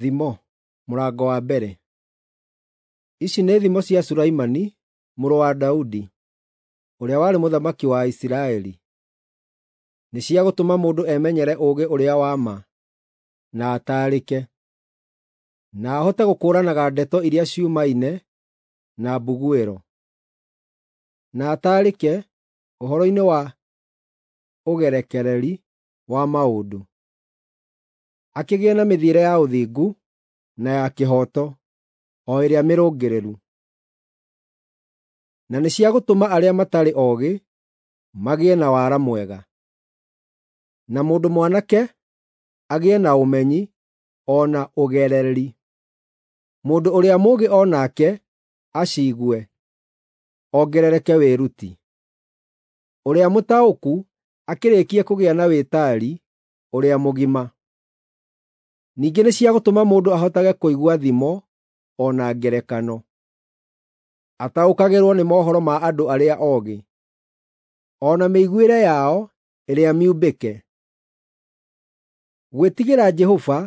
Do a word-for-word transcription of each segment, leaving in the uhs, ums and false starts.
Thimo mũrango wa mbere. Ici nĩ thimo cia Sulaimani mũrũ wa Daudi, ũrĩa warĩ mũthamaki wa Isiraeli. Nĩ cia gũtũma mũndũ emenyere ũũgĩ ũrĩa wa ma, na ataarĩke, na ahote gũkũũranaga ndeto iria ciumaine na mbuguĩro, na ataarĩke ũhoro-inĩ wa ũgerekereri wa maũndũ, akĩgĩe na mĩthiĩre ya ũthingu na ya kĩhooto, o ĩrĩa mĩrũngĩrĩru. Na nĩ cia gũtũma arĩa matarĩ oogĩ magĩe na wara mwega, na mũndũ mwanake agĩe na ũmenyi o na ũgereri. Mũndũ ũrĩa mũũgĩ o nake aciigue, ongerereke wĩruti. Ũrĩa mũtaũku akĩrĩkie kũgĩa na wĩtaari ũrĩa mũgima. Ningĩ nĩ cia gũtũma mũndũ ahotage kũigua thimo o na ngerekano, ataũkagĩrwo nĩ mohoro ma andũ arĩa oogĩ, o na mĩiguĩre yao ĩrĩa miumbĩke. Gwĩtigĩra Jehova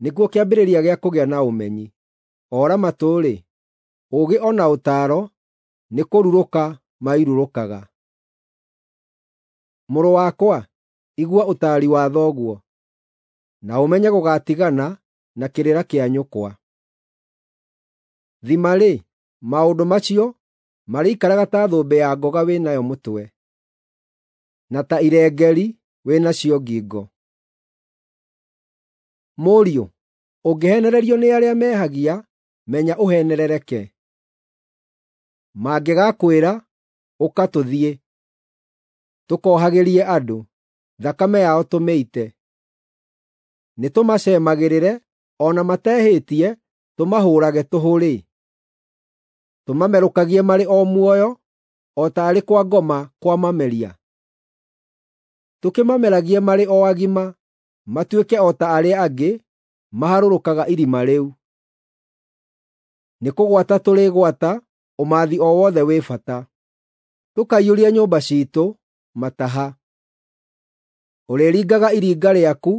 nĩkuo kĩambĩrĩria gĩa kũgĩa na ũmenyi. Ora matũ-rĩ, ũũgĩ o na ũtaaro nĩkũrurũka mairurũkaga. Mũrũ wakwa, igua ũtaari wa thoguo, na ũmenye gũgaatigana na kĩrĩra kĩa nyũkwa. Thima-rĩ, maũndũ macio marĩikaraga ta thũmbĩ ya ngoga wĩ nayo mũtwe, na ta irengeeri wĩ nacio ngingo. Mũriũ, ũngĩheenererio nĩ arĩa mehagia, menya ũheenerereke. Mangĩgakwĩra, “Ũka tũthiĩ, tũkohagĩrie andũ, thakame yao tũmĩite,” nĩtũmaceemagĩrĩre o na matehĩtie tũmahũũrage tũhũ-rĩ, tũmamerũkagie marĩ o muoyo o taarĩ kwa ngoma kwamameria? Tũkĩmameragie marĩ o agima, matuĩke o ta arĩa angĩ maharũrũkaga irima rĩu. Nĩkũgwata tũrĩgwata ũmaathi o wothe wĩ bata, tũkaiyũria nyũmba ciitũ mataha. Ũrĩringaga iringa rĩaku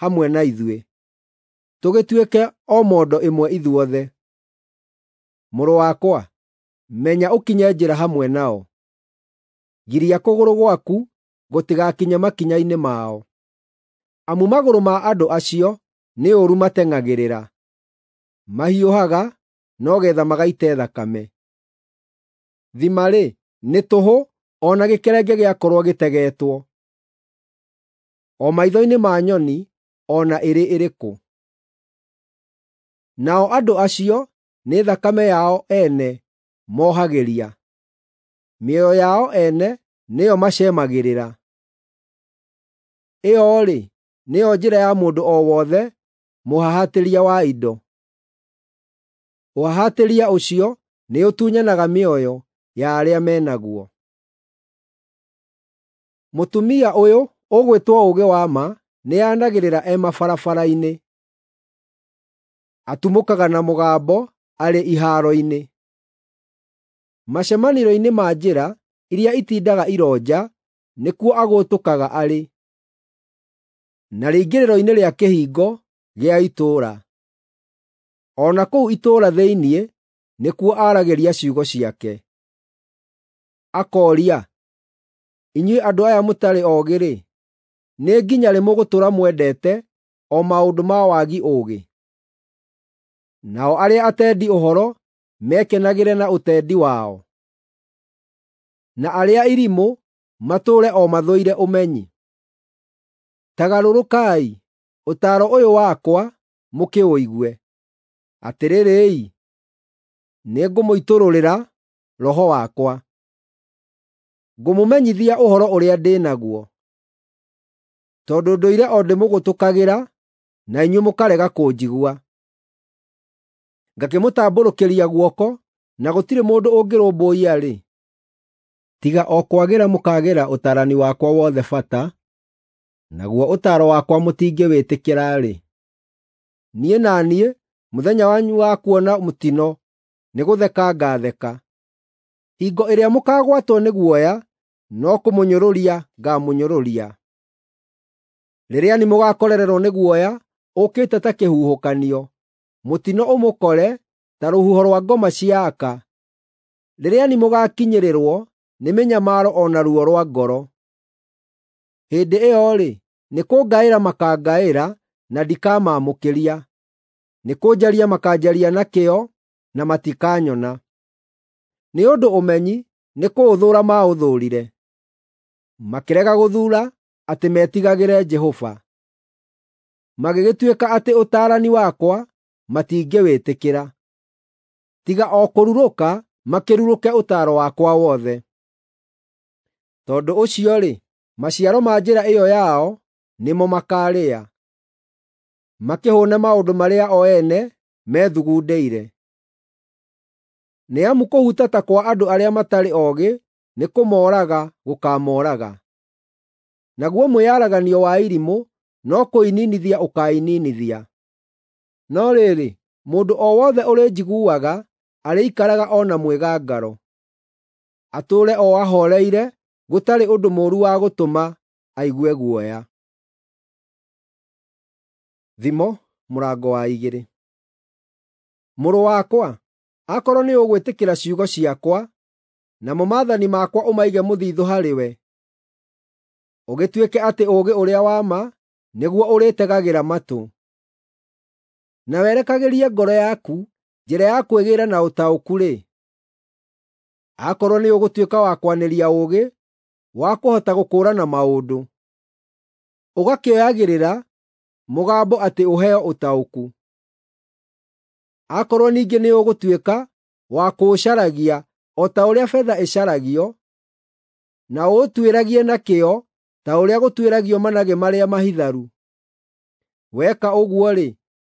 hamwe na ithuĩ, tũgĩtuĩke o mondo ĩmwe ithuothe. Mũrũ wakwa, menya ũkinye njĩra hamwe nao; giria kũgũrũ gwaku gũtigakinye makinya-inĩ mao. Amu magũrũ ma andũ acio nĩ ũũru mateng'agĩrĩra, mahiũhaga no geetha magaite thakame. Thima-rĩ, nĩ tũhũ o na gĩkerenge gĩakorwo gĩtegetwo, o maitho-inĩ ma nyoni o na ĩrĩ ĩrĩkũ. Nao andũ acio nĩ thakame yao ene mohagĩria, mĩoyo yao ene nĩyo maceemagĩrĩra. Ĩyo-rĩ, nĩyo njĩra ya mũndũ o wothe mũhahatĩria wa indo. Ũhahatĩria ũcio nĩũtunyanaga mĩoyo ya arĩa me naguo. Mũtumia ũyũ ũgwĩtwo Ũũgĩ-wa-ma nĩanagĩrĩra e mabarabara-inĩ; atumũkaga na mũgambo arĩ ihaaro-inĩ. Macemanĩrio-inĩ ma njĩra iria itindaga ironja nĩkuo agũtũkaga arĩ, na rĩingĩrĩro-inĩ rĩa kĩhingo gĩa itũũra. O na kũu itũũra thĩinĩ nĩkuo aaragĩria ciugo ciake. Akooria, “Inyuĩ andũ aya mũtarĩ oogĩ-rĩ, nĩ nginya rĩ mũgũtũũra mwendete o maũndũ ma wagi ũũgĩ?” Nao arĩa atendi ũhoro mekenagĩre na ũtendi wao, na arĩa irimũ matũũre o mathũire ũmenyi. Ta garũrũkai, ũtaaro ũyũ wakwa mũkĩũigue; atĩrĩrĩ-i, nĩngũmũitũrũrĩra roho wakwa, ngũmũmenyithia ũhoro ũrĩa ndĩ naguo. Tondũ ndũire o ndĩmũgũtũkagĩra na inyuĩ mũkarega kũnjigua, ngakĩmũtambũrũkĩria guoko na gũtirĩ mũndũ ũngĩrũmbũiya-rĩ, tiga o kwagĩra mũkaagĩra ũtaarani wakwa wothe bata, naguo ũtaaro wakwa mũtingĩwĩtĩkĩra-rĩ, niĩ na niĩ mũthenya wanyu wa kuona mũtino nĩgũtheka ngaatheka. Hingo ĩrĩa mũkaagwatwo nĩ guoya no kũmũnyũrũria ngaamũnyũrũria. Rĩrĩa mũgaakorererwo nĩ guoya ũũkĩte ta kĩhuhũkanio, mũtino ũmũkore ta rũhuho rwa ngoma cia aka, rĩrĩa nĩmũgakinyĩrĩrwo nĩ mĩnyamaro o na ruo rwa ngoro. Hĩndĩ ĩyo-rĩ, nĩkũngaĩra makangaĩra na ndikamaamũkĩria, nĩkũnjaria makanjaria na kĩyo na matikanyona. Nĩ ũndũ ũmenyi nĩkũũthũũra maũthũũrire, makĩrega gũthuura atĩ metigagĩre Jehova. Magĩgĩtuĩka atĩ ũtaarani wakwa matingĩwĩtĩkĩra, tiga o kũrurũka makĩrurũke ũtaaro wakwa wothe. Tondũ ũcio-rĩ, maciaro ma njĩra ĩyo yao nĩmo makaarĩa, makĩhũũne maũndũ marĩa o ene methugundĩire. Nĩ amu kũhutata kwa andũ arĩa matarĩ oogĩ nĩkũmooraga gũkaamooraga, naguo mwĩyaraganio wa irimũ no kũininithia ũkaininithia. No rĩrĩ, mũndũ o wothe ũrĩnjiguaga arĩikaraga o na mwĩgangaro, atũũre o ahooreire gũtarĩ ũndũ mũũru wa gũtũma aigue guoya. Thimo mũrango wa igĩrĩ. Mũrũ wakwa, akorwo nĩũgwĩtĩkĩra ciugo ciakwa, namo maathani makwa ũmaige mũthithũ harĩwe, ũgĩtuĩke atĩ ũũgĩ ũrĩa wa ma nĩguo ũrĩtegagĩra matũ, na werekagĩrie ngoro yaku njĩra ya kwĩgĩĩra na ũtaũku-rĩ, akorwo nĩũgũtuĩka wa kwanĩria ũũgĩ wa kũhota gũkũũrana maũndũ, ũgakĩoyagĩrĩra mũgambo atĩ ũheo ũtaũku. Akorwo ningĩ nĩũgũtuĩka wa kũũcaragia o ta ũrĩa betha ĩcaragio, na ũũtuĩragie na kĩyo ta ũrĩa gũtuĩragio managĩ marĩa mahitharu, weka ũguo-rĩ,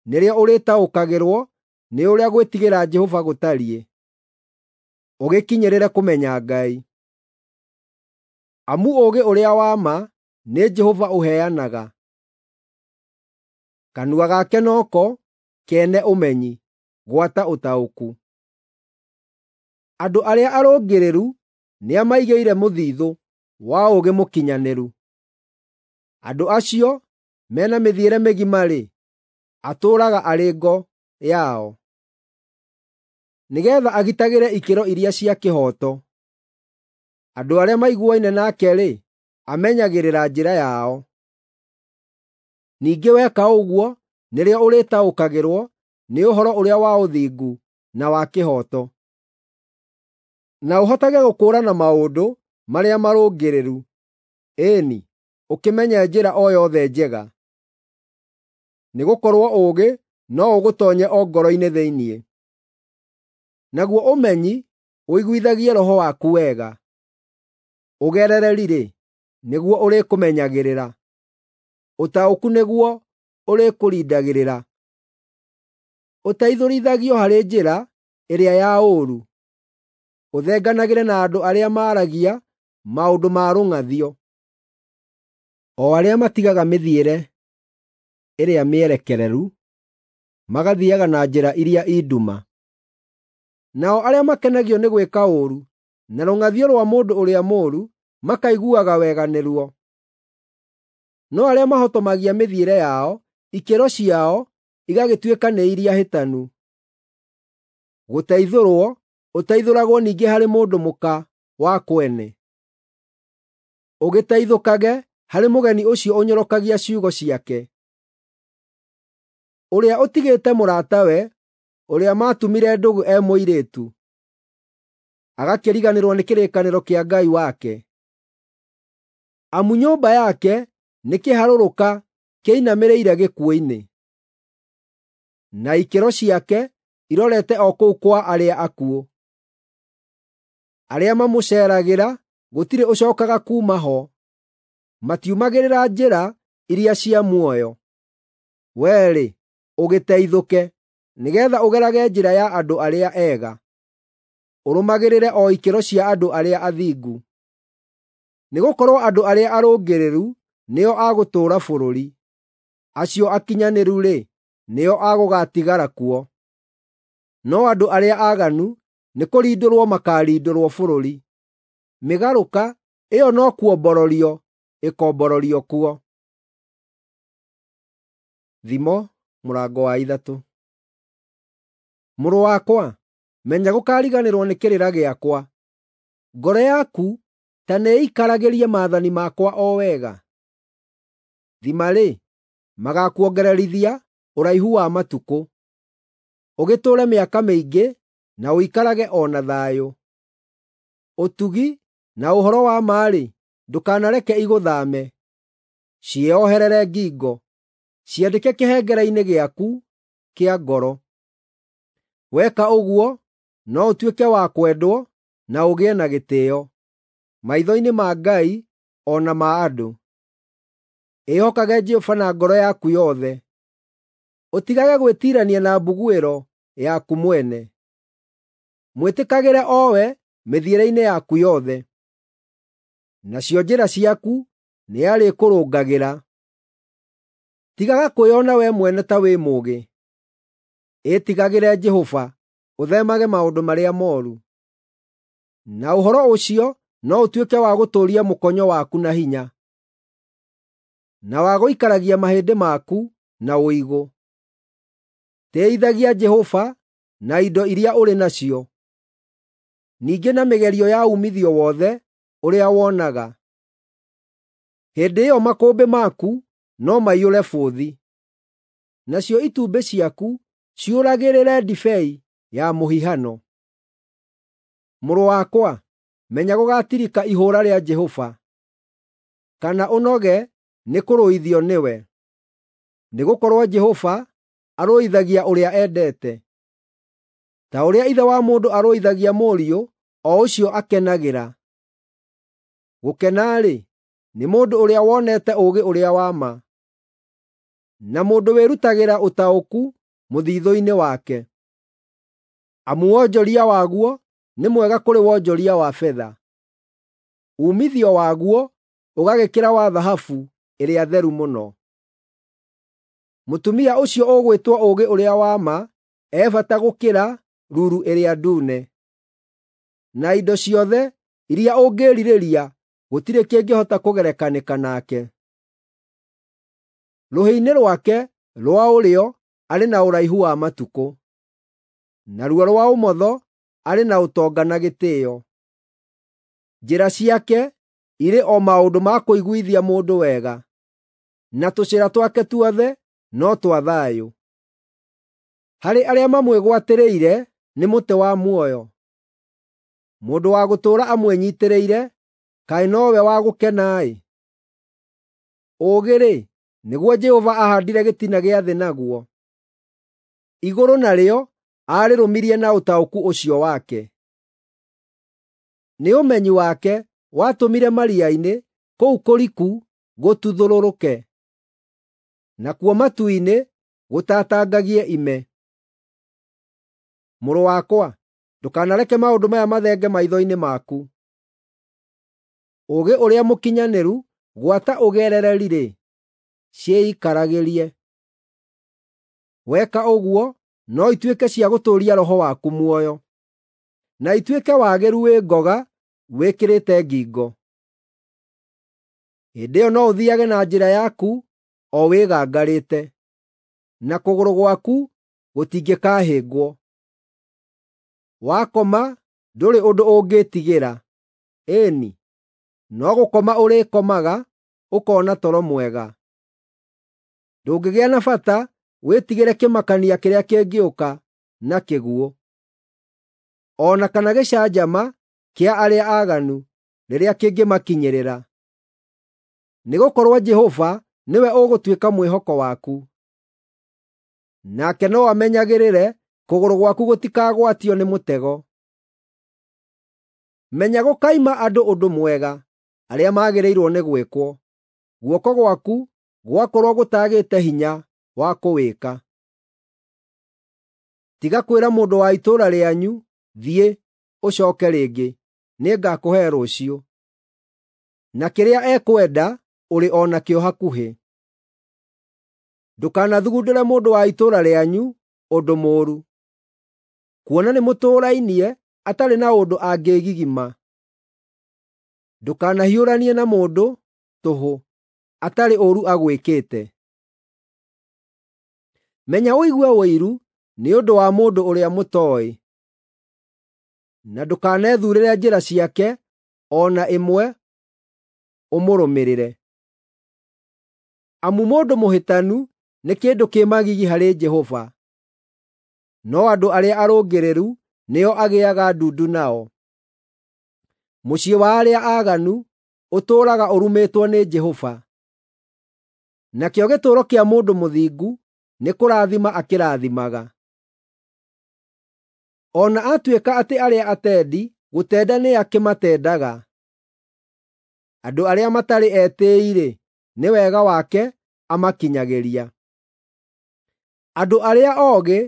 nĩrĩo ũrĩtaũkagĩrwo nĩ ũrĩa gwĩtigĩra Jehova gũtariĩ, ũgĩkinyĩrĩre kũmenya Ngai. Amu ũũgĩ ũrĩa wa ma nĩ Jehova ũheanaga, kanua gake noko kene ũmenyi, gwata ũtaũku. Andũ arĩa arũngĩrĩru nĩamaigĩire mũthithũ wa ũũgĩ mũkinyanĩru. Andũ acio mena mĩthiĩre mĩgima-rĩ, atũũraga arĩ ngo yao, nĩgeetha agitagĩre ikĩro iria cia kĩhooto. Andũ arĩa maiguaine nake-rĩ, amenyagĩrĩra njĩra yao. Ningĩ weka ũguo nĩrĩo ũrĩtaũkagĩrwo nĩ ũhoro ũrĩa wa ũthingu na wa kĩhooto, na ũhotage gũkũũrana maũndũ marĩa marũngĩrĩru, ĩĩ-ni, ũkĩmenye njĩra o yothe njega. Nĩgũkorwo ũũgĩ no ũgũtoonye o ngoro-inĩ thĩinĩ, naguo ũmenyi ũiguithagie roho waku wega. Ũgerereri-rĩ, nĩguo ũrĩkũmenyagĩrĩra, ũtaũku nĩguo ũrĩkũrindagĩrĩra. Ũteithũrithagio harĩ njĩra ĩrĩa ya ũũru, ũthenganagĩre na andũ arĩa maaragia maũndũ ma rũng'athio, o arĩa matigaga mĩthiĩre ĩrĩa mĩerekereru, magathiiaga na njĩra iria i nduma. Nao arĩa makenagio nĩ gwĩka ũũru, na rũng'athio rwa mũndũ ũrĩa mũũru makaiguaga wega nĩruo. No arĩa mahotomagia mĩthiĩre yao, ikĩro ciao igagĩtuĩka nĩ iria hĩtanu. Gũteithũrwo ũteithũragwo ningĩ harĩ mũndũ mũka wa kwene, ũgĩteithũkage harĩ mũgeni ũcio ũnyorokagia ciugo ciake, ũrĩa ũtigĩte mũratawe ũrĩa maatumire ndũgũ e mũirĩtu, agakĩriganĩrwo nĩ kĩrĩkanĩro kĩa Ngai wake. Amu nyũmba yake nĩ kĩharũrũka kĩinamĩrĩire gĩkuũ-inĩ, na ikĩro ciake irorete o kũu kwa arĩa akuũ. Arĩa mamũceeragĩra gũtirĩ ũcookaga kuuma ho, matiumagĩrĩra njĩra iria cia muoyo. Wee-rĩ, ũgĩteithũke, nĩgeetha ũgerage njĩra ya andũ arĩa ega, ũrũmagĩrĩre o ikĩro cia andũ arĩa athingu. Nĩgũkorwo andũ arĩa arũngĩrĩru nĩo a gũtũũra bũrũri, acio akinyanĩru-rĩ, nĩo a gũgaatigara kuo. No andũ arĩa aaganu nĩkũrindũrwo makaarindũrwo bũrũri, mĩgarũka ĩyo no kuombororio ĩkombororio kuo. Thimo mũrango wa ithatũ. Mũrũ wakwa, menya gũkariganĩrwo nĩ kĩrĩra gĩakwa. Ngoro yaku ta nĩĩikaragĩrie maathani makwa o wega. Thima-rĩ, magakuongererithia ũraihu wa matukũ, ũgĩtũũre mĩaka mĩingĩ na ũikarage o na thayũ. Ũtugi na ũhoro wa ma-rĩ, ndũkanareke igũthaame. Ciĩoherere ngingo, ciandĩke kĩhengere-inĩ gĩaku kĩa ngoro. Weka ũguo no ũtuĩke wa kwendwo na ũgĩe na gĩtĩĩo maitho-inĩ ma Ngai o na ma andũ. Ĩhokage Jehova na ngoro yaku yothe, ũtigage gwĩtiirania na mbuguĩro yaku mwene. Mwĩtĩkagĩre o we mĩthiĩre-inĩ yaku yothe, nacio njĩra ciaku nĩarĩkũrũngagĩra. Tigaga kwĩona wee mwene ta wĩ mũũgĩ. Ĩtigagĩre Jehova, ũtheemage maũndũ marĩa mooru. Na ũhoro ũcio no ũtuĩke wa gũtũũria mũkonyo waku na hinya, na wa gũikaragia mahĩndĩ maku na ũigũ. Tĩĩithagia Jehova na indo iria ũrĩ nacio, ningĩ na mĩgerio ya uumithio wothe ũrĩa wonaga. Hĩndĩ ĩyo makũmbĩ maku no maiyũre bũthi, nacio itumbĩ ciaku ciũragĩrĩre ndibei ya mũhihano. Mũrũ wakwa, menya gũgaatirika ihũũra rĩa Jehova, kana ũnoge nĩ kũrũithio nĩwe. Nĩgũkorwo Jehova arũithagia ũrĩa endete, ta ũrĩa ithe wa mũndũ arũithagia mũriũ o ũcio akenagĩra. Gũkena-rĩ, nĩ mũndũ ũrĩa wonete ũũgĩ ũrĩa wa ma, na mũndũ wĩrutagĩra ũtaũku mũthiithũ-inĩ wake. Amu wonjoria waguo nĩ mwega kũrĩ wonjoria wa betha, uumithio waguo ũgagĩkĩra wa thahabu ĩrĩa theru mũno. Mũtumia ũcio ũgwĩtwo ũũgĩ ũrĩa wa ma e bata gũkĩra ruru ĩrĩa ndune. Na indo ciothe iria ũngĩĩrirĩria gũtirĩ kĩngĩhota kũgerekanĩka nake. Rũhĩ-inĩ rwake rwa ũrĩo arĩ na ũraihu wa matukũ, naruo rwa ũmotho arĩ na ũtonga na gĩtĩĩo. Njĩra ciake irĩ o maũndũ ma kũiguithia mũndũ wega, na tũcĩra twake tuothe no twa thayũ. Harĩ arĩa mamwĩgwatĩrĩire nĩ mũtĩ wa muoyo. Mũndũ wa gũtũũra amwĩnyiitĩrĩire, kaĩ nowe wa gũkena-ĩ! Ũũgĩ-rĩ, nĩguo Jehova aahaandire gĩtina gĩa thĩ naguo. Igũrũ narĩo aarĩrũmirie na ũtaũku ũcio wake. Nĩ ũmenyi wake watũmire maria-inĩ kũu kũriku gũtuthũrũrũke, nakuo matu-inĩ gũtatangagie ime. Mũrũ wakwa, ndũkanareke maũndũ maya mathenge maitho-inĩ maku. Ũũgĩ ũrĩa mũkinyanĩru gwata ũgerereri-rĩ, ciikaragĩrie. Weka ũguo no ituĩke cia gũtũũria roho waku muoyo, na ituĩke wagĩru wĩ ngoga wĩkĩrĩte ngingo. Hĩndĩ ĩyo no ũthiiage na njĩra yaku o wĩgangarĩte, na kũgũrũ gwaku gũtingĩkahĩngwo. Wakoma ndũrĩ ũndũ ũngĩĩtigĩra, ĩĩ-ni, no gũkoma ũrĩkomaga ũkoona toro mwega. Ndũngĩgĩa na bata wĩtigĩre kĩmakania kĩrĩa kĩngĩũka na kĩguũ, o na kana gĩcanjama kĩa arĩa aaganu rĩrĩa kĩngĩmakinyĩrĩra. Nĩgũkorwo Jehova nĩwe ũgũtuĩka mwĩhoko waku, nake no amenyagĩrĩre kũgũrũ gwaku gũtikagwatio nĩ mũtego. Menya gũkaima andũ ũndũ mwega arĩa magĩrĩirwo nĩ gwĩkwo, guoko gwaku gwakorwo gũtaagĩte hinya wa kũwĩka. Tiga kwĩra mũndũ wa itũũra rĩanyu, “Thiĩ, ũcooke rĩngĩ, nĩngakũhe rũciũ,” na kĩrĩa ekwenda ũrĩ o nakĩo hakuhĩ. Ndũkanathugundĩre mũndũ wa itũũra rĩanyu ũndũ mũũru, kuona nĩmũtũũrainie atarĩ na ũndũ angĩĩgigima. Ndũkanahiũranie na mũndũ tũhũ atarĩ ũũru agwĩkĩte. Menya ũigue ũiru nĩ ũndũ wa mũndũ ũrĩa mũtooĩ, na ndũkanethuurĩre njĩra ciake o na ĩmwe ũmũrũmĩrĩre. Amu mũndũ mũhĩtanu nĩ kĩndũ kĩ magigi harĩ Jehova, no andũ arĩa arũngĩrĩru nĩo agĩaga ndundu nao. Mũciĩ wa arĩa aaganu ũtũũraga ũrumĩtwo nĩ Jehova, nakĩo gĩtũũro kĩa mũndũ mũthingu nĩ kũrathima akĩrathimaga. O na atuĩka atĩ arĩa atendi gũtenda nĩakĩmatendaga, andũ arĩa matarĩ etĩĩi-rĩ, nĩ wega wake amakinyagĩria. Andũ arĩa oogĩ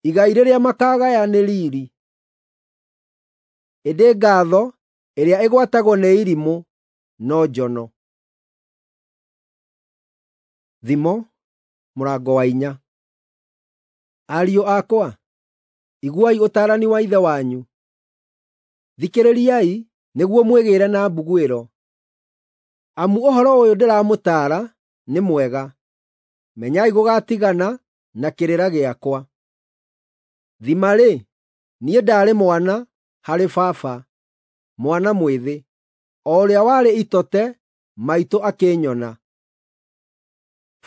igai rĩrĩa makaagaya nĩ riiri, ĩndĩ ngaatho ĩrĩa ĩgwatagwo nĩ irimũ no njono. Thimo mũrango wa inya. Ariũ akwa, iguai ũtaarani wa ithe wanyu; thikĩrĩriai nĩguo mwĩgĩĩre na mbuguĩro. Amu ũhoro ũyũ ndĩramũtaara nĩ mwega, menyai gũgaatigana na kĩrĩra gĩakwa. Thima-rĩ, niĩ ndaarĩ mwana harĩ baba, mwana mwĩthĩ, o ũrĩa warĩ itote maitũ akĩnyona.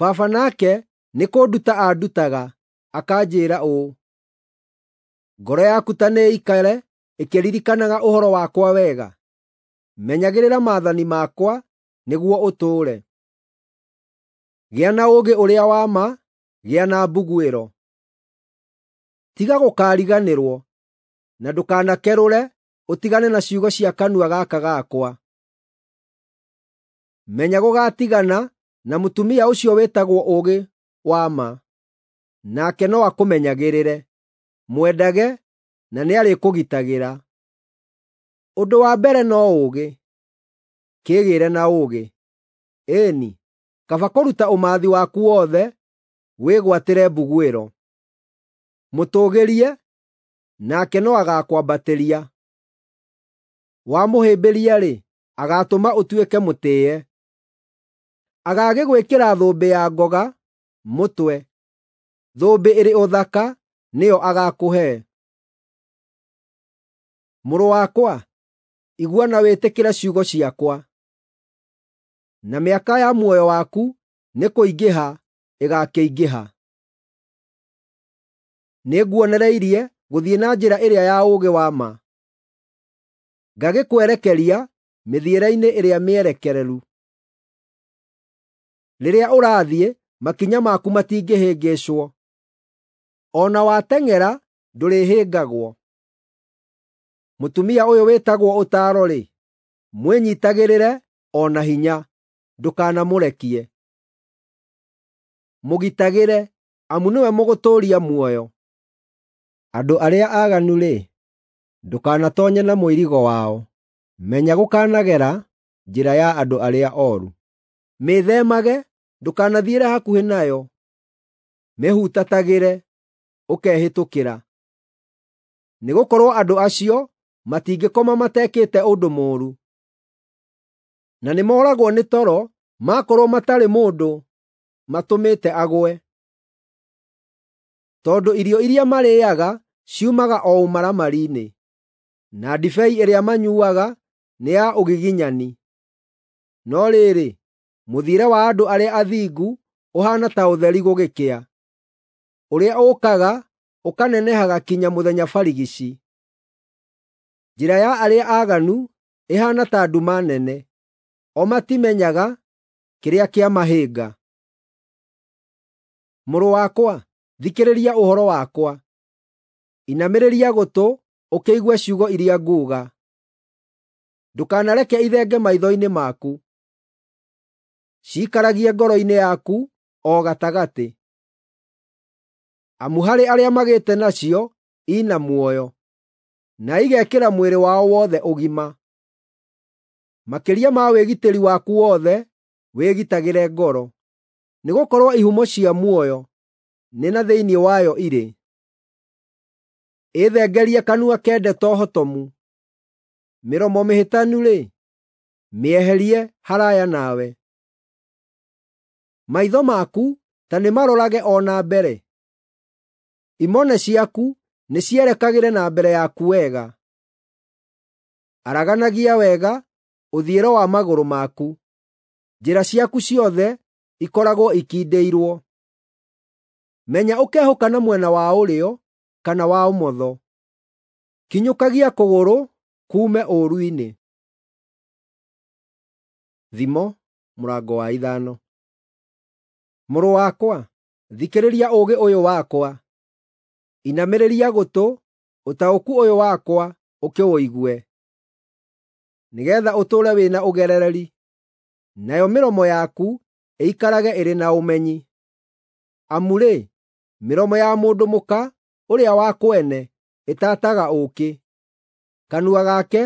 Baba nake nĩ kũnduta aandutaga, akanjĩĩra ũũ, “Ngoro yaku ta nĩĩikare ĩkĩririkanaga ũhoro wakwa wega; menyagĩrĩra maathani makwa nĩguo ũtũũre. Gĩa na ũũgĩ ũrĩa wa ma, gĩa na mbuguĩro. Tiga gũkaariganĩrwo, na ndũkanakerũre ũtigane na ciugo cia kanua gaka gakwa. Menya gũgaatigana na mũtumia ũcio wĩtagwo ũũgĩ wa ma, nake no akũmenyagĩrĩre. Mwendage, na nĩarĩkũgitagĩra. Ũndũ wa mbere no ũũgĩ, kĩĩgĩĩre na ũũgĩ. Ĩĩ-ni, kaba kũruta ũmaathi waku wothe wĩgwatĩre mbuguĩro. Mũtũũgĩrie, nake no agaakwambatĩria. Wamũhĩmbĩria-rĩ, agaatũma ũtuĩke mũtĩĩe. Agagĩgwĩkĩra thũmbĩ ya ngoga mũtwe, thũmbĩ ĩrĩ ũthaka nĩyo agaakũhe. Mũrũ wakwa, igua na wĩtĩkĩre ciugo ciakwa, na mĩaka ya muoyo waku nĩ kũingĩha ĩgaakĩingĩha. Nĩnguonereirie gũthiĩ na njĩra ĩrĩa ya ũũgĩ wa ma, ngagĩkwerekeria mĩthiĩre-inĩ ĩrĩa mĩerekereru. Rĩrĩa ũrathiĩ, makinya maku matingĩhĩngĩcwo, o na wateng'era ndũrĩhĩngagwo. Mũtumia ũyũ wĩtagwo ũtaaro-rĩ, mwĩnyiitagĩrĩre o na hinya, ndũkanamũrekie. Mũgitagĩre, amu nĩwe mũgũtũũria muoyo. Andũ arĩa aaganu-rĩ, ndũkanatoonye na mũirigo wao; menya gũkanagera njĩra ya andũ arĩa ooru. Mĩĩthemage, ndũkanathiĩre hakuhĩ nayo; mĩhutatagĩre, ũkehĩtũkĩra. Nĩgũkorwo andũ acio matingĩkoma matekĩte ũndũ mũũru, na nĩmooragwo nĩ toro maakorwo matarĩ mũndũ matũmĩte agwe. Tondũ irio iria marĩĩaga ciumaga o ũmaramari-inĩ, na ndibei ĩrĩa manyuuaga nĩ ya ũgiginyani. No rĩrĩ, mũthiĩre wa andũ arĩa athingu ũhaana ta ũtheri gũgĩkĩa, ũrĩa ũũkaga ũkanenehaga kinya mũthenya barigici. Njĩra ya arĩa aaganu ĩhaana ta nduma nene, o matimenyaga kĩrĩa kĩamahĩnga. Mũrũ wakwa, thikĩrĩria ũhoro wakwa; inamĩrĩria gũtũ ũkĩigue ciugo iria nguuga. Ndũkanareke ithenge maitho-inĩ maku; ciikaragie ngoro-inĩ yaku o gatagatĩ. Amu harĩ arĩa magĩte nacio i na muoyo, na igekĩra mwĩrĩ wao wothe ũgima. Makĩria ma wĩgitĩri waku wothe, wĩgitagĩre ngoro, nĩgũkorwo ihumo cia muoyo nĩ na thĩinĩ wayo irĩ. Ĩthengerie kanua ke ndeto hotomu; mĩromo mĩhĩtanu-rĩ, mĩeherie haraaya nawe. Maitho maku ta nĩmarorage o na mbere, Imone ciaku nĩcierekagĩre na mbere yaku wega. Araganagia wega ũthiĩro wa magũrũ maku, njĩra ciaku ciothe ikoragwo ikindĩirwo. Menya ũkehũka na mwena wa ũrĩo kana wa ũmotho. Kinyũkagia kũgũrũ kuume ũũru-inĩ. Thimo mũrango wa ithano. Mũrũ wakwa, thikĩrĩria ũũgĩ ũyũ wakwa, inamĩrĩria gũtũ ũtaũku ũyũ wakwa ũkĩũigue, nĩgeetha ũtũũre wĩna ũgerereri, nayo mĩromo yaku ĩikarage ĩrĩ na ũmenyi. Amu-rĩ, mĩromo ya mũndũ mũka ũrĩa wa kwene ĩtaataga ũũkĩ, kanua gake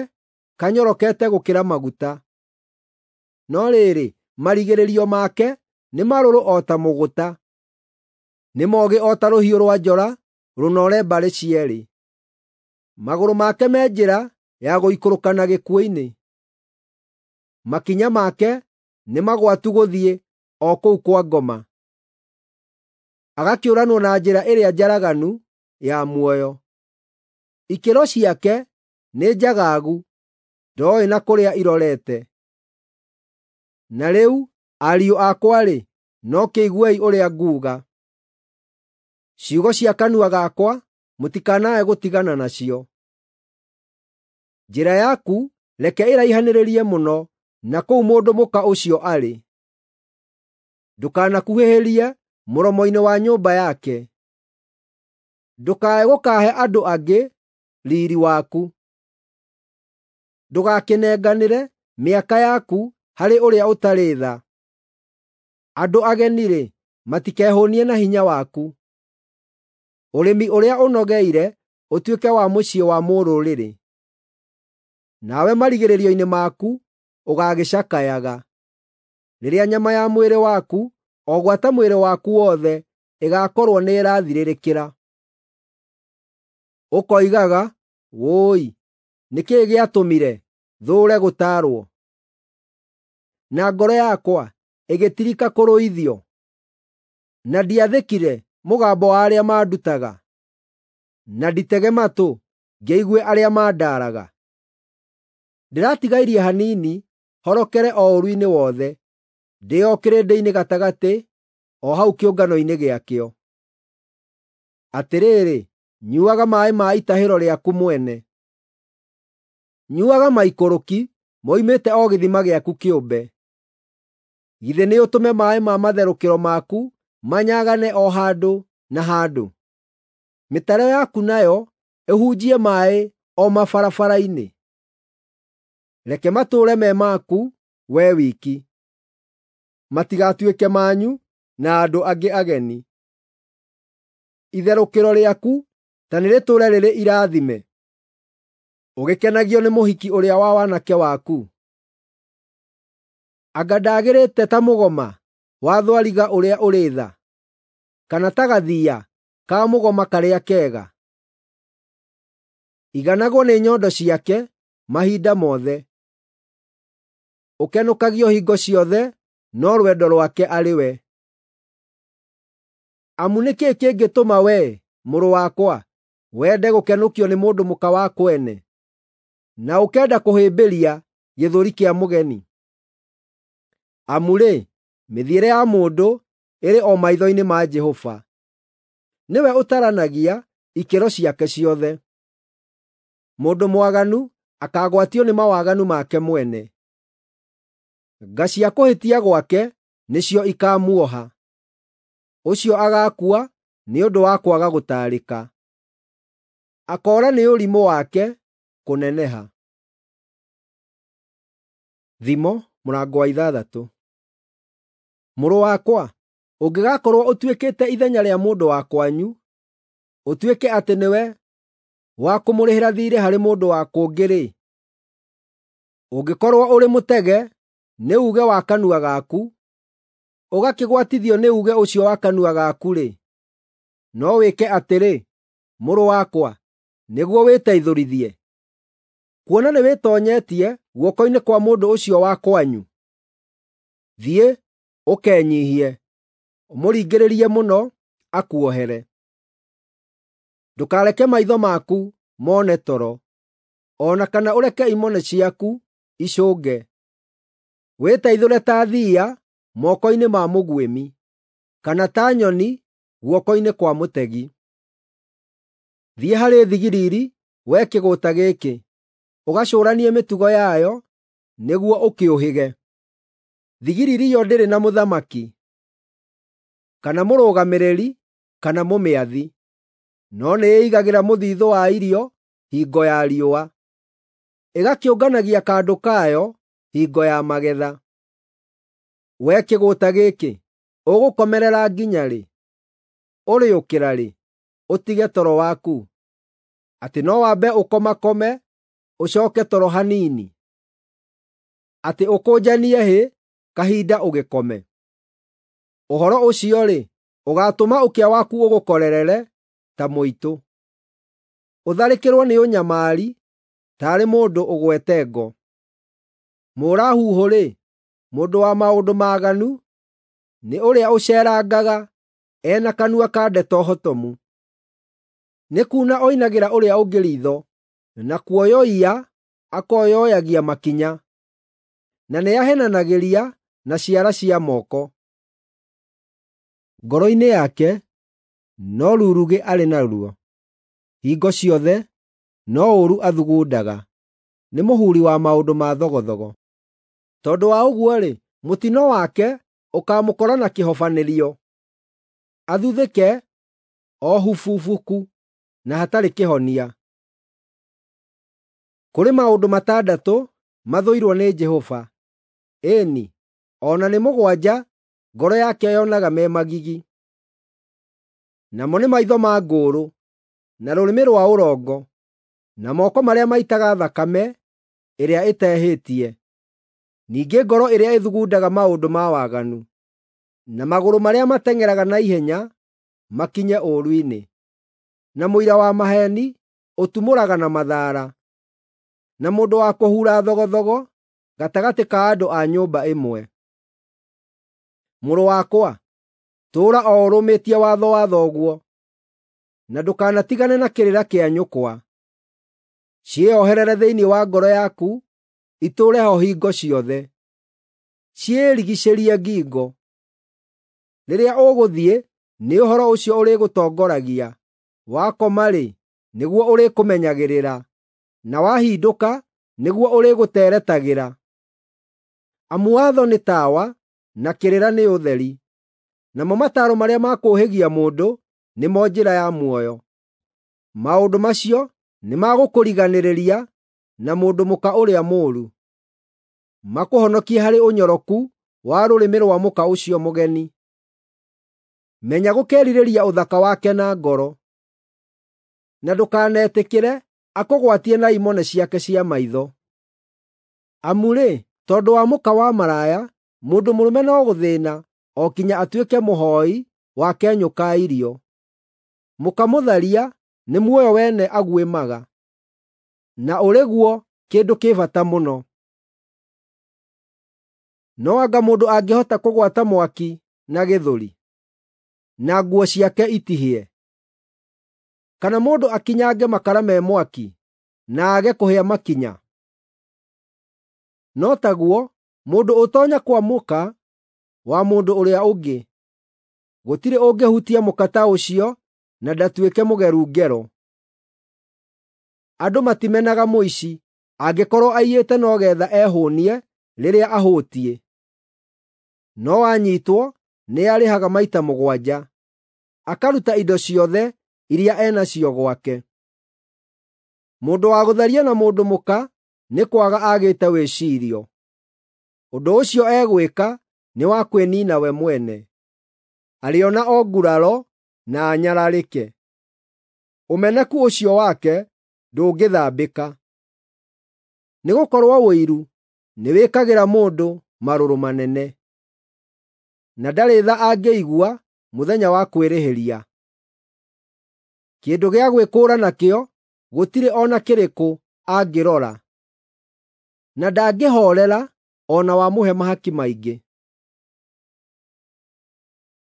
kanyorokete gũkĩra maguta. No rĩrĩ, marigĩrĩrio make nĩ marũrũ o ta mũgũta, nĩ moogĩ o ta rũhiũ rwa njora rũnoore mbarĩ cierĩ. Magũrũ make me njĩra ya gũikũrũka na gĩkuũ-inĩ, makinya make nĩ magwatu gũthiĩ o kũu kwa ngoma. Agakĩũranwo na njĩra ĩrĩa njaraganu ya muoyo. Ikĩro ciake nĩ njagaagu, ndooĩ na kũrĩa irorete. Na rĩu, ariũ akwa-rĩ, no kĩiguei ũrĩa nguuga. Ciugo cia kanua gakwa mũtikanae gũtigana nacio. Njĩra yaku reke ĩraihanĩrĩrie mũno na kũu mũndũ mũka ũcio arĩ. Ndũkanakuhĩhĩrie mũromo-inĩ wa nyũmba yake. Ndũkae gũkahe andũ angĩ riiri waku. Ndũgakĩnenganĩre mĩaka yaku harĩ ũrĩa ũtarĩ tha. Andũ ageni-rĩ, matikehũũnie na hinya waku. Ũrĩmi ũrĩa ũnogeire ũtuĩke wa mũciĩ wa mũrũrĩrĩ. Nawe marigĩrĩrio-inĩ maku ũgaagĩcakayaga, rĩrĩa nyama ya mwĩrĩ waku, o gwata mwĩrĩ waku wothe, ĩgaakorwo nĩĩrathirĩrĩkĩra. Ũkoigaga, “Wũi, nĩ kĩĩ gĩatũmire thũũre gũtaarwo, na ngoro yakwa ĩgĩtirika kũrũithio, na ndiathĩkire mũgambo wa arĩa maandutaga, na nditege matũ ngĩigue arĩa maandaaraga. Ndĩratigairie hanini horokere o ũũru-inĩ wothe, ndĩ o kĩrĩndĩ-inĩ gatagatĩ, o hau kĩũngano-inĩ gĩakĩo. Atĩrĩrĩ, nyuaga maaĩ ma itahĩro rĩaku mwene, nyuaga maikũrũki moimĩte o gĩthima gĩaku kĩũmbe. Githĩ nĩũtũme maaĩ ma matherũkĩro maku manyagane o handũ na handũ, mĩtaro yaku nayo ĩhunjie maaĩ o mabarabara-inĩ? Reke matũũre me maku wee wiki, matigatuĩke manyu na andũ angĩ ageni. Itherũkĩro rĩaku ta nĩrĩtũũre rĩrĩ irathime, ũgĩkenagio nĩ mũhiki ũrĩa wa wanake waku. Anga ndagĩrĩte ta mũgoma wa thwariga ũrĩa ũrĩ tha, kana ta gathiiya ka mũgoma karĩa kega? Iganagwo nĩ nyondo ciake mahinda mothe, ũkenũkagio hingo ciothe no rwendo rwake arĩ we. Amu nĩ kĩĩ kĩngĩtũma wee, mũrũ wakwa, wende gũkenũkio nĩ mũndũ mũka wa kwene, na ũkenda kũhĩmbĩria gĩthũri kĩa mũgeni? Amu-rĩ, mĩthiĩre ya mũndũ ĩrĩ o maitho-inĩ ma Jehova; nĩwe ũtaranagia ikĩro ciake ciothe. Mũndũ mwaganu akaagwatio nĩ mawaganu make mwene; nga cia kũhĩtia gwake nĩcio ikaamuoha. Ũcio agaakua nĩ ũndũ wa kwaga gũtaarĩka, akoora nĩ ũrimũ wake kũneneha. Thimo mũrango wa ithathatũ. Mũrũ wakwa, ũngĩgakorwo ũtuĩkĩte ithenya rĩa mũndũ wa kwanyu, ũtuĩke atĩ nĩwe wa kũmũrĩhĩra thiirĩ harĩ mũndũ wa kũngĩ-rĩ, ũngĩkorwo ũrĩ mũtege nĩ uuge wa kanua gaku, ũgakĩgwatithio nĩ uuge ũcio wa kanua gaku-rĩ, no wĩke atĩrĩ, mũrũ wakwa, nĩguo wĩteithũrithie, kuona nĩwĩtoonyetie guoko-inĩ kwa mũndũ ũcio wa kwanyu. Thiĩ, ũkenyiihie, ũmũringĩrĩrie mũno akuohere. Ndũkareke maitho maku mone toro, o na kana ũreke imone ciaku icũnge. Wĩteithũre ta thiiya moko-inĩ ma mũguĩmi, kana ta nyoni guoko-inĩ kwa mũtegi. Thiĩ harĩ thigiriri, wee kĩgũũta gĩkĩ, ũgacũũranie mĩtugo yayo nĩguo ũkĩũhĩge. Thigiriri yo ndĩrĩ na mũthamaki, kana mũrũgamĩrĩri, kana mũmĩathi, no nĩĩigagĩra mũthiithũ wa irio hingo ya riũa, ĩgakĩũnganagia kandũ kayo hingo ya magetha. Wee kĩgũũta gĩkĩ, ũgũkomerera nginya rĩ? Ũrĩũkĩra rĩ, ũtige toro waku? Atĩ no wambe ũkomakome, ũcooke toro hanini? Atĩ ũkũnjanie hĩ kahinda ũgĩkome? Ũhoro ũcio-rĩ, ũgaatũma ũkĩa waku ũgũkorerere ta mũitũ, ũtharĩkĩrwo nĩ ũnyamari taarĩ mũndũ ũgwete ngo. Mũũra-huhũ-rĩ, mũndũ wa maũndũ maaganu, nĩ ũrĩa ũceerangaga e na kanua ka ndeto hotomu. Nĩ kuuna oinagĩra ũrĩa ũngĩ riitho, na kuoyoiya akoyoyagia makinya, na nĩahenanagĩria na ciara cia moko. Ngoro-inĩ yake no rurugĩ arĩ naruo, hingo ciothe no ũũru athugundaga, nĩ mũhuri wa maũndũ ma thogothogo. Tondũ wa ũguo-rĩ, mũtino wake ũkaamũkora na kĩhobanĩrio, athuthĩke o hububuku na hatarĩ kĩhonia. Kũrĩ maũndũ matandatũ mathũirwo nĩ Jehova, ĩĩ-ni, o na nĩ mũgwanja ngoro yake yonaga me magigi: namo nĩ maitho ma ngũũrũ, na rũrĩmĩ rwa ũrongo, na moko marĩa maitaga thakame ĩrĩa ĩtehĩtie, ningĩ ngoro ĩrĩa ĩthugundaga maũndũ ma waganu, na magũrũ marĩa mateng'eraga na ihenya makinye ũũru-inĩ, na mũira wa maheeni ũtumũraga na mathaara, na mũndũ wa kũhura thogothogo gatagatĩ ka andũ a nyũmba ĩmwe. Mũrũ wakwa, tũũra o ũrũmĩtie watho wa thoguo, na ndũkanatigane na kĩrĩra kĩa nyũkwa. Ciĩoherere thĩinĩ wa ngoro yaku, itũũre ho hingo ciothe. Ciĩrigiicĩrie ngingo. Rĩrĩa ũgũthiĩ, nĩ ũhoro ũcio ũrĩgũtongoragia; wakoma-rĩ, nĩguo ũrĩkũmenyagĩrĩra, na wahindũka, nĩguo ũrĩgũteretagĩra. Amu watho nĩ tawa, na kĩrĩra nĩ ũtheri, namo mataaro marĩa ma kũũhĩgia mũndũ nĩmo njĩra ya muoyo. Maũndũ macio nĩmagũkũriganĩrĩria na mũndũ mũka ũrĩa mũũru, makũhonokie harĩ ũnyoroku wa rũrĩmĩ rwa mũka ũcio mũgeni. Menya gũkerirĩria ũthaka wake na ngoro, na ndũkanetĩkĩre akũgwatie na imone ciake cia maitho. Amu-rĩ, tondũ wa mũka wa maraya, mũndũ mũrũme no gũthĩĩna o kinya atuĩke mũhooi wa kenyũ ka irio. Mũka mũtharia nĩ muoyo wene aguĩmaga, na ũrĩ guo kĩndũ kĩ bata mũno. No anga mũndũ angĩhota kũgwata mwaki na gĩthũri, na nguo ciake itihĩe? Kana mũndũ akinyange makara me mwaki, na aage kũhĩa makinya? No taguo mũndũ ũtonya kwa mũka wa mũndũ ũrĩa ũngĩ. Gũtirĩ ũngĩhutia mũka ta ũcio na ndatuĩke mũgeru ngero. Andũ matimenaga mũici angĩkorwo aiyĩte no geetha ehũũnie rĩrĩa ahũtiĩ. No anyiitwo nĩarĩhaga maita mũgwanja, akaruta indo ciothe iria enacio gwake. Mũndũ wa gũtharia na mũndũ mũka nĩ kwaga aagĩte wĩciirio. Ũndũ ũcio egwĩka nĩ wa kwĩniina we mwene. Arĩona o nguraro na anyararĩke. Ũmeneku ũcio wake ndũngĩthambĩka. Nĩgũkorwo ũiru nĩwĩkagĩra mũndũ marũrũ manene, na ndarĩ tha angĩigua mũthenya wa kwĩrĩhĩria. Kĩndũ gĩa gwĩkũũra nakĩo gũtirĩ o na kĩrĩkũ angĩrora, na ndangĩhoorera o na wamũhe mahaki maingĩ.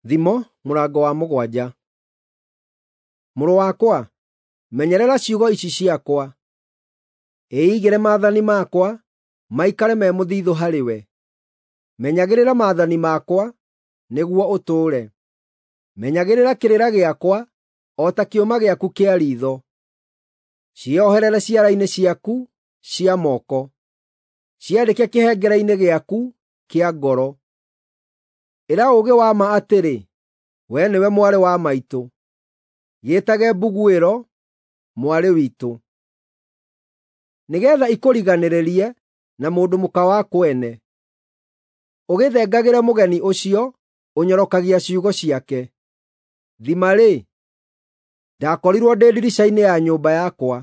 Thimo mũrango wa mũgwanja. Mũrũ wakwa, menyerera ciugo ici ciakwa. Ĩigĩre maathani makwa, maikare me mũthithũ harĩwe. Menyagĩrĩra maathani makwa, nĩguo ũtũũre. Menyagĩrĩra kĩrĩra gĩakwa o ta kĩũma gĩaku kĩa riitho. Cioherere ciara-inĩ ciaku cia moko, ciandĩke kĩhengere-inĩ gĩaku kĩa ngoro. Ĩra ũũgĩ wa ma atĩrĩ, “Wee nĩwe mwarĩ wa maitũ.” Gĩĩtage mbuguĩro, “Mwarĩ witũ,” nĩgeetha ikũriganĩrĩrie na mũndũ mũka wa kwene, ũgĩthengagĩre mũgeni ũcio ũnyorokagia ciugo ciake. Thima-rĩ, ndakorirwo ndĩ ndirica-inĩ ya nyũmba yakwa,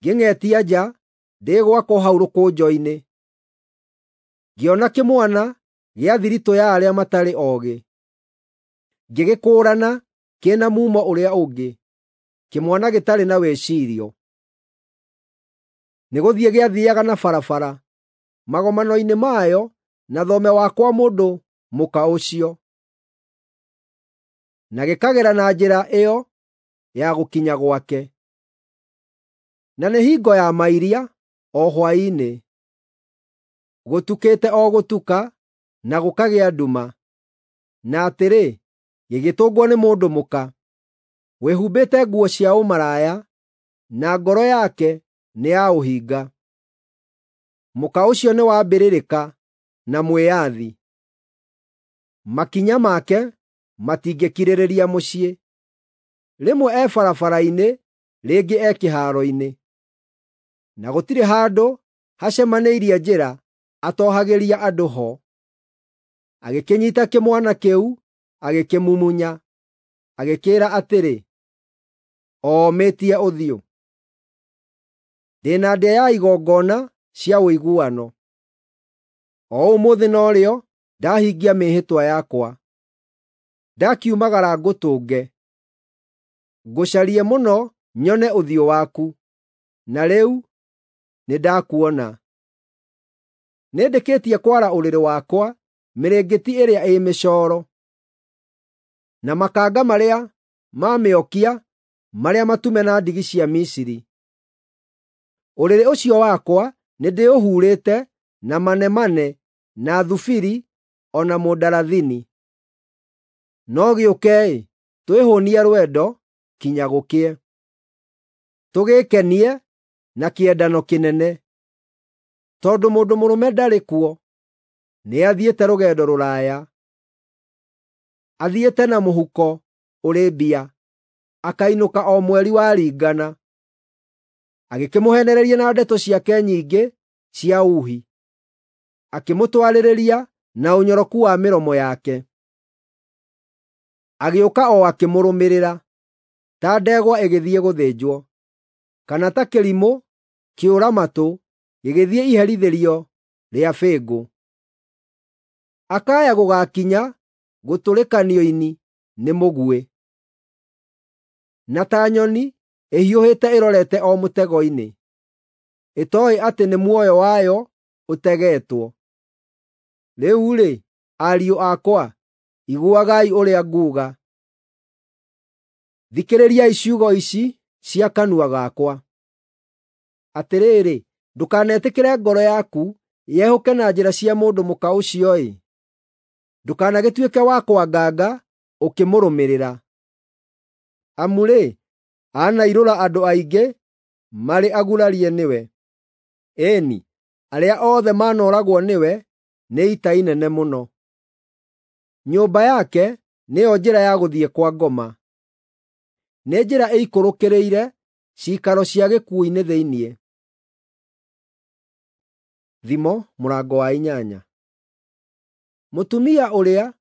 ngĩng'etia nja ndĩ gwakwa hau rũkũnjo-inĩ. Ngĩona kĩmwana gĩa thiritũ ya arĩa matarĩ oogĩ, ngĩgĩkũũrana kĩna mumo ũrĩa ũngĩ, kĩmwana gĩtarĩ na wĩcirio. Nĩgũthiĩ gĩathiiaga na barabara, magomano-inĩ mayo na thome wa kwa mũndũ mũka ũcio, na gĩkagera na njĩra ĩyo ya gũkinya gwake. Na nĩ hingo ya mairia, o hwaĩ-inĩ, gũtukĩte o gũtuka na gũkagĩa nduma, na atĩrĩ, gĩgĩtũngwo nĩ mũndũ mũka wĩhumbĩte nguo cia ũmaraya, na ngoro yake nĩ ya ũhinga. Mũka ũcio nĩ wa mbĩrĩrĩka na mwĩyathi, makinya make matingĩkirĩrĩria mũciĩ. Rĩmwe e barabara-inĩ, rĩngĩ e kĩhaaro-inĩ, na gũtirĩ handũ hacemanĩirie njĩra atohagĩria andũ ho. Agĩkĩnyiita kĩmwana kĩu agĩkĩmumunya, agĩkĩĩra atĩrĩ, “Oomĩtie ũthiũ.” Ndĩ na ndĩa ya igongona cia ũiguano. O ũmũthĩ norĩo ndahingia mĩĩhĩtwa yakwa. Ndakiumagara ngũtũnge, ngũcarie mũno nyone ũthiũ waku, na rĩu nĩndakuona. Nĩndĩkĩtie kwara ũrĩrĩ wakwa mĩrĩngĩti ĩrĩa ĩ mĩcooro, na makanga marĩa ma mĩokia marĩa matume na ndigi cia Misiri. Ũrĩrĩ ũcio wakwa nĩndĩũhurĩte na manemane na thubiri o na mũndarathini. No gĩũkei, twĩhũũnie rwendo kinya gũkĩe, tũgĩĩkenie na kĩendano kĩnene. Tondũ mũndũ mũrũme ndarĩ kuo, nĩathiĩte rũgendo rũraya. Athiĩte na mũhuko ũrĩ mbia, akainũka o mweri waringana. Agĩkĩmũheenereria na ndeto ciake nyingĩ cia uuhi, akĩmũtwarĩrĩria na ũnyoroku wa mĩromo yake. Agĩũka o akĩmũrũmĩrĩra, ta ndegwa ĩgĩthiĩ gũthĩnjwo, kana ta kĩrimũ kĩũra-matũ gĩgĩthiĩ iherithĩrio rĩa bĩngũ. Akaya gũgaakinya gũtũrĩkanio ini nĩ mũguĩ, na ta nyoni ĩhiũhĩte ĩrorete o mũtego-inĩ, ĩtooĩ atĩ nĩ muoyo wayo ũtegetwo. Rĩu-rĩ, ariũ akwa, iguagai ũrĩa nguuga; thikĩrĩriai ciugo ici cia kanua gakwa. Atĩrĩrĩ, ndũkanetĩkĩre ngoro yaku yehũke na njĩra cia mũndũ mũka ũcio-ĩ, ndũkanagĩtuĩke wa kwanganga ũkĩmũrũmĩrĩra. Amu-rĩ, anairũra andũ aingĩ marĩ agurarie nĩwe; ĩĩ-ni, arĩa othe maanooragwo nĩwe nĩ ita inene mũno. Nyũmba yake nĩyo njĩra ya gũthiĩ kwa ngoma, nĩ njĩra ĩikũrũkĩrĩire ciikaro cia gĩkuũ-inĩ thĩinĩ. Thimo mũrango wa inyanya. Mũtumia ũrĩa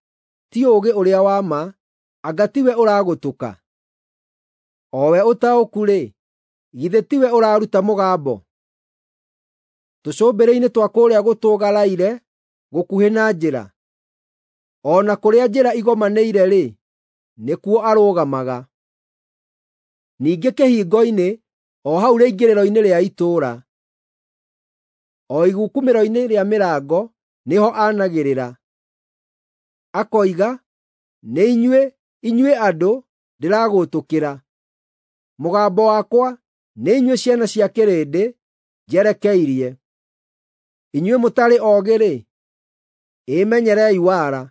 ti ũũgĩ ũrĩa wa ma, anga tiwe ũragũtũka? O we ũtaũku-rĩ, githĩ tiwe ũraruta mũgambo? Tũcũmbĩrĩ-inĩ twa kũrĩa gũtũgaraire gũkuhĩ na njĩra, o na kũrĩa njĩra igomanĩire-rĩ, nĩkuo arũgamaga. Ningĩ kĩhingo-inĩ, o hau rĩingĩrĩro-inĩ rĩa itũũra, o igukumĩro-inĩ rĩa mĩrango nĩho anagĩrĩra, akoiga, “Nĩ inyuĩ, inyuĩ andũ, ndĩragũtũkĩra. Mũgambo wakwa nĩ inyuĩ ciana cia kĩrĩndĩ njerekeirie. Inyuĩ mũtarĩ oogĩ-rĩ, ĩmenyerei wara.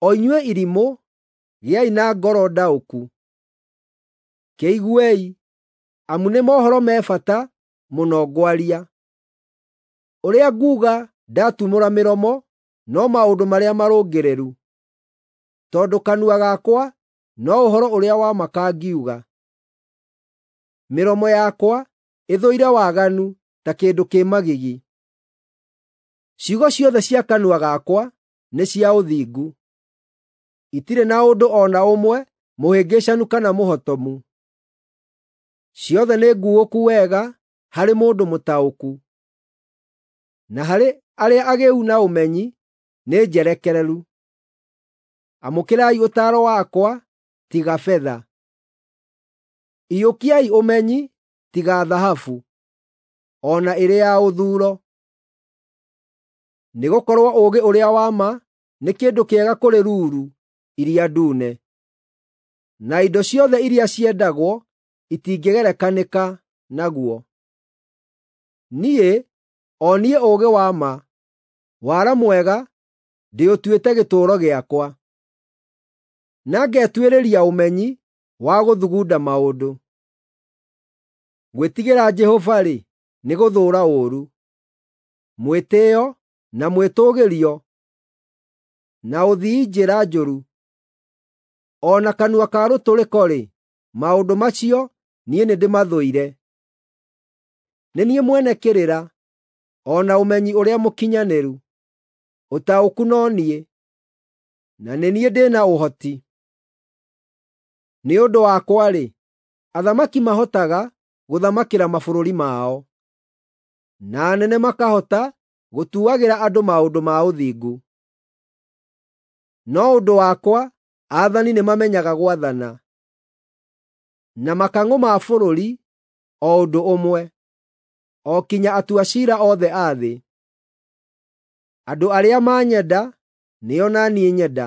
O inyuĩ irimũ, gĩai na ngoro ndaũku. Kĩiguei, amu nĩ mohoro me bata mũno ngwaria. Ũrĩa nguuga ndatumũra mĩromo no maũndũ marĩa marũngĩrĩru, tondũ kanua gakwa no ũhoro ũrĩa wa ma kangiuga. Mĩromo yakwa ĩthũire waganu ta kĩndũ kĩ magigi. Ciugo ciothe cia kanua gakwa nĩ cia ũthingu; itirĩ na ũndũ o na ũmwe mũhĩngĩcanu kana mũhotomu. Ciothe nĩ nguũku wega harĩ mũndũ mũtaũku, na harĩ arĩa agĩĩu na ũmenyi nĩ njerekereru. Amũkĩrai ũtaaro wakwa tiga betha, iyũkiai ũmenyi tiga thahabu, o na ĩrĩ ya ũthuuro. Nĩgũkorwo ũũgĩ ũrĩa wa ma nĩ kĩndũ kĩega kũrĩ ruru iria ndune, na indo ciothe iria ciendagwo itingĩgerekanĩka naguo. Niĩ, o niĩ ũũgĩ wa ma, wara mwega ndĩũtuĩte gĩtũũro gĩakwa, na ngetuĩrĩria ũmenyi wa gũthugunda maũndũ. Gwĩtigĩra Jehova-rĩ, nĩ gũthũũra ũũru. Mwĩtĩĩo na mwĩtũũgĩrio na ũthii njĩra njũru, o na kanua ka rũtũrĩko-rĩ, maũndũ macio niĩ nĩndĩmathũire. Nĩ niĩ mwene kĩrĩra, o na ũmenyi ũrĩa mũkinyanĩru. Ũtaũku no niĩ, na nĩ niĩ ndĩ na ũhoti. Nĩ ũndũ wakwa-rĩ, athamaki mahotaga gũthamakĩra mabũrũri mao, na anene makahota gũtuagĩra andũ maũndũ ma ũthingu. No ũndũ wakwa aathani nĩmamenyaga gwathana, na makang'ũ ma bũrũri o ũndũ ũmwe, o kinya atua ciira othe a thĩ. Andũ arĩa manyenda nĩo na niĩ nyenda;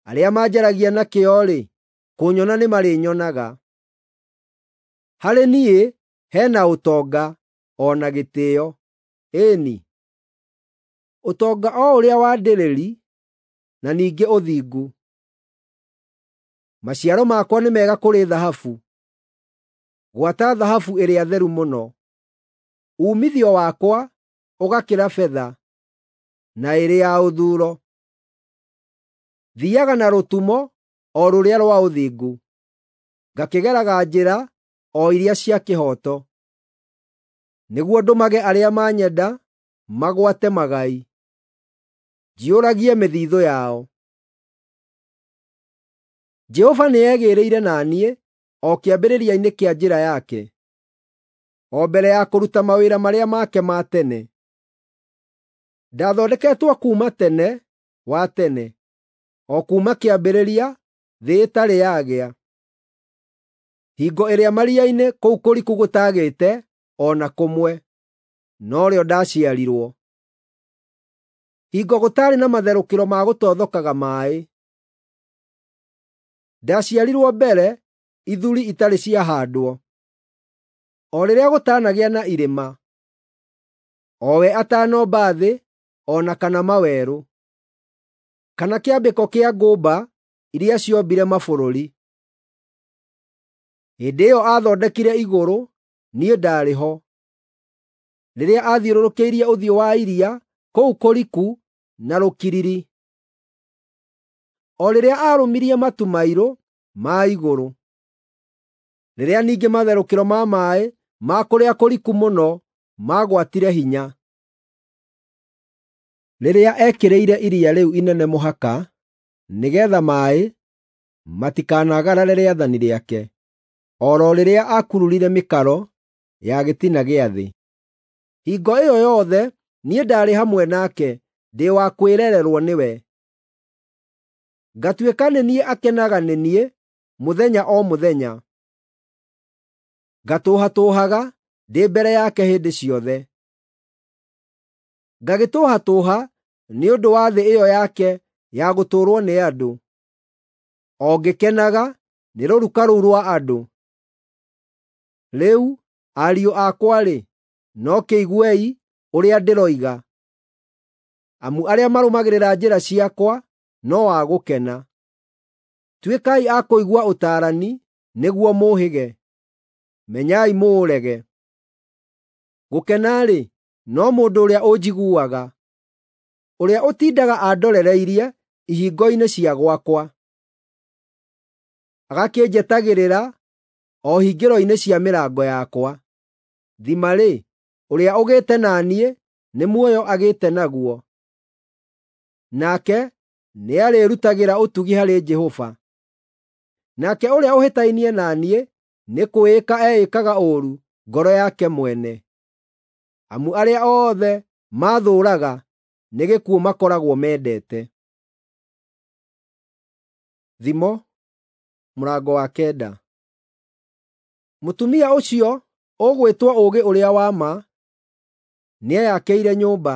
arĩa manjaragia na kĩyo-rĩ, kũnyona nĩmarĩnyonaga. Harĩ niĩ he na ũtonga o na gĩtĩĩo, ĩĩ-ni, ũtonga o ũrĩa wa ndĩrĩri na ningĩ ũthingu. Maciaro makwa nĩ mega kũrĩ thahabu, gwata thahabu ĩrĩa theru mũno. Uumithio wakwa ũgakĩra betha, na ĩrĩ ya ũthuuro. Thiiaga na rũtumo o rũrĩa rwa ũthingu, ngakĩgeraga njĩra o iria cia kĩhooto, nĩguo ndũmage arĩa manyenda magwate magai, njiyũragie mĩthiithũ yao. Jehova nĩegĩĩrĩire na niĩ o kĩambĩrĩria-inĩ kĩa njĩra yake, o mbere ya kũruta mawĩra marĩa make ma tene. Ndathondeketwo kuuma tene wa tene, o kuuma kĩambĩrĩria thĩ ĩtarĩ yagĩa. Hingo ĩrĩa maria-inĩ kũu kũriku gũtaagĩte o na kũmwe, norĩo ndaciarirwo. Hingo gũtaarĩ na matherũkĩro ma gũtothokaga maaĩ. Ndaciarirwo mbere ithuri itarĩ ciahaandwo, o rĩrĩa gũtanagĩa na irĩma, o we atanomba thĩ o na kana mawerũ, kana kĩambĩko kĩa ngũmba iria ciombire mabũrũri. Hĩndĩ ĩyo aathondekire igũrũ, niĩ ndaarĩ ho, rĩrĩa aathiũrũrũkĩirie ũthiũ wa iria kũu kũriku na rũkiriri, o rĩrĩa aarũmirie matu mairũ ma igũrũ, rĩrĩa ningĩ matherũkĩro ma maaĩ ma kũrĩa kũriku mũno maagwatire hinya, rĩrĩa eekĩrĩire iria rĩu inene mũhaka nĩgeetha maaĩ matikanagarare rĩathani rĩake, o ro rĩrĩa aakururire mĩkaro ya gĩtina gĩa thĩ. Hingo ĩyo yothe niĩ ndaarĩ hamwe nake ndĩ wa kwĩrererwo nĩwe. Ngatuĩka nĩ niĩ akenaga nĩ niĩ mũthenya o mũthenya. Ngatũũhatũũhaga ndĩ mbere yake hĩndĩ ciothe. Ngagĩtũũhatũũha nĩ ũndũ wa thĩ ĩyo yake ya gũtũũrwo nĩ andũ, o ngĩkenaga nĩ rũruka rũu rwa andũ. Rĩu, ariũ akwa-rĩ, no kĩiguei ũrĩa ndĩroiga, amu arĩa marũmagĩrĩra njĩra ciakwa no a gũkena. Tuĩkai a kũigua ũtaarani nĩguo mũũhĩge, menyai mũũrege. Gũkena-rĩ, no mũndũ ũrĩa ũnjiguaga, ũrĩa ũtindaga andorereirie ihingo-inĩ cia gwakwa, agakĩnjetagĩrĩra o hingĩro-inĩ cia mĩrango yakwa. Thima-rĩ, ũrĩa ũgĩte na niĩ nĩ muoyo agĩte naguo, nake nĩarĩĩrutagĩra ũtugi harĩ Jehova. Nake ũrĩa ũhĩtainie na niĩ nĩ kwĩĩka eĩkaga ũũru ngoro yake mwene. Amu arĩa othe maathũũraga nĩ gĩkuũ makoragwo mendete. Thimo mũrango wa kenda. Mũtumia ũcio ũgwĩtwo ũũgĩ ũrĩa wa ma nĩeyakĩire nyũmba,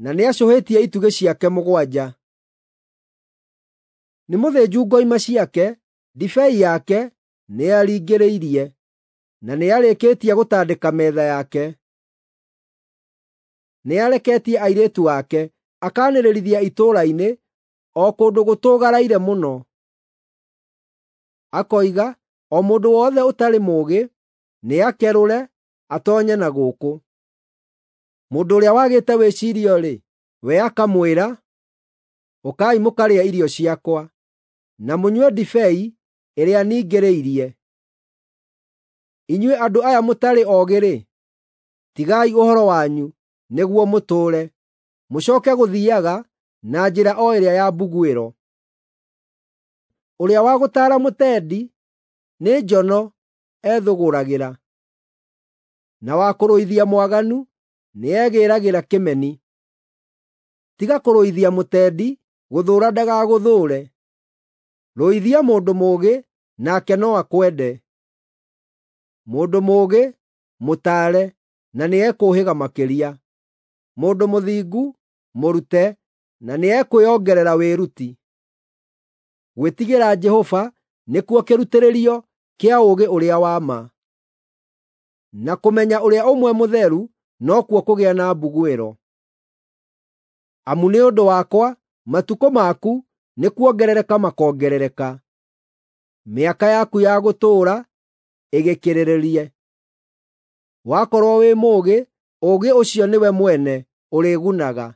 na nĩacũhĩtie itugĩ ciake mũgwanja. Nĩ mũthĩnju ngoima ciake, ndibei yake nĩaringĩrĩirie, na nĩarĩkĩtie gũtandĩka metha yake. Nĩareketie airĩtu ake akaanĩrĩrithia itũũra-inĩ o kũndũ gũtũgaraire mũno. Akoiga, o mũndũ wothe ũtarĩ mũũgĩ nĩakerũre atoonye na gũkũ. Mũndũ ũrĩa wagĩte wĩcirio-rĩ, we akamwĩra, ũkai mũkarĩe irio ciakwa, na mũnyue ndibei ĩrĩa ningĩrĩirie. Inyuĩ andũ aya mũtarĩ oogĩ-rĩ, tigai ũhoro wanyu nĩguo mũtũũre, mũcooke gũthiiaga na njĩra o ĩrĩa ya mbuguĩro. Ũrĩa wa gũtaara mũtendi nĩ njono ethũgũragĩra, na wa kũrũithia mwaganu nĩegĩĩragĩra kĩmeni. Tiga kũrũithia mũtendi, gũthũũra ndagagũthũũre. Rũithia mũndũ mũũgĩ, nake no akwende. Mũndũ mũũgĩ mũtaare, na nĩekũũhĩga makĩria. Mũndũ mũthingu mũrute, na nĩekwĩongerera wĩruti. Gwĩtigĩra Jehova nĩkuo kĩrutĩrĩrio kĩa ũũgĩ ũrĩa wa ma, na kũmenya ũrĩa ũmwe mũtheru nokuo kũgĩa na mbuguĩro. Amu nĩ ũndũ wakwa matukũ maku nĩ kuongerereka makongerereka, mĩaka yaku ya gũtũũra ĩgĩkĩrĩrĩrie. Wakorwo wĩ mũũgĩ, ũũgĩ ũcio nĩwe mwene ũrĩgunaga.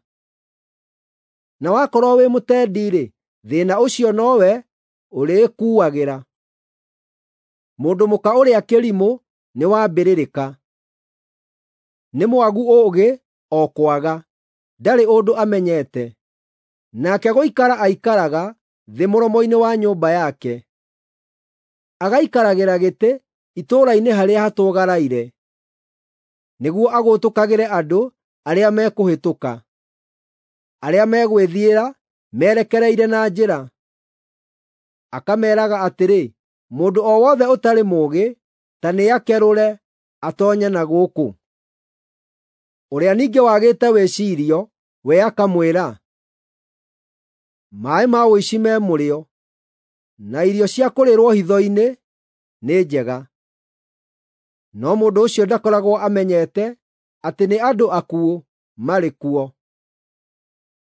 Na wakorwo wĩ mũtendi-rĩ, thĩĩna ũcio nowe ũrĩĩkuuagĩra. Mũndũ mũka ũrĩa kĩrimũ nĩ wa mbĩrĩrĩka, nĩ mwagu ũũgĩ o kwaga, ndarĩ ũndũ amenyete. Nake gũikara aikaraga thĩ mũromo-inĩ wa nyũmba yake, agaikaragĩra gĩtĩ itũũra-inĩ harĩa hatũgaraire, nĩguo agũtũkagĩre andũ arĩa mekũhĩtũka, arĩa megwĩthiĩra merekereire na njĩra. Akameeraga atĩrĩ, mũndũ o wothe ũtarĩ mũũgĩ ta nĩakerũre atoonye na gũkũ. Ũrĩa ningĩ wagĩte wĩcirio we akamwĩra, maaĩ ma ũici me mũrĩo, na irio cia kũrĩĩrwo hitho-inĩ nĩ njega. No mũndũ ũcio ndakoragwo amenyete atĩ nĩ andũ akuũ marĩ kuo.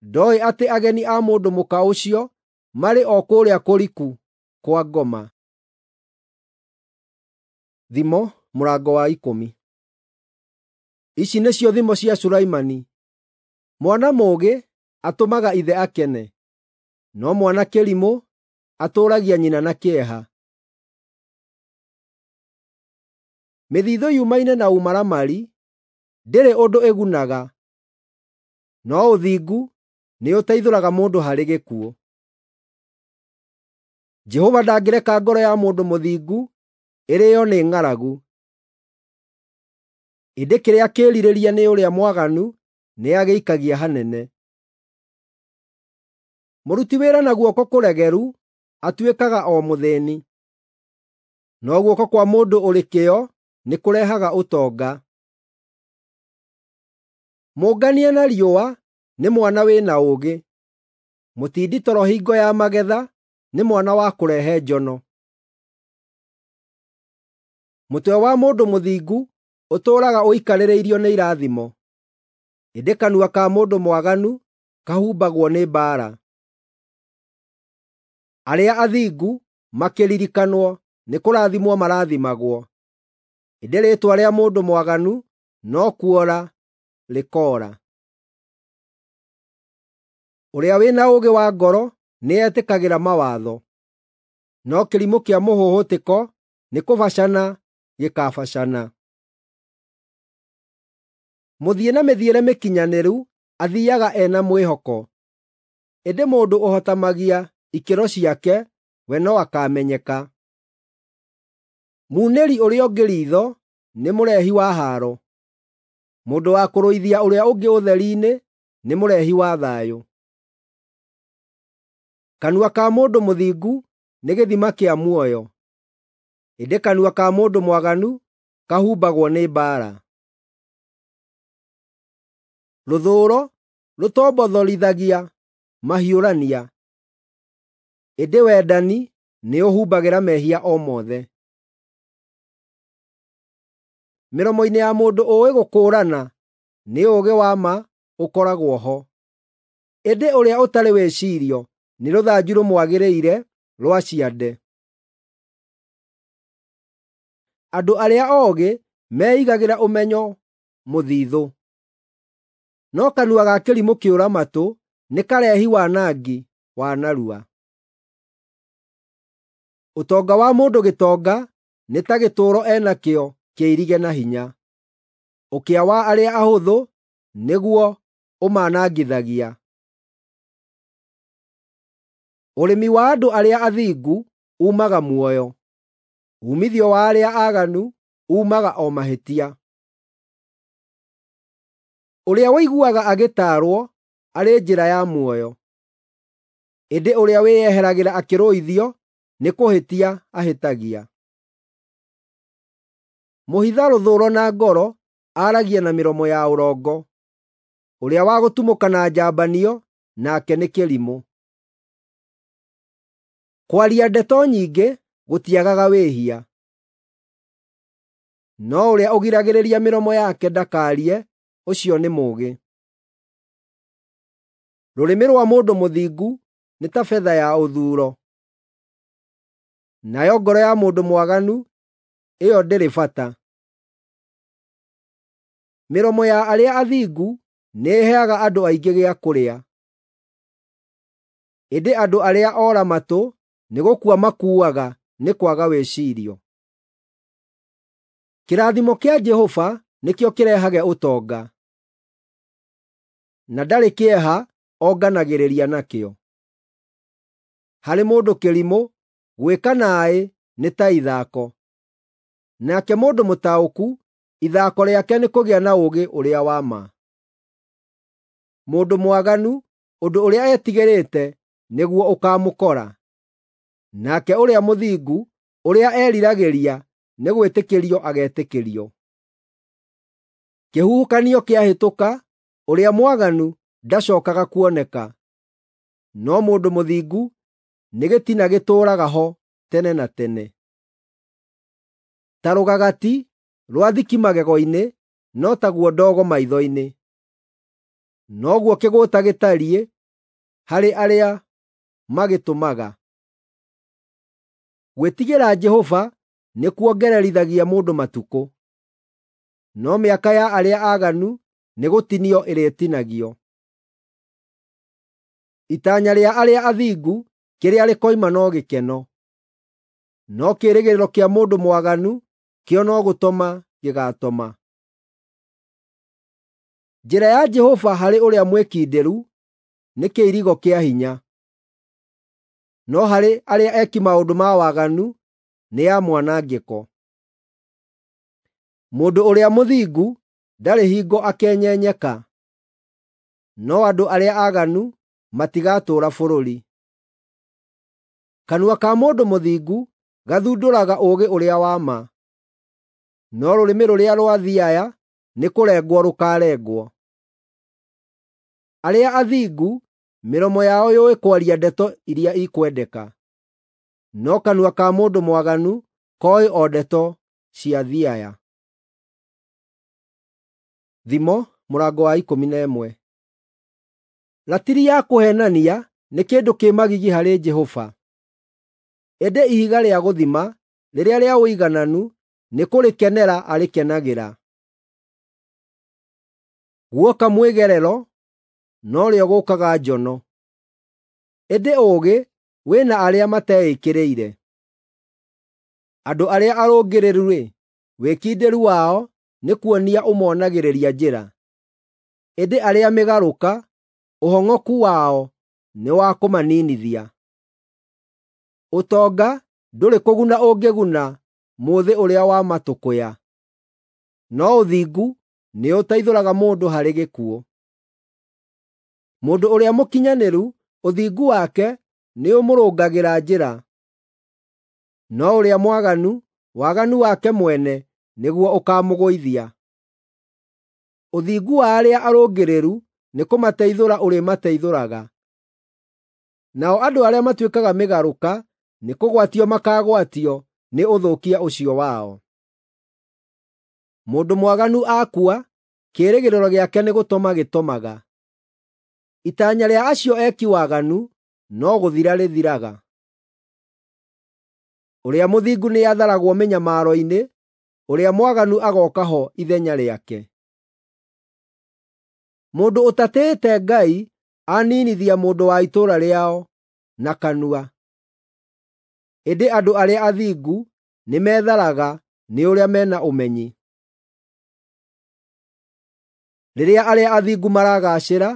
Ndooĩ atĩ ageni a mũndũ mũka ũcio marĩ o kũrĩa kũriku kwa ngoma. Thimo mũrango wa ikũmi. Ici nĩcio thimo cia Sulaimani. Mwana mũũgĩ atũmaga ithe akene, no mwana kĩrimũ atũũragia nyina na kĩeha. Mĩthithũ yumaine na ũmaramari ndĩrĩ ũndũ ĩgunaga, no ũthingu nĩũteithũraga mũndũ harĩ gĩkuũ. Jehova ndangĩreka ngoro ya mũndũ mũthingu ĩrĩĩo nĩ ng'aragu, ĩndĩ kĩrĩa kĩĩrirĩria nĩ ũrĩa mwaganu nĩagĩikagia hanene. Mũruti wĩra na guoko kũregeru atuĩkaga o mũthĩĩni, no guoko kwa mũndũ ũrĩ kĩyo nĩkũrehaga ũtonga. Mũngania na riũa nĩ mwana wĩna ũũgĩ, mũtindi toro hingo ya magetha nĩ mwana wa kũrehe njono. Mũtwe wa mũndũ mũthingu ũtũũraga ũikarĩrĩirio nĩ irathimo, ĩndĩ kanua ka mũndũ mwaganu kahumbagwo nĩ mbaara. Arĩa athingu makĩririkanwo nĩkũrathimwo marathimagwo, ĩndĩ rĩĩtwa rĩa mũndũ mwaganu no kuora rĩkoora. Ũrĩa wĩna ũũgĩ wa ngoro nĩetĩkagĩra mawatho, no kĩrimũ kĩa mũhũhũtĩko nĩkũbacana gĩkabacana. Mũthiĩ na mĩthiĩre mĩkinyanĩru athiiaga ena mwĩhoko, ĩndĩ mũndũ ũhotamagia ikĩro ciake we no akamenyeka. Muunĩri ũrĩa ũngĩ riitho nĩ mũrehi wa haaro, mũndũ wa kũrũithia ũrĩa ũngĩ ũtheri-inĩ nĩ mũrehi wa thayũ. Kanua ka mũndũ mũthingu nĩ gĩthima kĩa muoyo, ĩndĩ kanua ka mũndũ mwaganu kahumbagwo nĩ mbaara. Rũthũũro rũtombothorithagia mahiũrania, ĩndĩ wendani nĩũhumbagĩra mehia o mothe. Mĩromo-inĩ ya mũndũ ũũĩ gũkũũrana nĩ ũũgĩ wa ma ũkoragwo ho, ĩndĩ ũrĩa ũtarĩ wĩcirio nĩ rũthanju rũmwagĩrĩire rwa ciande. Andũ arĩa oogĩ meigagĩra ũmenyo mũthithũ, no kanua ga kĩrimũ kĩũra-matũ nĩ karehi wanangi wa narua. Ũtonga wa mũndũ gĩtonga nĩ ta gĩtũũro enakĩo kĩirige na hinya, ũkĩa wa arĩa ahũthũ nĩguo ũmanangithagia. Ũrĩmi wa andũ arĩa athingu uumaga muoyo, uumithio wa arĩa aaganu uumaga o mahĩtia. Ũrĩa ũiguaga agĩtaarwo arĩ njĩra ya muoyo, ĩndĩ ũrĩa wĩyeheragĩra akĩrũithio nĩ kũhĩtia ahĩtagia. Mũhitha rũthũũro na ngoro aaragia na mĩromo ya ũrongo, ũrĩa wa gũtumũka na njambanio nake nĩ kĩrimũ. Kwaria ndeto nyingĩ gũtiagaga wĩhia, no ũrĩa ũgiragĩrĩria mĩromo yake ndakaarie ũcio nĩ mũũgĩ. Rũrĩmĩ rwa mũndũ mũthingu nĩ ta betha ya ũthuuro, nayo ngoro ya mũndũ mwaganu ĩyo ndĩrĩ bata. Mĩromo ya arĩa athingu nĩĩheaga andũ aingĩ gĩa kũrĩa, ĩndĩ andũ arĩa ora-matũ nĩ gũkua makuaga nĩ kwaga wĩcirio. Kĩrathimo kĩa Jehova nĩkĩo kĩrehage ũtonga, na ndarĩ kĩeha onganagĩrĩria nakĩo. Harĩ mũndũ kĩrimũ, gwĩka naaĩ nĩ ta ithako, nake mũndũ mũtaũku ithako rĩake nĩ kũgĩa na ũũgĩ ũrĩa wa ma. Mũndũ mwaganu ũndũ ũrĩa etigĩrĩte nĩguo ũkaamũkora, nake ũrĩa mũthingu ũrĩa eriragĩria nĩ gwĩtĩkĩrio agetĩkĩrio. Kĩhuhũkanio kĩahĩtũka, ũrĩa mwaganu ndacookaga kuoneka, no mũndũ mũthingu nĩ gĩtina gĩtũũraga ho tene na tene. Ta rũgagati rwa thiki magego-inĩ no taguo ndogo maitho-inĩ. Noguo kĩgũũta gĩtariĩ harĩ arĩa magĩtũmaga. Gwĩtigĩra Jehova nĩkuongererithagia mũndũ matukũ, no mĩaka ya arĩa aaganu nĩgũtinio ĩrĩtinagio. Itanya rĩa arĩa athingu kĩrĩa rĩkoima no gĩkeno, no kĩĩrĩgĩrĩro kĩa mũndũ mwaganu kĩo no gũtoma gĩgaatoma. Njĩra ya Jehova harĩ ũrĩa mwĩkindĩru nĩ kĩirigo kĩa hinya, no harĩ arĩa eki maũndũ ma waganu nĩ ya mwanangĩko. Mũndũ ũrĩa mũthingu ndarĩ hingo akenyenyeka, no andũ arĩa aaganu matigatũũra bũrũri. Kanua ka mũndũ mũthingu gathundũraga ũũgĩ ũrĩa wa ma, no rũrĩmĩ rũrĩa rwa thiaya nĩkũrengwo rũkaarengwo. Arĩa athingu mĩromo yao yũĩ kwaria ndeto iria ikwendeka, no kanua ka mũndũ mwaganu kooĩ o ndeto cia thiaya. Thimo mũrango wa ikũmi na ĩmwe. Ratiri ya kũheenania nĩ kĩndũ kĩ magigi harĩ Jehova, ĩndĩ ihiga rĩa gũthima rĩrĩa rĩa ũigananu nĩ kũrĩkenera arĩkenagĩra. Guoka mwĩgerero, norĩo gũkaga njono, ĩndĩ ũũgĩ wĩ na arĩa mateĩkĩrĩire. Andũ arĩa arũngĩrĩru-rĩ, wĩkindĩru wao nĩ kuonia ũmonagĩrĩria njĩra, ĩndĩ arĩa mĩgarũka, ũhong'oku wao nĩ wa kũmaninithia. Ũtonga ndũrĩ kũguna ũngĩguna mũthĩ ũrĩa wa matũkũya, no ũthingu nĩũteithũraga mũndũ harĩ gĩkuũ. Mũndũ ũrĩa mũkinyanĩru, ũthingu wake nĩũmũrũngagĩra njĩra, no ũrĩa mwaganu, waganu wake mwene nĩguo ũkaamũgũithia. Ũthingu wa arĩa arũngĩrĩru nĩkũmateithũra ũrĩmateithũraga, nao andũ arĩa matuĩkaga mĩgarũka nĩkũgwatio makaagwatio nĩ ũthũkia ũcio wao. Mũndũ mwaganu akua, kĩĩrĩgĩrĩro gĩake nĩ gũtoma gĩtomaga. Itanya rĩa acio eki waganu no gũthira rĩthiraga. Ũrĩa mũthingu nĩatharagwo mĩnyamaro-inĩ, ũrĩa mwaganu agooka ho ithenya rĩake. Mũndũ ũtatĩĩte Ngai aninithia mũndũ wa itũũra rĩao na kanua, ĩndĩ andũ arĩa athingu nĩmetharaga nĩ ũrĩa mena ũmenyi. Rĩrĩa arĩa athingu maragaacĩra,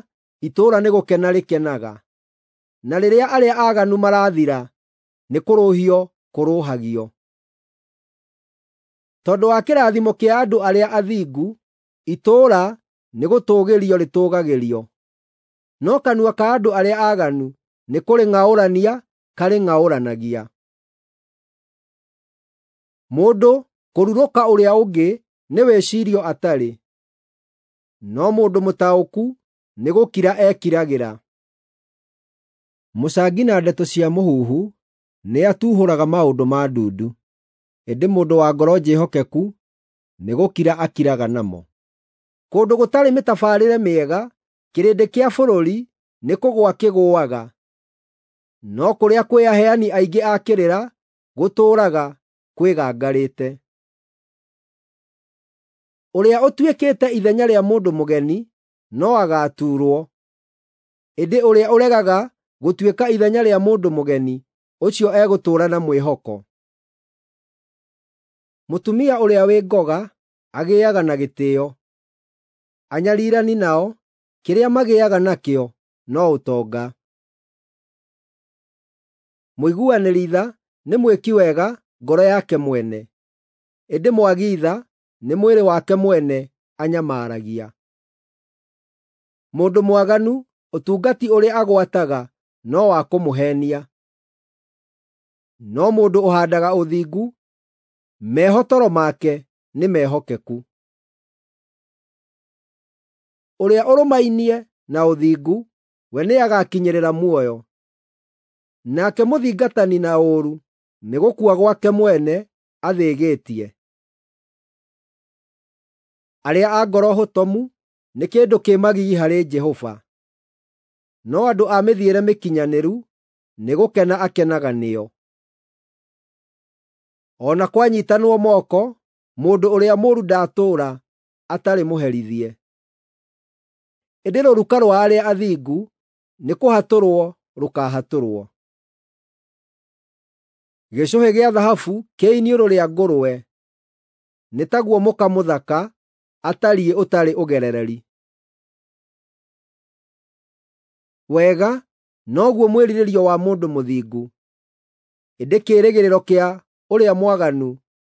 itũũra nĩgũkena rĩkenaga, na rĩrĩa arĩa aaganu marathira, nĩkũrũhio kũrũhagio. Tondũ wa kĩrathimo kĩa andũ arĩa athingu, itũũra nĩgũtũũgĩrio rĩtũũgagĩrio, no kanua ka andũ arĩa aaganu nĩkũrĩng'aũrania karĩng'aũranagia. Mũndũ kũrurũka ũrĩa ũngĩ nĩ wĩcirio atarĩ, no mũndũ mũtaũku nĩ gũkira ekiragĩra. Mũcangi na ndeto cia mũhuhu nĩatuhũraga maũndũ ma ndundu, ĩndĩ mũndũ wa ngoro njĩhokeku nĩgũkira akiraga namo. Kũndũ gũtarĩ mĩtabarĩre mĩega, kĩrĩndĩ kĩa bũrũri nĩkũgũa kĩgũaga, no kũrĩa kwĩ aheani aingĩ a kĩrĩra gũtũũraga kwĩgangarĩte. Ũrĩa ũtuĩkĩte ithenya rĩa mũndũ mũgeni no agaatuurwo, ĩndĩ ũrĩa ũregaga gũtuĩka ithenya rĩa mũndũ mũgeni ũcio egũtũũra na mwĩhoko. Mũtumia ũrĩa wĩ ngoga agĩaga na gĩtĩĩo, anyarirani nao kĩrĩa magĩaga nakĩo no ũtonga. Mũiguanĩri tha nĩ mwĩki wega ngoro yake mwene, ĩndĩ mwagi tha nĩ mwĩrĩ wake mwene anyamaragia. Mũndũ mwaganu ũtungati ũrĩa agwataga no wa kũmũheenia, no mũndũ ũhaandaga ũthingu, mehotoro make nĩ mehokeku. Ũrĩa ũrũmainie na ũthingu, we nĩagakinyĩrĩra muoyo, nake mũthingatani na ũũru nĩ gũkua gwake mwene athĩgĩtie. Arĩa a ngoro hotomu nĩ kĩndũ kĩ magigi harĩ Jehova, no andũ a mĩthiĩre mĩkinyanĩru nĩgũkena akenaga nĩo. O na kwanyiitanwo moko, mũndũ ũrĩa mũũru ndatũũra atarĩ mũherithie. Ĩndĩ rũruka rwa arĩa athingu nĩkũhatũrwo rũkaahatũrwo. Gĩcũhĩ gĩa thahabu kĩ iniũrũ rĩa ngũrwe nĩ taguo mũka mũthaka atariĩ ũtarĩ ũgerereri. Wega noguo mwĩrirĩrio wa mũndũ mũthingu, ĩndĩ kĩĩrĩgĩrĩro kĩa ũrĩa mwaganu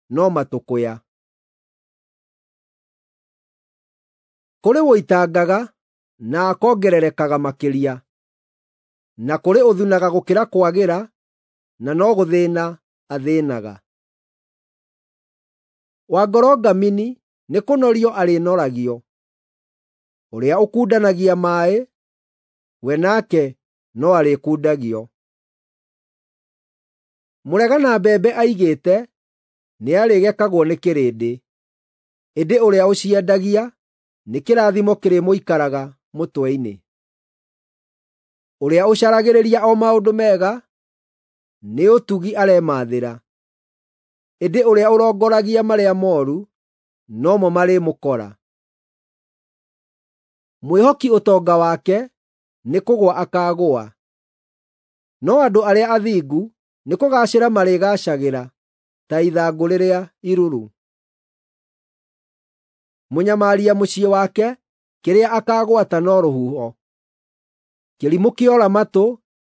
no matũkũya. Kũrĩ ũitangaga na akongererekaga makĩria, na kũrĩ ũthunaga gũkĩra kwagĩra na no gũthĩĩna athĩĩnaga. Wa ngoro ngamini nĩkũnorio arĩnoragio, ũrĩa ũkundanagia maaĩ, we nake no arĩkundagio. Mũregana mbembe aigĩte nĩarĩgekagwo nĩ kĩrĩndĩ, ĩndĩ ũrĩa ũciendagia nĩ kĩrathimo kĩrĩmũikaraga mũtwe-inĩ. Ũrĩa ũcaragĩrĩria o maũndũ mega nĩ ũtugi aremathĩra, ĩndĩ ũrĩa ũrongoragia marĩa mooru nomo marĩmũkora. Mwĩhoki ũtonga wake nĩ kũgũa akaagũa, no andũ arĩa athingu nĩ kũgaacĩra marĩgaacagĩra ta ithangũ rĩrĩa iruru. Mũnyamaria mũciĩ wake kĩrĩa akaagwata no rũhuho. Kĩrimũ kĩora matũ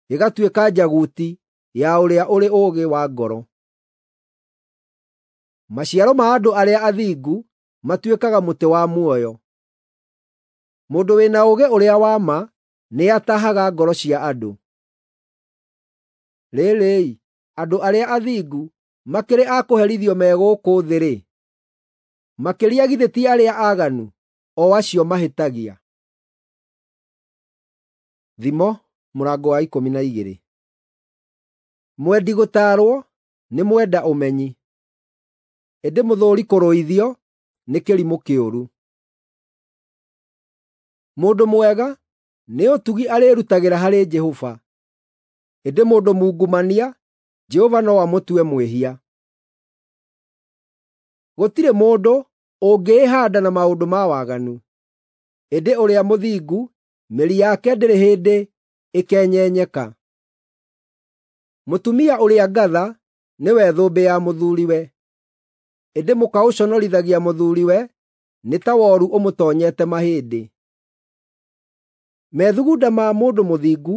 gĩgatuĩka njaguti ya ũrĩa ũrĩ ũũgĩ wa ngoro. Maciaro ma andũ arĩa athingu matuĩkaga mũtĩ wa muoyo. Mũndũ wĩna ũũgĩ ũrĩa wa ma nĩatahaga ngoro cia andũ. Rĩrĩ-ĩ, andũ arĩa athingu makĩrĩ a kũherithio me gũkũ thĩ-rĩ, makĩria githĩ ti arĩa aaganu, o acio mahĩtagia? Thimo mũrango wa ikũmi na igĩrĩ. Mwendi gũtaarwo nĩ mwenda ũmenyi, ĩndĩ mũthũũri kũrũithio nĩ kĩrimũ kĩũru. Mũndũ mwega nĩ ũtugi arĩĩrutagĩra harĩ Jehova, ĩndĩ mũndũ mungumania Jehova no amũtue mwĩhia. Gũtirĩ mũndũ ũngĩĩhaanda na maũndũ ma waganu, ĩndĩ ũrĩa mũthingu mĩri yake ndĩrĩ hĩndĩ ĩkenyenyeka. Mũtumia ũrĩa ngatha nĩwe thũmbĩ ya mũthuuriwe, ĩndĩ mũka ũconorithagia mũthuuriwe nĩ ta woru ũmũtoonyete mahĩndĩ. Methugunda ma mũndũ mũthingu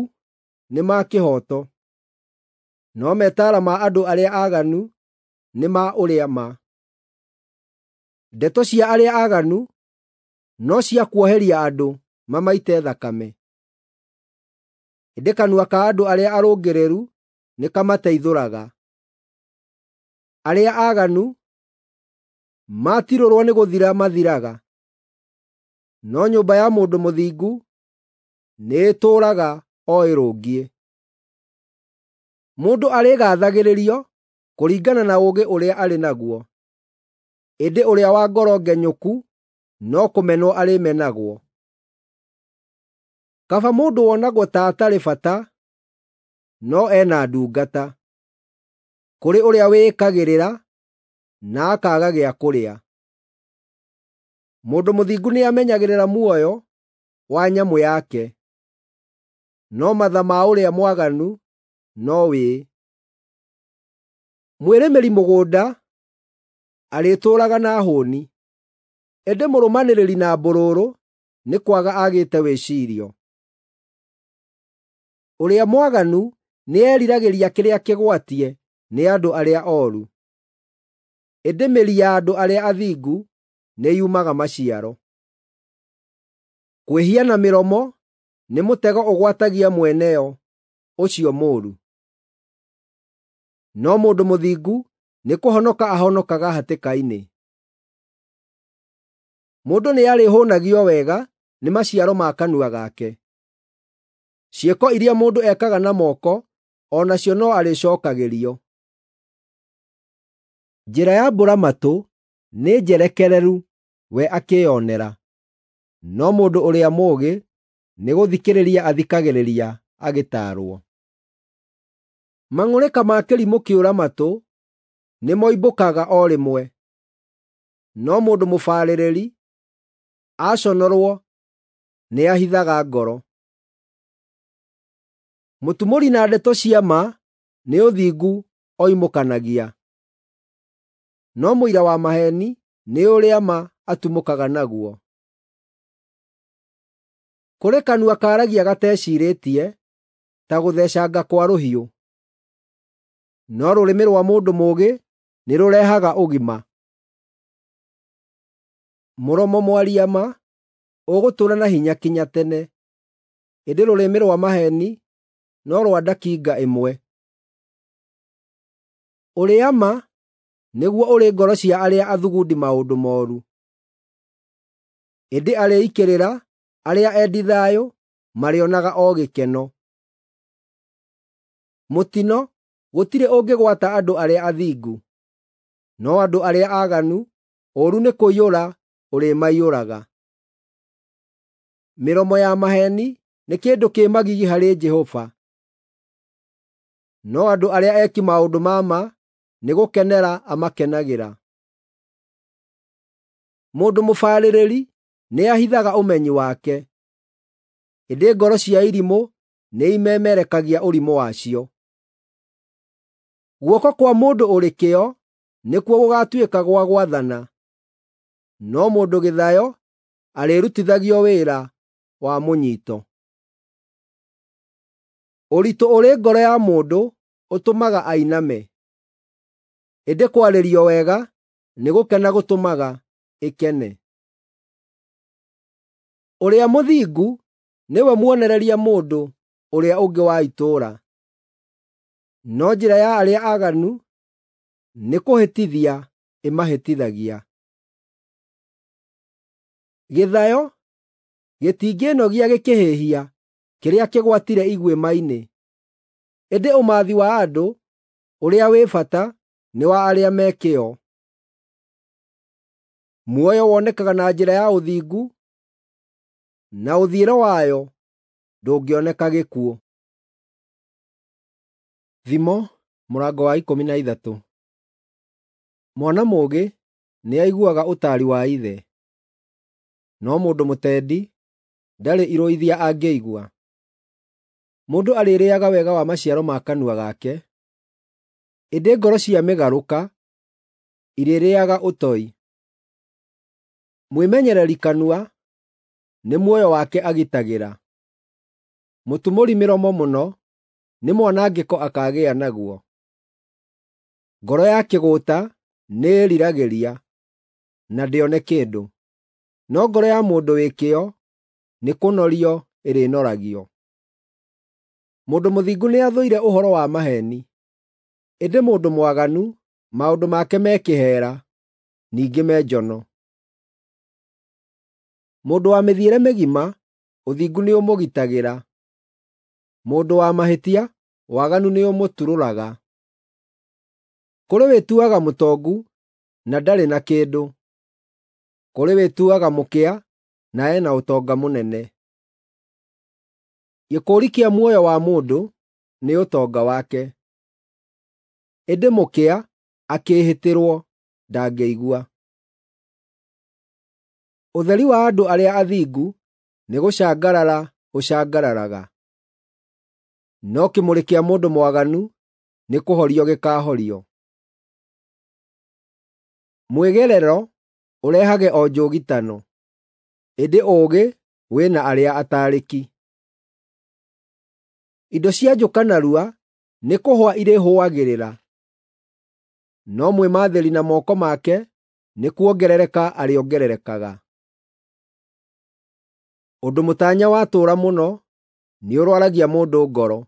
nĩ ma kĩhooto, no metaara ma andũ arĩa aaganu nĩ ma ũrĩa ma. Ndeto cia arĩa aaganu no cia kuoheria andũ mamaite thakame, ĩndĩ kanua ka andũ arĩa arũngĩrĩru nĩkamateithũraga. Arĩa aaganu matirũrwo nĩ gũthira mathiraga, no nyũmba ya mũndũ mũthingu nĩĩtũũraga o ĩrũngiĩ. Mũndũ arĩgaathagĩrĩrio kũringana na ũũgĩ ũrĩa arĩ naguo, ĩndĩ ũrĩa wa ngoro ngenyũku no kũmenwo arĩmenagwo. Kaba mũndũ wonagwo ta atarĩ bata no ena ndungata, kũrĩ ũrĩa wĩĩkagĩrĩra na akaaga gĩa kũrĩa. Mũndũ mũthingu nĩamenyagĩrĩra muoyo wa nyamũ yake, no matha ma ũrĩa mwaganu no wĩĩ. Mwĩrĩmĩri mũgũnda arĩtũũraga na hũũni, ĩndĩ mũrũmanĩrĩri na mbũrũrũ nĩ kwaga agĩte wĩcirio. Ũrĩa mwaganu nĩeriragĩria kĩrĩa kĩgwatie nĩ andũ arĩa ooru, ĩndĩ mĩri ya andũ arĩa athingu nĩyumaga maciaro. Kwĩhia na mĩromo nĩ mũtego ũgwatagia mwene yo ũcio mũũru, no mũndũ mũthingu nĩkũhonoka ahonokaga hatĩka-inĩ. Mũndũ nĩarĩhũũnagio wega nĩ maciaro ma kanua gake. Ciĩko iria mũndũ ekaga na moko o nacio no arĩcookagĩrio. Njĩra ya mbũra-matũ nĩ njerekereru we akĩĩonera, no mũndũ ũrĩa mũũgĩ nĩgũthikĩrĩria athikagĩrĩria agĩtaarwo. Mang'ũrĩka ma kĩrimũ kĩũra-matũ nĩmoimbũkaga o rĩmwe, no mũndũ mũbaarĩrĩri aconorwo nĩahithaga ngoro. Mũtumũri na ndeto cia ma nĩ ũthingu oimũkanagia, no mũira wa maheeni nĩ ũrĩa ma atumũkaga naguo. Kũrĩ kanua kaaragia gateciirĩtie ta gũthecanga kwa rũhiũ, no rũrĩmĩ rwa mũndũ mũũgĩ nĩrũrehaga ũgima. Mũromo mwaria ma ũgũtũũra na hinya kinya tene, ĩndĩ rũrĩmĩ rwa maheeni no rwa ndakinga ĩmwe. Ũrĩa ma nĩguo ũrĩ ngoro cia arĩa athugundi maũndũ mooru, ĩndĩ arĩi kĩrĩra arĩa endi thayũ marĩonaga o gĩkeno. Mũtino gũtirĩ ũngĩgwata andũ arĩa athingu, no andũ arĩa aaganu ũũru nĩ kũiyũra ũrĩmaiyũraga. Mĩromo ya maheeni nĩ kĩndũ kĩ magigi harĩ Jehova, no andũ arĩa eki maũndũ ma ma nĩgũkenera amakenagĩra. Mũndũ mũbarĩrĩri nĩahithaga ũmenyi wake, ĩndĩ ngoro cia irimũ nĩimemerekagia ũrimũ wacio. Guoko kwa mũndũ ũrĩ kĩyo nĩkuo gũgaatuĩka gwa gwathana, no mũndũ gĩthayo arĩrutithagio wĩra wa mũnyiito. Ũritũ ũrĩ ngoro ya mũndũ ũtũmaga ainame, ĩndĩ kwarĩrio wega nĩ gũkena gũtũmaga ĩkene. Ũrĩa mũthingu nĩwe muonereria mũndũ ũrĩa ũngĩ wa itũũra, no njĩra ya arĩa aaganu nĩ kũhĩtithia ĩmahĩtithagia. Gĩthayo gĩtingĩĩnogia gĩkĩhĩhia kĩrĩa kĩgwatire iguĩma-inĩ, ĩndĩ ũmathi wa andũ ũrĩa wĩ bata nĩ wa arĩa me kĩyo. Muoyo wonekaga na njĩra ya ũthingu, na ũthiĩro wayo ndũngĩoneka gĩkuũ. Thimo mũrango wa ikũmi na ithatũ. Mwana mũũgĩ nĩaiguaga ũtaari wa ithe, no mũndũ mũtendi ndarĩ irũithia angĩigua. Mũndũ arĩrĩĩaga wega wa maciaro ma kanua gake, ĩndĩ ngoro cia mĩgarũka irĩrĩĩaga ũtoi. Mwĩmenyereri kanua nĩ muoyo wake agitagĩra, mũtumũri mĩromo mũno nĩ mwanangĩko akaagĩa naguo. Ngoro ya kĩgũũta nĩĩriragĩria, na ndĩone kĩndũ, no ngoro ya mũndũ wĩ kĩyo nĩkũnorio ĩrĩnoragio. Mũndũ mũthingu nĩathũire ũhoro wa maheeni, ĩndĩ mũndũ mwaganu maũndũ make me kĩheera, ningĩ me njono. Mũndũ wa mĩthiĩre mĩgima ũthingu nĩũmũgitagĩra, mũndũ wa mahĩtia waganu nĩũmũturũraga. Kũrĩ wĩtuaga mũtongu na ndarĩ na kĩndũ, kũrĩ wĩtuaga mũkĩa na ena ũtonga mũnene. Gĩkũũri kĩa muoyo wa mũndũ nĩ ũtonga wake, ĩndĩ mũkĩa akĩĩhĩtĩrwo ndangĩigua. Ũtheri wa andũ arĩa athingu nĩgũcangarara ũcangararaga, no kĩmũrĩ kĩa mũndũ mwaganu nĩkũhorio gĩkaahorio. Mwĩgerero ũrehage o njũgitano, ĩndĩ ũũgĩ wĩ na arĩa ataarĩki. Indo cia njũka narua nĩkũhũa irĩhũagĩrĩra, no mwĩmathĩri na moko make nĩkuongerereka arĩongererekaga. Ũndũ mũtanya watũũra mũno nĩũrwaragia mũndũ ngoro,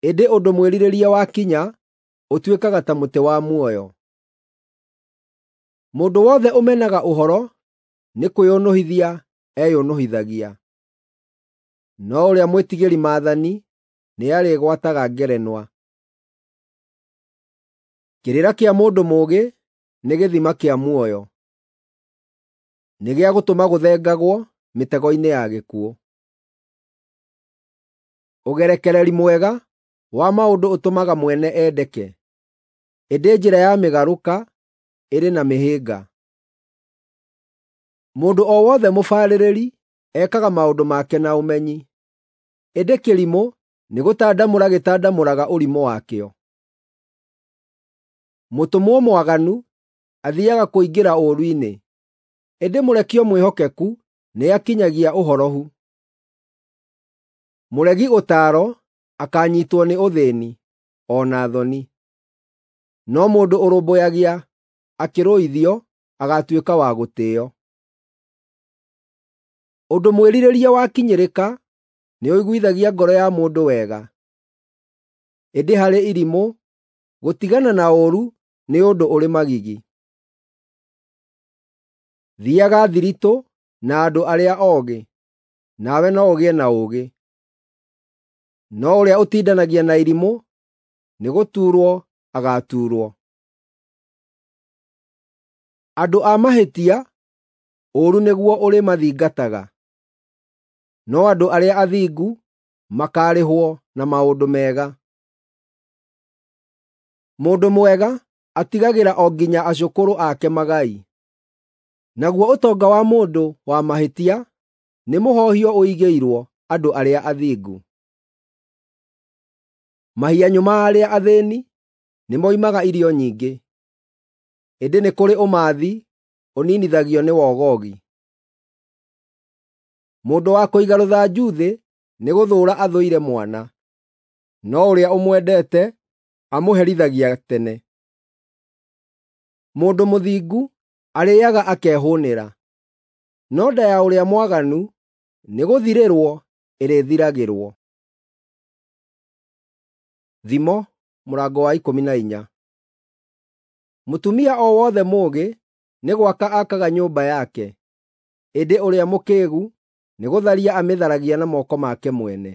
ĩndĩ ũndũ mwĩrirĩrie wakinya ũtuĩkaga ta mũtĩ wa muoyo. Mũndũ wothe ũmenaga ũhoro nĩkwĩũnũhithia eyũnũhithagia, no ũrĩa mwĩtigĩri maathani nĩarĩgwataga ngerenwa. Kĩrĩra kĩa mũndũ mũũgĩ nĩ gĩthima kĩa muoyo, nĩ gĩa gũtũma gũthengagwo mĩtego-inĩ ya gĩkuũ. Ũgerekereri mwega wa maũndũ ũtũmaga mwene endeke, ĩndĩ njĩra ya mĩgarũka ĩrĩ na mĩhĩnga. Mũndũ o wothe mũbarĩrĩri ekaga maũndũ make na ũmenyi, ĩndĩ kĩrimũ nĩgũtandamũra gĩtandamũraga ũrimũ wakĩo. Mũtũmwo mwaganu athiiaga kũingĩra ũũru-inĩ, ĩndĩ mũrekio mwĩhokeku nĩakinyagia ũhorohu. Mũregi ũtaaro akaanyiitwo nĩ ũthĩĩni, o na thoni, no mũndũ ũrũmbũyagia akĩrũithio agaatuĩka wa gũtĩĩo. Ũndũ mwĩrirĩrie wakinyĩrĩka nĩũiguithagia ngoro ya mũndũ wega, ĩndĩ harĩ irimũ gũtigana na ũũru nĩ ũndũ ũrĩ magigi. Thiiaga thiritũ na andũ arĩa oogĩ, nawe no ũgĩe na ũũgĩ, no ũrĩa ũtindanagia na irimũ nĩgũtuurwo agaatuurwo. Andũ a mahĩtia, ũũru nĩguo ũrĩmathingataga, no andũ arĩa athingu makaarĩhwo na maũndũ mega. Mũndũ mwega atigagĩra o nginya acũkũrũ ake magai, naguo ũtonga wa mũndũ wa mahĩtia nĩ mũhohio ũigĩirwo andũ arĩa athingu. Mahianyũ ma arĩa athĩĩni nĩmoimaga irio nyingĩ, ĩndĩ nĩ kũrĩ ũmathi ũninithagio nĩ wogogi. Mũndũ wa kũiga rũthanju thĩ nĩgũthũũra athũire mwana, no ũrĩa ũmwendete amũherithagia tene. Mũndũ mũthingu arĩĩaga akehũũnĩra, no nda ya ũrĩa mwaganu nĩgũthirĩrwo ĩrĩthiragĩrwo. Thimo mũrango wa ikũmi na inya. Mũtumia o wothe mũũgĩ nĩ gwaka akaga nyũmba yake, ĩndĩ ũrĩa mũkĩĩgu nĩgũtharia amĩtharagia na moko make mwene.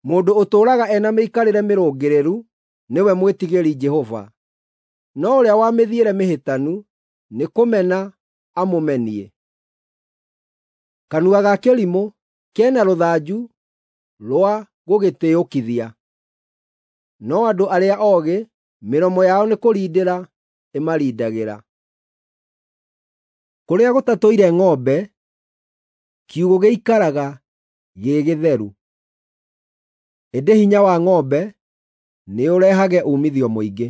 Mũndũ ũtũũraga ena mĩikarĩre mĩrũngĩrĩru nĩwe mwĩtigĩri Jehova, no ũrĩa wa mĩthiĩre mĩhĩtanu nĩkũmena amũmenie. Kanua ga kĩrimũ kena rũthanju rwa gũgĩtĩĩũkithia, no andũ arĩa oogĩ mĩromo yao nĩkũrindĩra ĩmarindagĩra. Kũrĩa gũtatũire ng'ombe, kiugũ gĩikaraga gĩ gĩtheru, ĩndĩ hinya wa ng'ombe nĩũrehage uumithio mũingĩ.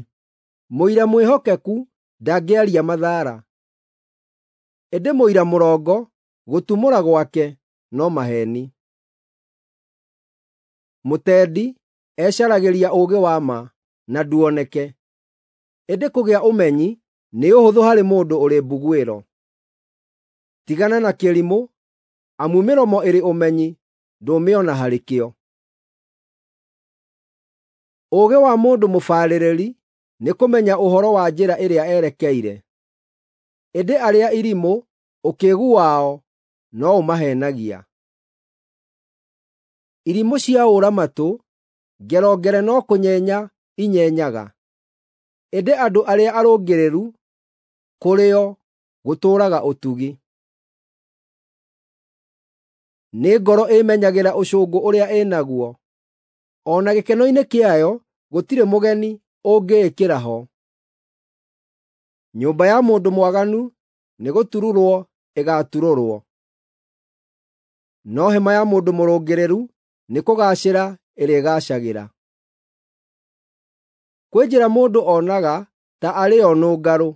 Mũira mwĩhokeku ndangĩaria mathara, ĩndĩ mũira mũrongo gũtumũra gwake no maheeni. Mũtendi ecaragĩria ũũgĩ wa ma na nduoneke, ĩndĩ kũgĩa ũmenyi nĩ ũhũthũ harĩ mũndũ ũrĩ mbuguĩro. Tigana na kĩrimũ, amu mĩromo ĩrĩ ũmenyi ndũmĩona harĩ kĩo. Ũũgĩ wa mũndũ mũbarĩrĩri nĩ kũmenya ũhoro wa njĩra ĩrĩa erekeire, ĩndĩ arĩa irimũ ũkĩĩgu wao no ũmaheenagia. Irimũ cia ũũra-matũ, ngerongere no kũnyenya inyenyaga, ĩndĩ andũ arĩa arũngĩrĩru kũrĩ o gũtũũraga ũtugi. Nĩ ngoro ĩĩmenyagĩra ũcũngũ ũrĩa ĩnaguo, o na gĩkeno-inĩ kĩayo gũtirĩ mũgeni ũngĩĩkĩra ho. Nyũmba ya mũndũ mwaganu nĩgũtururwo ĩgaaturũrwo, no hema ya mũndũ mũrũngĩrĩru nĩkũgaacĩra ĩrĩgaacagĩra. Kwĩ njĩra mũndũ onaga ta arĩ yo nũngarũ,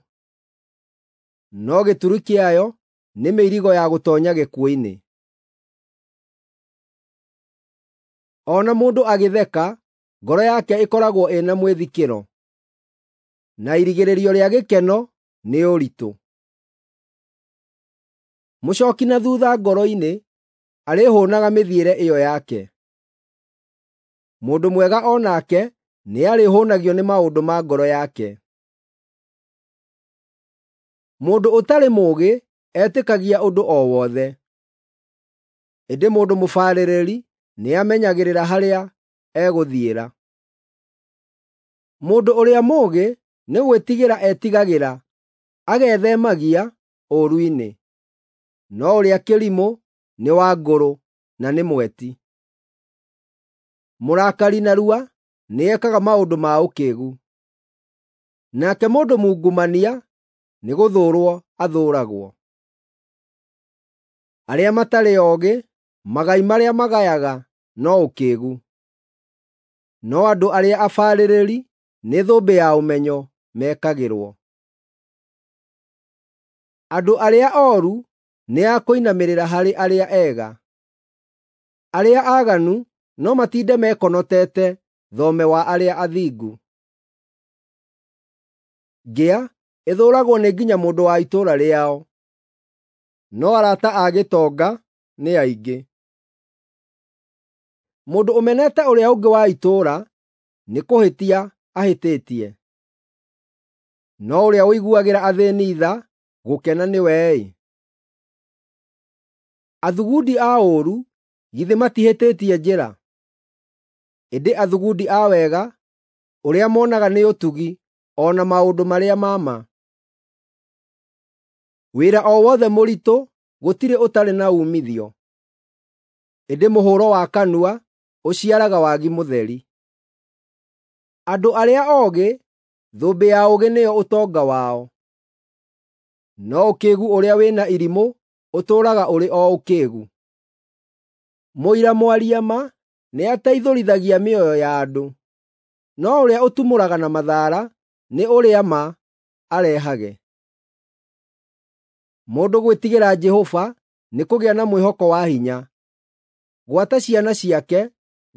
no gĩturi kĩayo nĩ mĩirigo ya gũtoonya gĩkuũ-inĩ. O na mũndũ agĩtheka, ngoro yake ĩkoragwo ĩna mwĩthikĩro, na irigĩrĩrio rĩa gĩkeno nĩ ũritũ. Mũcooki na thuutha ngoro-inĩ arĩhũũnaga mĩthiĩre ĩyo yake. Mũndũ mwega o nake nĩarĩhũũnagio nĩ maũndũ ma ngoro yake. Mũndũ ũtarĩ mũũgĩ etĩkagia ũndũ o wothe, ĩndĩ mũndũ mũbarĩrĩri nĩamenyagĩrĩra harĩa egũthiĩra. Mũndũ ũrĩa mũũgĩ nĩ gwĩtigĩra etigagĩra, agethemagia ũũru-inĩ, no ũrĩa kĩrimũ nĩ wa ngũrũ na nĩ mweti. Mũrakari narua nĩekaga maũndũ ma ũkĩĩgu, nake mũndũ mungumania nĩgũthũũrwo athũũragwo. Arĩa matarĩ oogĩ magai marĩa magayaga no ũkĩĩgu, no andũ arĩa abarĩrĩri nĩ thũmbĩ ya ũmenyo mekagĩrwo. Andũ arĩa ooru nĩ a kũinamĩrĩra harĩ arĩa ega, arĩa aaganu no matinde mekonotete thome wa arĩa athingu. Ngĩa ĩthũũragwo nĩ nginya mũndũ wa itũũra rĩao, no arata a gĩtonga nĩ aingĩ. Mũndũ ũmenete ũrĩa ũngĩ wa itũũra nĩkũhĩtia ahĩtĩtie, no ũrĩa ũiguagĩra athĩĩni tha gũkena nĩwe-ĩ. Athugundi a ũũru githĩ matihĩtĩtie njĩra? Ĩndĩ athugundi a wega ũrĩa monaga nĩ ũtugi o na maũndũ marĩa ma ma. Wĩra o wothe mũritũ gũtirĩ ũtarĩ na uumithio, ĩndĩ mũhũũro wa kanua ũciaraga wagi mũtheri. Andũ arĩa oogĩ, thũmbĩ ya ũũgĩ nĩyo ũtonga wao, no ũkĩĩgu ũrĩa wĩna irimũ ũtũũraga ũrĩ o ũkĩĩgu. Mũira mwaria ma nĩateithũrithagia mĩoyo ya andũ, no ũrĩa ũtumũraga na mathara nĩ ũrĩa ma arehage. Mũndũ gwĩtigĩra Jehova nĩ kũgĩa na mwĩhoko wa hinya; gwata ciana ciake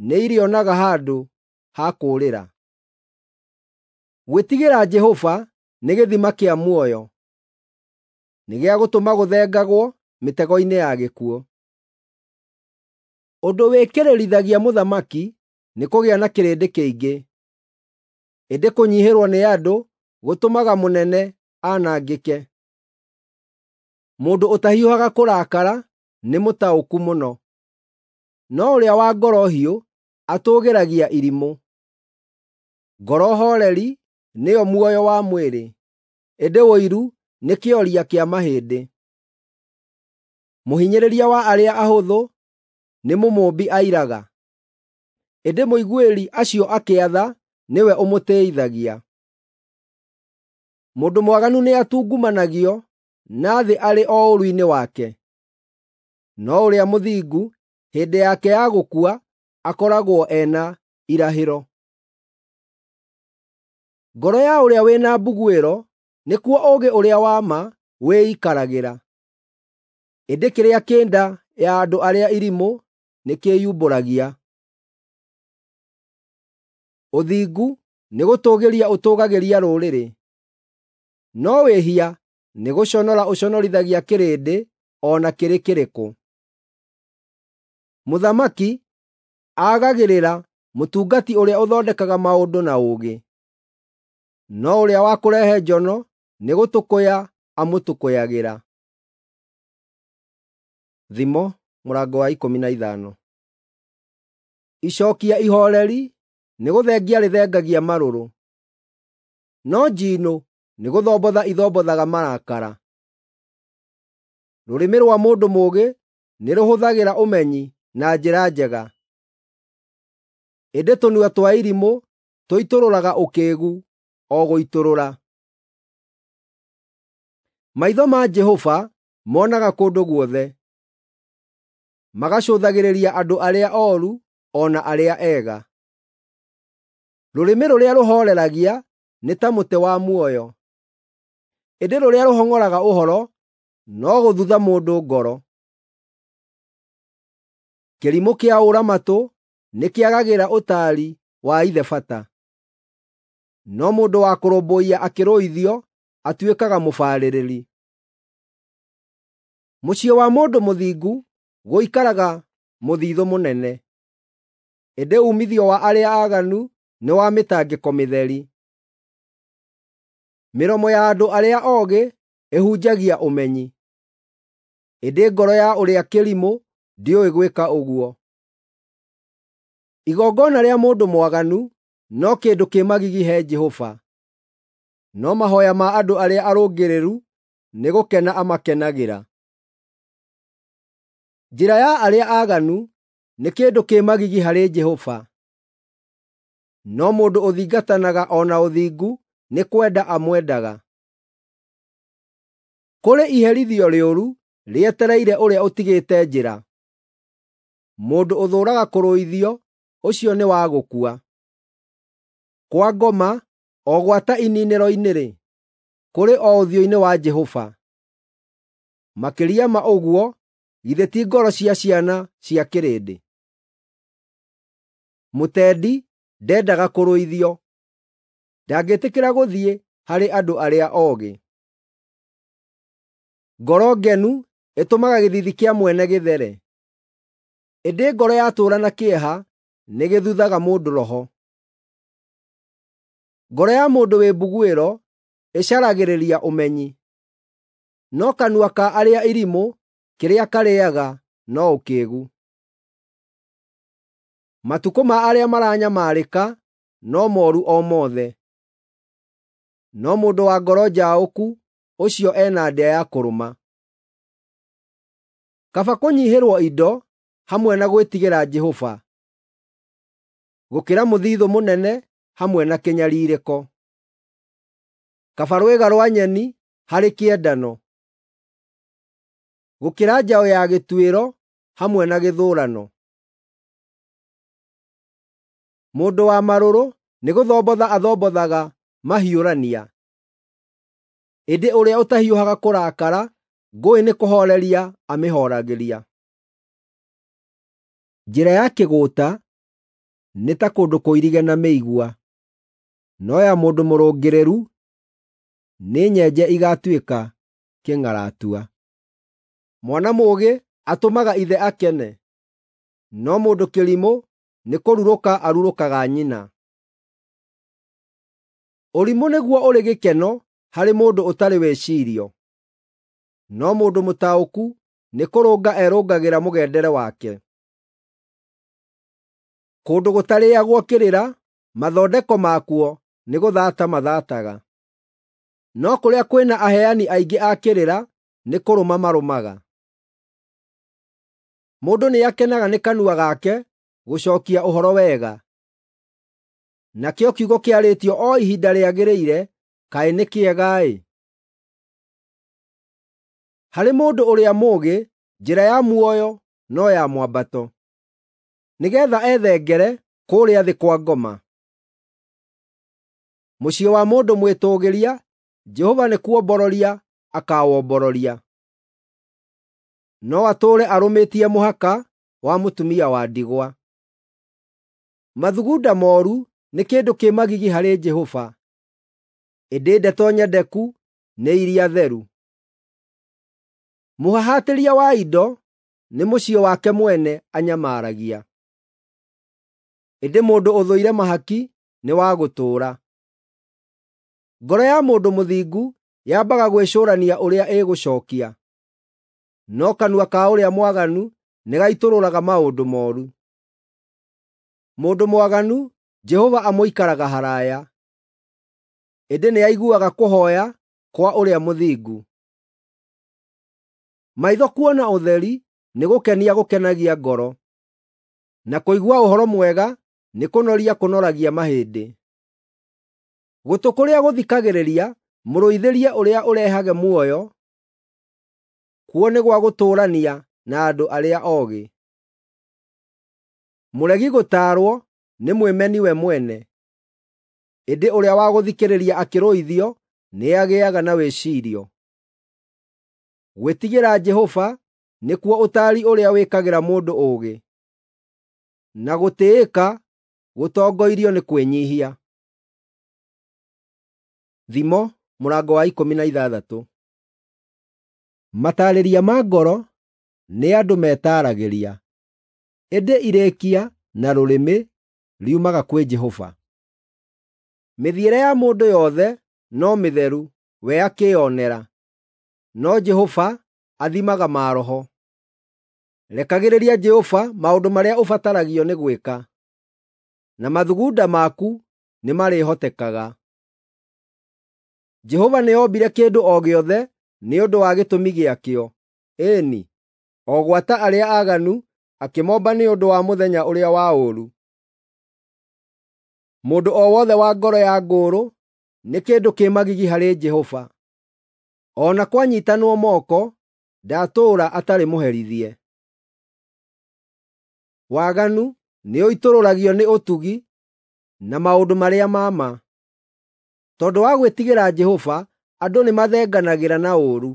nĩirĩonaga handũ ha kũũrĩra. Gwĩtigĩra Jehova nĩ gĩthima kĩa muoyo, nĩ gĩa gũtũma gũthengagwo mĩtego-inĩ ya gĩkuũ. Ũndũ wĩkĩrĩrithagia mũthamaki nĩ kũgĩa na kĩrĩndĩ kĩingĩ, ĩndĩ kũnyiihĩrwo nĩ andũ gũtũmaga mũnene anangĩke. Mũndũ ũtahiũhaga kũrakara nĩ mũtaũku mũno, no ũrĩa wa ngoro hiũ atũũgĩragia irimũ. Ngoro hooreri nĩyo muoyo wa mwĩrĩ, ĩndĩ ũiru nĩ kĩoria kĩa mahĩndĩ. Mũhinyĩrĩria wa arĩa ahũthũ nĩ mũmũũmbi airaga, ĩndĩ mũiguĩri acio akĩa tha nĩwe ũmũtĩĩithagia. Mũndũ mwaganu nĩatungumanagio na thĩ arĩ o ũũru-inĩ wake, no ũrĩa mũthingu hĩndĩ yake ya gũkua akoragwo ena irahĩro. Ngoro ya ũrĩa wĩna mbuguĩro nĩkuo ũũgĩ ũrĩa wa ma wĩikaragĩra, ĩndĩ kĩrĩa kĩ nda ya andũ arĩa irimũ nĩkĩyumbũragia. Ũthingu nĩgũtũũgĩria ũtũũgagĩria rũrĩrĩ, no wĩhia nĩgũconora ũconorithagia kĩrĩndĩ o na kĩrĩ kĩrĩkũ. Mũthamaki aagagĩrĩra mũtungati ũrĩa ũthondekaga maũndũ na ũũgĩ, no ũrĩa wa kũrehe njono nĩgũtũkũya amũtũkũyagĩra. Thimo mũrango wa ikũmi na ithano. Icookia ihooreri nĩgũthengia rĩthengagia marũrũ, no njiinũ nĩgũthombotha ithombothaga marakara. Rũrĩmĩ rwa mũndũ mũũgĩ nĩrũhũthagĩra ũmenyi na njĩra njega, ĩndĩ tũnua twa irimũ tũitũrũraga ũkĩĩgu o gũitũrũra. Maitho ma Jehova monaga kũndũ guothe, magacũthagĩrĩria andũ arĩa ooru o na arĩa ega. Rũrĩmĩ rũrĩa rũhooreragia nĩ ta mũtĩ wa muoyo, ĩndĩ rũrĩa rũhong'oraga ũhoro no gũthutha mũndũ ngoro. Kĩrimũ kĩa ũũra-matũ nĩkĩagagĩra ũtaari wa ithe bata, no mũndũ wa kũrũmbũiya akĩrũithio atuĩkaga mũbarĩrĩri. Mũciĩ wa mũndũ mũthingu gũikaraga mũthiithũ mũnene, ĩndĩ uumithio wa arĩa aaganu nĩ wa mĩtangĩko mĩtheri. Mĩromo ya andũ arĩa oogĩ ĩhunjagia ũmenyi, ĩndĩ ngoro ya ũrĩa kĩrimũ ndĩũĩ gwĩka ũguo. Igongona rĩa mũndũ mwaganu no kĩndũ kĩ magigi he Jehova, no mahooya ma andũ arĩa arũngĩrĩru nĩ gũkena amakenagĩra. Njĩra ya arĩa aaganu nĩ kĩndũ kĩ magigi harĩ Jehova, no mũndũ ũthingatanaga o na ũthingu nĩ kwenda amwendaga. Kũrĩ iherithio rĩũru rĩetereire ũrĩa ũtigĩte njĩra; mũndũ ũthũũraga kũrũithio ũcio nĩ wa gũkua. Kwa ngoma o gwata iniinĩro-inĩ-rĩ, kũrĩ o ũthiũ-inĩ wa Jehova. Makĩria ma ũguo githĩ ti ngoro cia ciana cia kĩrĩndĩ? Mũtendi ndendaga kũrũithio, ndangĩtĩkĩra gũthiĩ harĩ andũ arĩa oogĩ. Ngoro ngenu ĩtũmaga gĩthiithi kĩa mwene gĩthere, ĩndĩ ngoro yatũũra na kĩeha nĩgĩthuthaga mũndũ roho. Ngoro ya mũndũ wĩ mbuguĩro ĩcaragĩrĩria ũmenyi, no kanua ka arĩa irimũ kĩrĩa karĩĩaga no ũkĩĩgu. Matukũ ma arĩa maranyamarĩka no mooru o mothe, no mũndũ wa ngoro njaũku ũcio ena ndĩa ya kũrũma. Kaba kũnyiihĩrwo indo hamwe na gwĩtigĩra Jehova, gũkĩra mũthithũ mũnene hamwe na kĩnyariirĩko. Kaba rwĩga rwa nyeni harĩ kĩendano, gũkĩra njaũ ya gĩtuĩro hamwe na gĩthũũrano. Mũndũ wa marũrũ nĩgũthombotha athombothaga mahiũrania, ĩndĩ ũrĩa ũtahiũhaga kũrakara ngũĩ nĩkũhooreria amĩhooragĩria. Njĩra ya kĩgũũta nĩ ta kũndũ kũirige na mĩigua, no ya mũndũ mũrũngĩrĩru nĩ nyenje igaatuĩka kĩng'aratua. Mwana mũũgĩ atũmaga ithe akene, no mũndũ kĩrimũ nĩkũrurũka arurũkaga nyina. Ũrimũ nĩguo ũrĩ gĩkeno harĩ mũndũ ũtarĩ wĩcirio, no mũndũ mũtaũku nĩkũrũnga erũngagĩra mũgendere wake. Kũndũ gũtarĩagwo kĩrĩra, mathondeko makuo nĩgũthata mathaataga, no kũrĩa kwĩna aheani aingĩ a kĩrĩra nĩkũrũma marũmaga. Mũndũ nĩakenaga nĩ kanua gake gũcookia ũhoro wega, nakĩo kiugo kĩarĩtio o ihinda rĩagĩrĩire kaĩ nĩ kĩega-ĩ! Harĩ mũndũ ũrĩa mũũgĩ njĩra ya muoyo no ya mwambato, nĩgeetha ethengere kũrĩa thĩ kwa ngoma. Mũciĩ wa mũndũ mwĩtũũgĩria Jehova nĩkuombororia akaawombororia, no atũũre arũmĩtie mũhaka wa mũtumia wa ndigwa. Mathugunda mooru nĩ kĩndũ kĩ magigi harĩ Jehova, ĩndĩ ndeto nyendeku nĩ iria theru. Mũhahatĩria wa indo nĩ mũciĩ wake mwene anyamaragia, ĩndĩ mũndũ ũthũire mahaki nĩ wa gũtũũra. Ngoro ya mũndũ mũthingu yambaga gwĩcũrania ũrĩa ĩgũcookia, no kanua ka ũrĩa mwaganu nĩgaitũrũraga maũndũ mooru. Mũndũ mwaganu Jehova amũikaraga haraaya, ĩndĩ nĩaiguaga kũhooya kwa ũrĩa mũthingu. Maitho kuona ũtheri nĩgũkenia gũkenagia ngoro, na kũigua ũhoro mwega nĩkũnoria kũnoragia mahĩndĩ. Gũtũ kũrĩa gũthikagĩrĩria mũrũithĩrie ũrĩa ũrehage muoyo, kuo nĩ gwa gũtũũrania na andũ arĩa oogĩ. Mũregi gũtaarwo nĩ mwĩmeni we mwene, ĩndĩ ũrĩa wa gũthikĩrĩria akĩrũithio nĩagĩaga na wĩciirio. Gwĩtigĩra Jehova nĩkuo ũtaari ũrĩa wĩkagĩra mũndũ ũũgĩ, na gũtĩĩka gũtongoirio nĩ kwĩnyiihia. Thimo mũrango wa ikũmi na ithathatũ. Mataarĩria ma ngoro nĩ andũ metaaragĩria, ĩndĩ irĩkia na rũrĩmĩ riumaga kwĩ Jehova. Mĩthiĩre ya mũndũ yothe no mĩtheru we akĩĩonera, no Jehova athimaga maroho. Rekagĩrĩria Jehova maũndũ marĩa ũbataragio nĩ gwĩka, na mathugunda maku nĩmarĩhotekaga. Jehova nĩombire kĩndũ o gĩothe nĩ ũndũ wa gĩtũmi gĩakĩo, ĩĩ-ni, o gwata arĩa aaganu akĩmomba nĩ ũndũ wa mũthenya ũrĩa wa ũũru. Mũndũ o wothe wa ngoro ya ngũũrũ nĩ kĩndũ kĩ magigi harĩ Jehova, o na kwanyiitanwo moko ndatũũra atarĩ mũherithie. Waganu nĩũitũrũragio nĩ ũtugi na maũndũ marĩa ma ma. Tondũ wa gwĩtigĩra Jehova, andũ nĩmathenganagĩra na ũũru.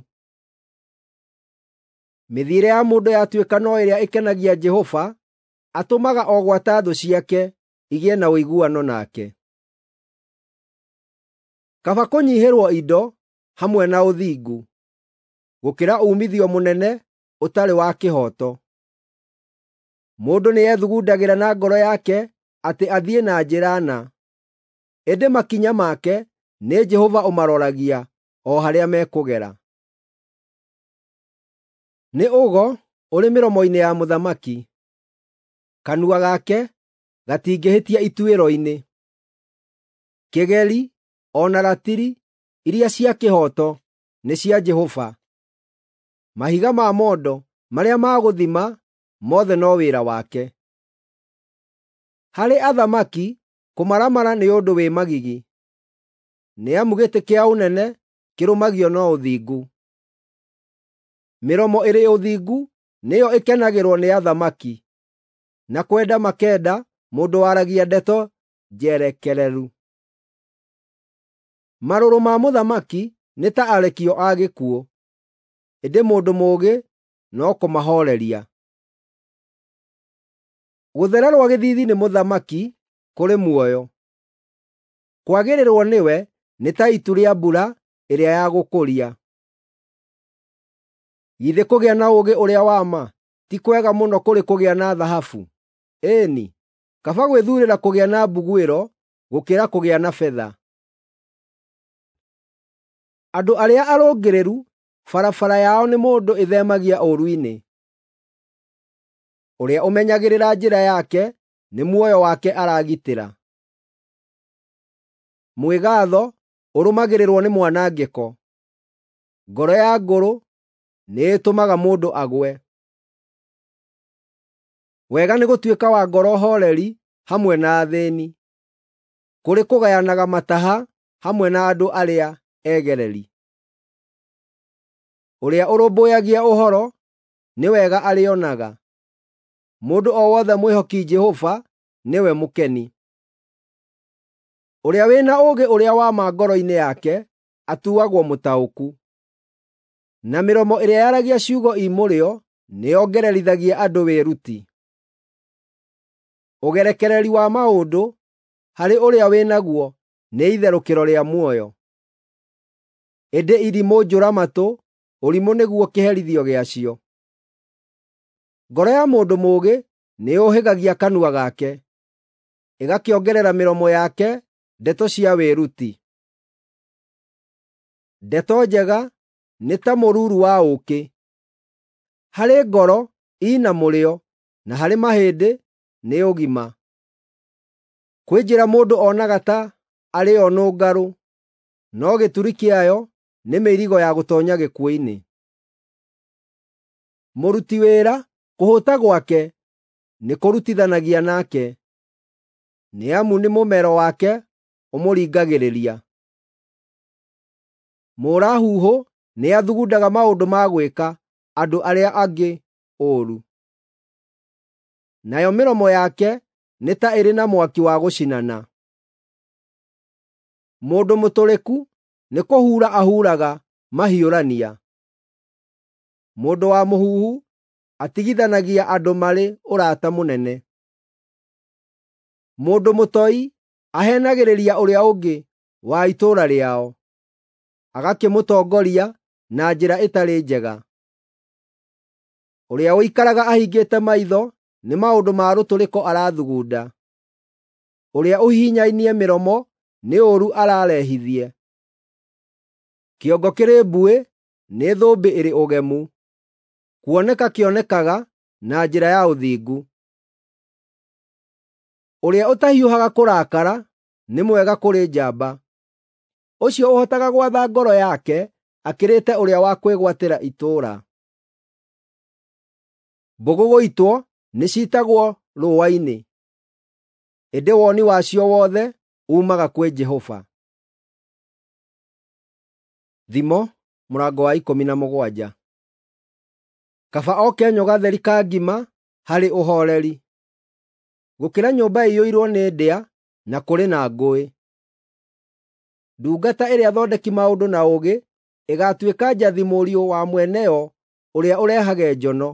Mĩthiĩre ya mũndũ yatuĩka no ĩrĩa ĩkenagia Jehova, atũmaga o gwata thũ ciake igĩe na ũiguano nake. Kaba kũnyiihĩrwo indo hamwe na ũthingu, gũkĩra uumithio mũnene ũtarĩ wa kĩhooto. Mũndũ nĩethugundagĩra na ngoro yake atĩ athiĩ na njĩra na, ĩndĩ makinya make nĩ Jehova ũmaroragia o harĩa mekũgera. Nĩ ũgo ũrĩ mĩromo-inĩ ya mũthamaki, kanua gake gatingĩhĩtia ituĩro-inĩ. Kĩgeri o na ratiri iria cia kĩhooto nĩ cia Jehova, mahiga ma mondo marĩa ma gũthima mothe no wĩra wake. Harĩ athamaki kũmaramara nĩ ũndũ wĩ magigi, nĩ amu gĩtĩ kĩa ũnene kĩrũmagio no ũthingu. Mĩromo ĩrĩ ũthingu nĩyo ĩkenagĩrwo nĩ athamaki, na kwenda makenda mũndũ waragia ndeto njerekereru. Marũrũ ma mũthamaki nĩ ta arekio a gĩkuũ, ĩndĩ mũndũ mũũgĩ no kũmahooreria. Gũthererwo gĩthiithi nĩ mũthamaki kũrĩ muoyo, kwagĩrĩrwo nĩwe nĩ ta itu rĩa mbura ĩrĩa ya gũkũria. Githĩ kũgĩa na ũũgĩ ũrĩa wa ma ti kwega mũno kũrĩ kũgĩa na thahabu? Ĩĩ-ni, kaba gwĩthuurĩra kũgĩa na mbuguĩro gũkĩra kũgĩa na betha. Andũ arĩa arũngĩrĩru barabara yao nĩ mũndũ ĩtheemagia ũũru-inĩ. Ũrĩa ũmenyagĩrĩra njĩra yake nĩ muoyo wake aragitĩra. Mwĩgaatho ũrũmagĩrĩrwo nĩ mwanangĩko. Ngoro ya ngũrũ nĩĩtũmaga mũndũ agwe. Wega nĩ gũtuĩka wa ngoro hooreri hamwe na athĩĩni, kũrĩ kũgayanaga mataha hamwe na andũ arĩa egereri. Ũrĩa ũrũmbũyagia ũhoro nĩ wega arĩonaga. Mũndũ o wothe mwĩhoki Jehova nĩwe mũkeni. Ũrĩa wĩna ũũgĩ ũrĩa wa ma ngoro-inĩ yake atuagwo mũtaũku, na mĩromo ĩrĩa yaragia ciugo i mũrĩo nĩyongererithagia andũ wĩruti. Ũgerekereri wa maũndũ harĩ ũrĩa wĩnaguo nĩ itherũkĩro rĩa muoyo, ĩndĩ irimũ njũra-matũ ũrimũ nĩguo kĩherithio gĩacio. Ngoro ya mũndũ mũũgĩ nĩyũhĩgagia kanua gake, ĩgakĩongerera mĩromo yake ndeto cia wĩruti. Ndeto njega nĩ ta mũruru wa ũũkĩ, harĩ ngoro ina mũrĩo na harĩ mahĩndĩ nĩ ũgima. Kwĩ njĩra mũndũ onaga ta arĩ yo nũngarũ, no gĩturi kĩayo nĩ mĩirigo ya gũtoonya gĩkuũ-inĩ. Mũruti wĩra kũhũta gwake nĩkũrutithanagia nake, nĩ amu nĩ mũmero wake ũmũringagĩrĩria. Mũũra-huhũ nĩathugundaga maũndũ ma gwĩka andũ arĩa angĩ ũũru, nayo mĩromo yake nĩ ta ĩrĩ na mwaki wa gũcinana. Mũndũ mũtũrĩku nĩkũhuura ahuraga mahiũrania. Mũndũ wa mũhuhu atigithanagia andũ marĩ ũrata mũnene. Mũndũ mũtoi aheenagĩrĩria ũrĩa ũngĩ wa itũũra rĩao, agakĩmũtongoria na njĩra ĩtarĩ njega. Ũrĩa ũikaraga ahingĩte maitho nĩ maũndũ ma rũtũrĩko arathugunda. Ũrĩa ũhihinyainie mĩromo nĩ ũũru ararehithie. Kĩongo kĩrĩ mbuĩ nĩ thũmbĩ ĩrĩ ũgemu, kuoneka kĩonekaga na njĩra ya ũthingu. Ũrĩa ũtahiũhaga kũrakara nĩ mwega kũrĩ njamba. Ũcio ũhotaga gwatha ngoro yake akĩrĩte ũrĩa wa kwĩgwatĩra itũũra. Mbũgũ gũitwo nĩciitagwo rũũa-inĩ, ĩndĩ woni wacio wothe uumaga kwĩ Jehova. Thimo mũrango wa ikũmi na mũgwanja. Kaba o kenyũ gatheri ka ngima harĩ ũhooreri, gũkĩra nyũmba ĩiyũirwo nĩ ndĩa na kũrĩ na ngũĩ. Ndungata ĩrĩa thondeki maũndũ na ũũgĩ ĩgaatuĩka njathi mũriũ wa mwene yo ũrĩa ũrehage njono,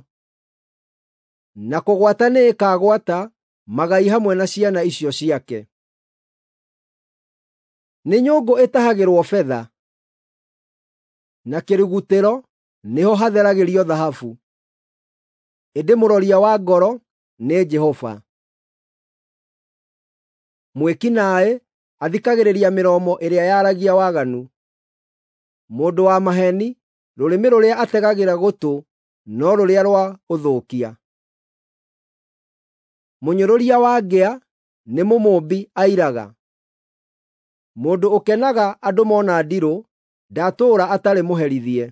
na kũgwata nĩĩkagwata magai hamwe na ciana icio ciake. Nĩ nyũngũ ĩtahagĩrwo betha, na kĩrugutĩro nĩho hatheragĩrio thahabu, ĩndĩ mũroria wa ngoro nĩ Jehova. Mwĩki naaĩ athikagĩrĩria mĩromo ĩrĩa yaragia waganu. Mũndũ wa maheeni rũrĩmĩ rũrĩa ategagĩra gũtũ no rũrĩa rwa ũthũkia. Mũnyũrũria wa ngĩa nĩ mũmũũmbi airaga. Mũndũ ũkenaga andũ mona ndirũ ndatũũra atarĩ mũherithie.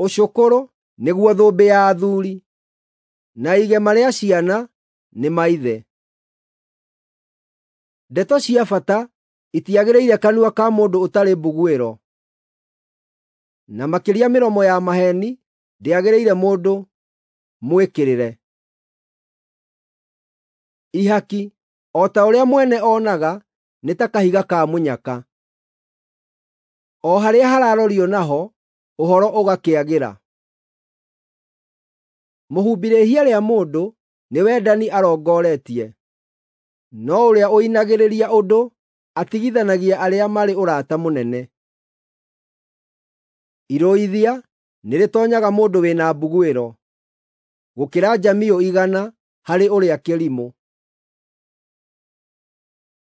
Ũcũkũrũ nĩguo thũmbĩ ya athuuri, na igema rĩa ciana nĩ maithe. Ndeto cia bata itiagĩrĩire kanua ka mũndũ ũtarĩ mbuguĩro, na makĩria mĩromo ya maheeni ndĩagĩrĩire mũndũ mwĩkĩrĩre. Ihaki, o ta ũrĩa mwene onaga, nĩ ta kahiga ka mũnyaka. O harĩa hararorio naho, ũhoro ũgakĩagĩra. Mũhumbi rĩĩhia rĩa mũndũ nĩ wendani arongoretie, no ũrĩa ũinagĩrĩria ũndũ atigithanagia arĩa marĩ ũrata mũnene. Irũithia nĩrĩtoonyaga mũndũ wĩna mbuguĩro, gũkĩra njamiũ igana harĩ ũrĩa kĩrimũ.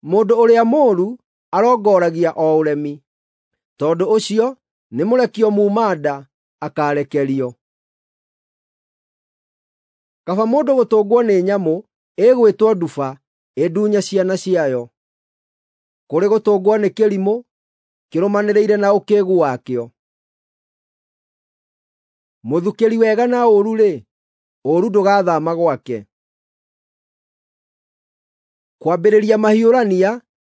Mũndũ ũrĩa mũũru arongoragia o ũremi, tondũ ũcio nĩ mũrekio muuma-nda akaarekerio. Kaba mũndũ gũtũngwo nĩ nyamũ ĩgwĩtwo nduba ĩndunye ciana ciayo, kũrĩ gũtũngwo nĩ kĩrimũ kĩrũmanĩrĩire na ũkĩĩgu wakĩo. Mũthukĩri wega na ũũru-rĩ, ũũru ndũgathaama gwake. Kwambĩrĩria mahiũrania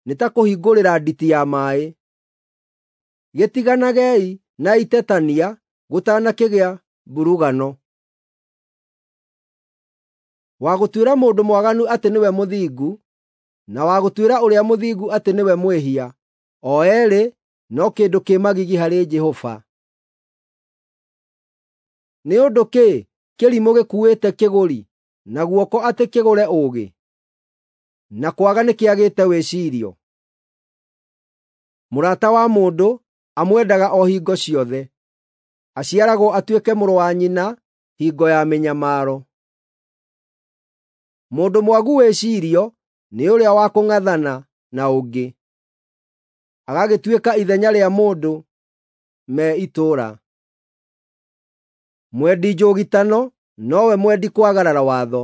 nĩ ta kũhingũrĩra nditi ya maaĩ. Gĩtiganagei na itetania gũtanakĩgĩa mburugano. Wa gũtuĩra mũndũ mwaganu atĩ nĩwe mũthingu, na wa gũtuĩra ũrĩa mũthingu atĩ nĩwe mwĩhia, o eerĩ no kĩndũ kĩ magigi harĩ Jehova. Nĩ ũndũ kĩ kĩrimũ gĩkuuĩte kĩgũri na guoko atĩ kĩgũre ũũgĩ, na kwaga nĩkĩagĩte wĩciirio? Mũrata wa mũndũ amwendaga o hingo ciothe, aciaragwo atuĩke mũrũ wa nyina hingo ya mĩnyamaro. Mũndũ mwagu wĩciirio nĩ ũrĩa wa kũng'athana na ũngĩ, agagĩtuĩka ithenya rĩa mũndũ me itũũra. Mwendi njũgitano nowe mwendi kwagarara watho.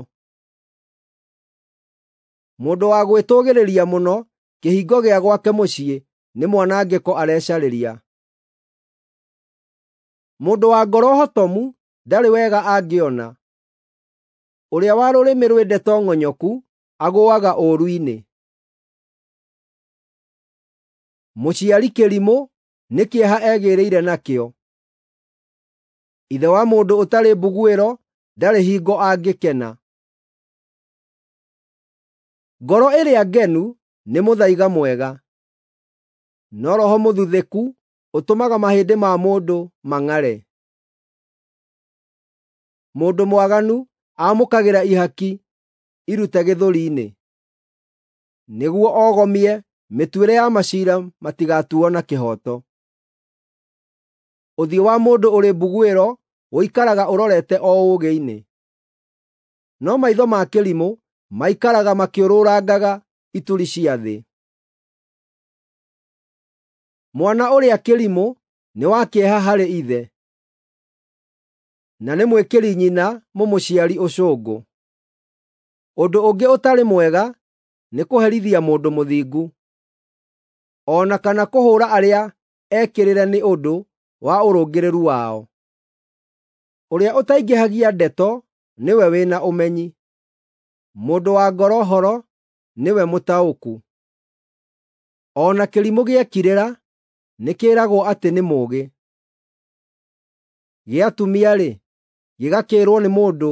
Mũndũ wa gwĩtũũgĩrĩria mũno kĩhingo gĩa gwake mũciĩ nĩ mwanangĩko arecarĩria. Mũndũ wa ngoro hotomu ndarĩ wega angĩona, ũrĩa wa rũrĩmĩ rwĩ ndeto ng'onyoku agũũaga ũũru-inĩ. Mũciari kĩrimũ nĩ kĩeha egĩĩrĩire nakĩo. Ithe wa mũndũ ũtarĩ mbuguĩro ndarĩ hingo angĩkena. Ngoro ĩrĩa ngenu nĩ mũthaiga mwega, no roho mũthuthĩku ũtũmaga mahĩndĩ ma mũndũ mang'are. Mũndũ mwaganu aamũkagĩra ihaki irute gĩthũri-inĩ, nĩguo ogomie mĩtuĩre ya maciira matigatuo na kĩhooto. Ũthiũ wa mũndũ ũrĩ mbuguĩro ũikaraga ũrorete o ũũgĩ-inĩ, no maitho ma kĩrimũ maikaraga makĩũrũrangaga ituri cia thĩ. Mwana ũrĩa kĩrimũ nĩ wa kĩeha harĩ ithe, na nĩ mwĩkĩri nyina mũmũciari ũcũngũ. Ũndũ ũngĩ ũtarĩ mwega nĩ kũherithia mũndũ mũthingu, o na kana kũhũũra arĩa ekĩrĩre nĩ ũndũ wa ũrũngĩrĩru wao. Ũrĩa ũtaingĩhagia ndeto nĩwe wĩna ũmenyi, mũndũ wa ngoro horo nĩwe mũtaũku. O na kĩrimũ gĩekirĩra nĩkĩĩragwo atĩ nĩ mũũgĩ, gĩatumia-rĩ, gĩgakĩĩrwo nĩ mũndũ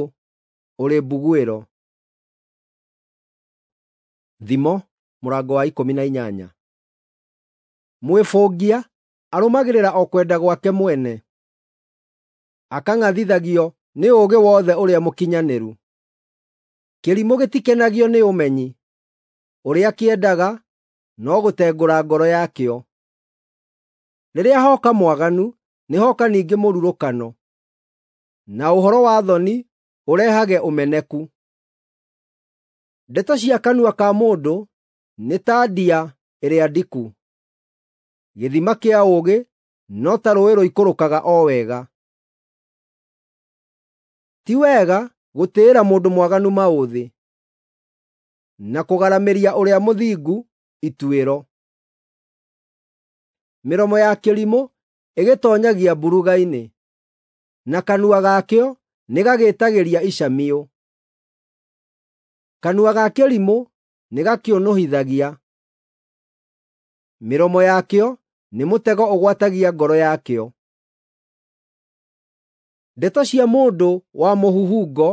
ũrĩ mbuguĩro. Thimo mũrango wa ikũmi na inyanya. Mwĩbũngia arũmagĩrĩra o kwenda gwake mwene, akang'athithagio nĩ ũũgĩ wothe ũrĩa mũkinyanĩru. Kĩrimũ gĩtikenagio nĩ ũmenyi, ũrĩa kĩendaga no gũtengũra ngoro yakĩo. Rĩrĩa hoka mwaganu, nĩhoka ningĩ mũrurũkano, na ũhoro wa thoni ũrehage ũmeneku. Ndeto cia kanua ka mũndũ nĩ ta ndia ĩrĩa ndiku, gĩthima kĩa ũũgĩ no ta rũũĩ rũikũrũkaga o wega. Ti wega gũtĩĩra mũndũ mwaganu maũthĩ, na kũgaramĩria ũrĩa mũthingu ituĩro. Mĩromo ya kĩrimũ ĩgĩtoonyagia mburuga-inĩ, na kanua gakĩo nĩgagĩĩtagĩria icamio. Kanua ga kĩrimũ nĩgakĩũnũhithagia, mĩromo yakĩo nĩ mũtego ũgwatagia ngoro yakĩo. Ndeto cia mũndũ wa mũhuhungo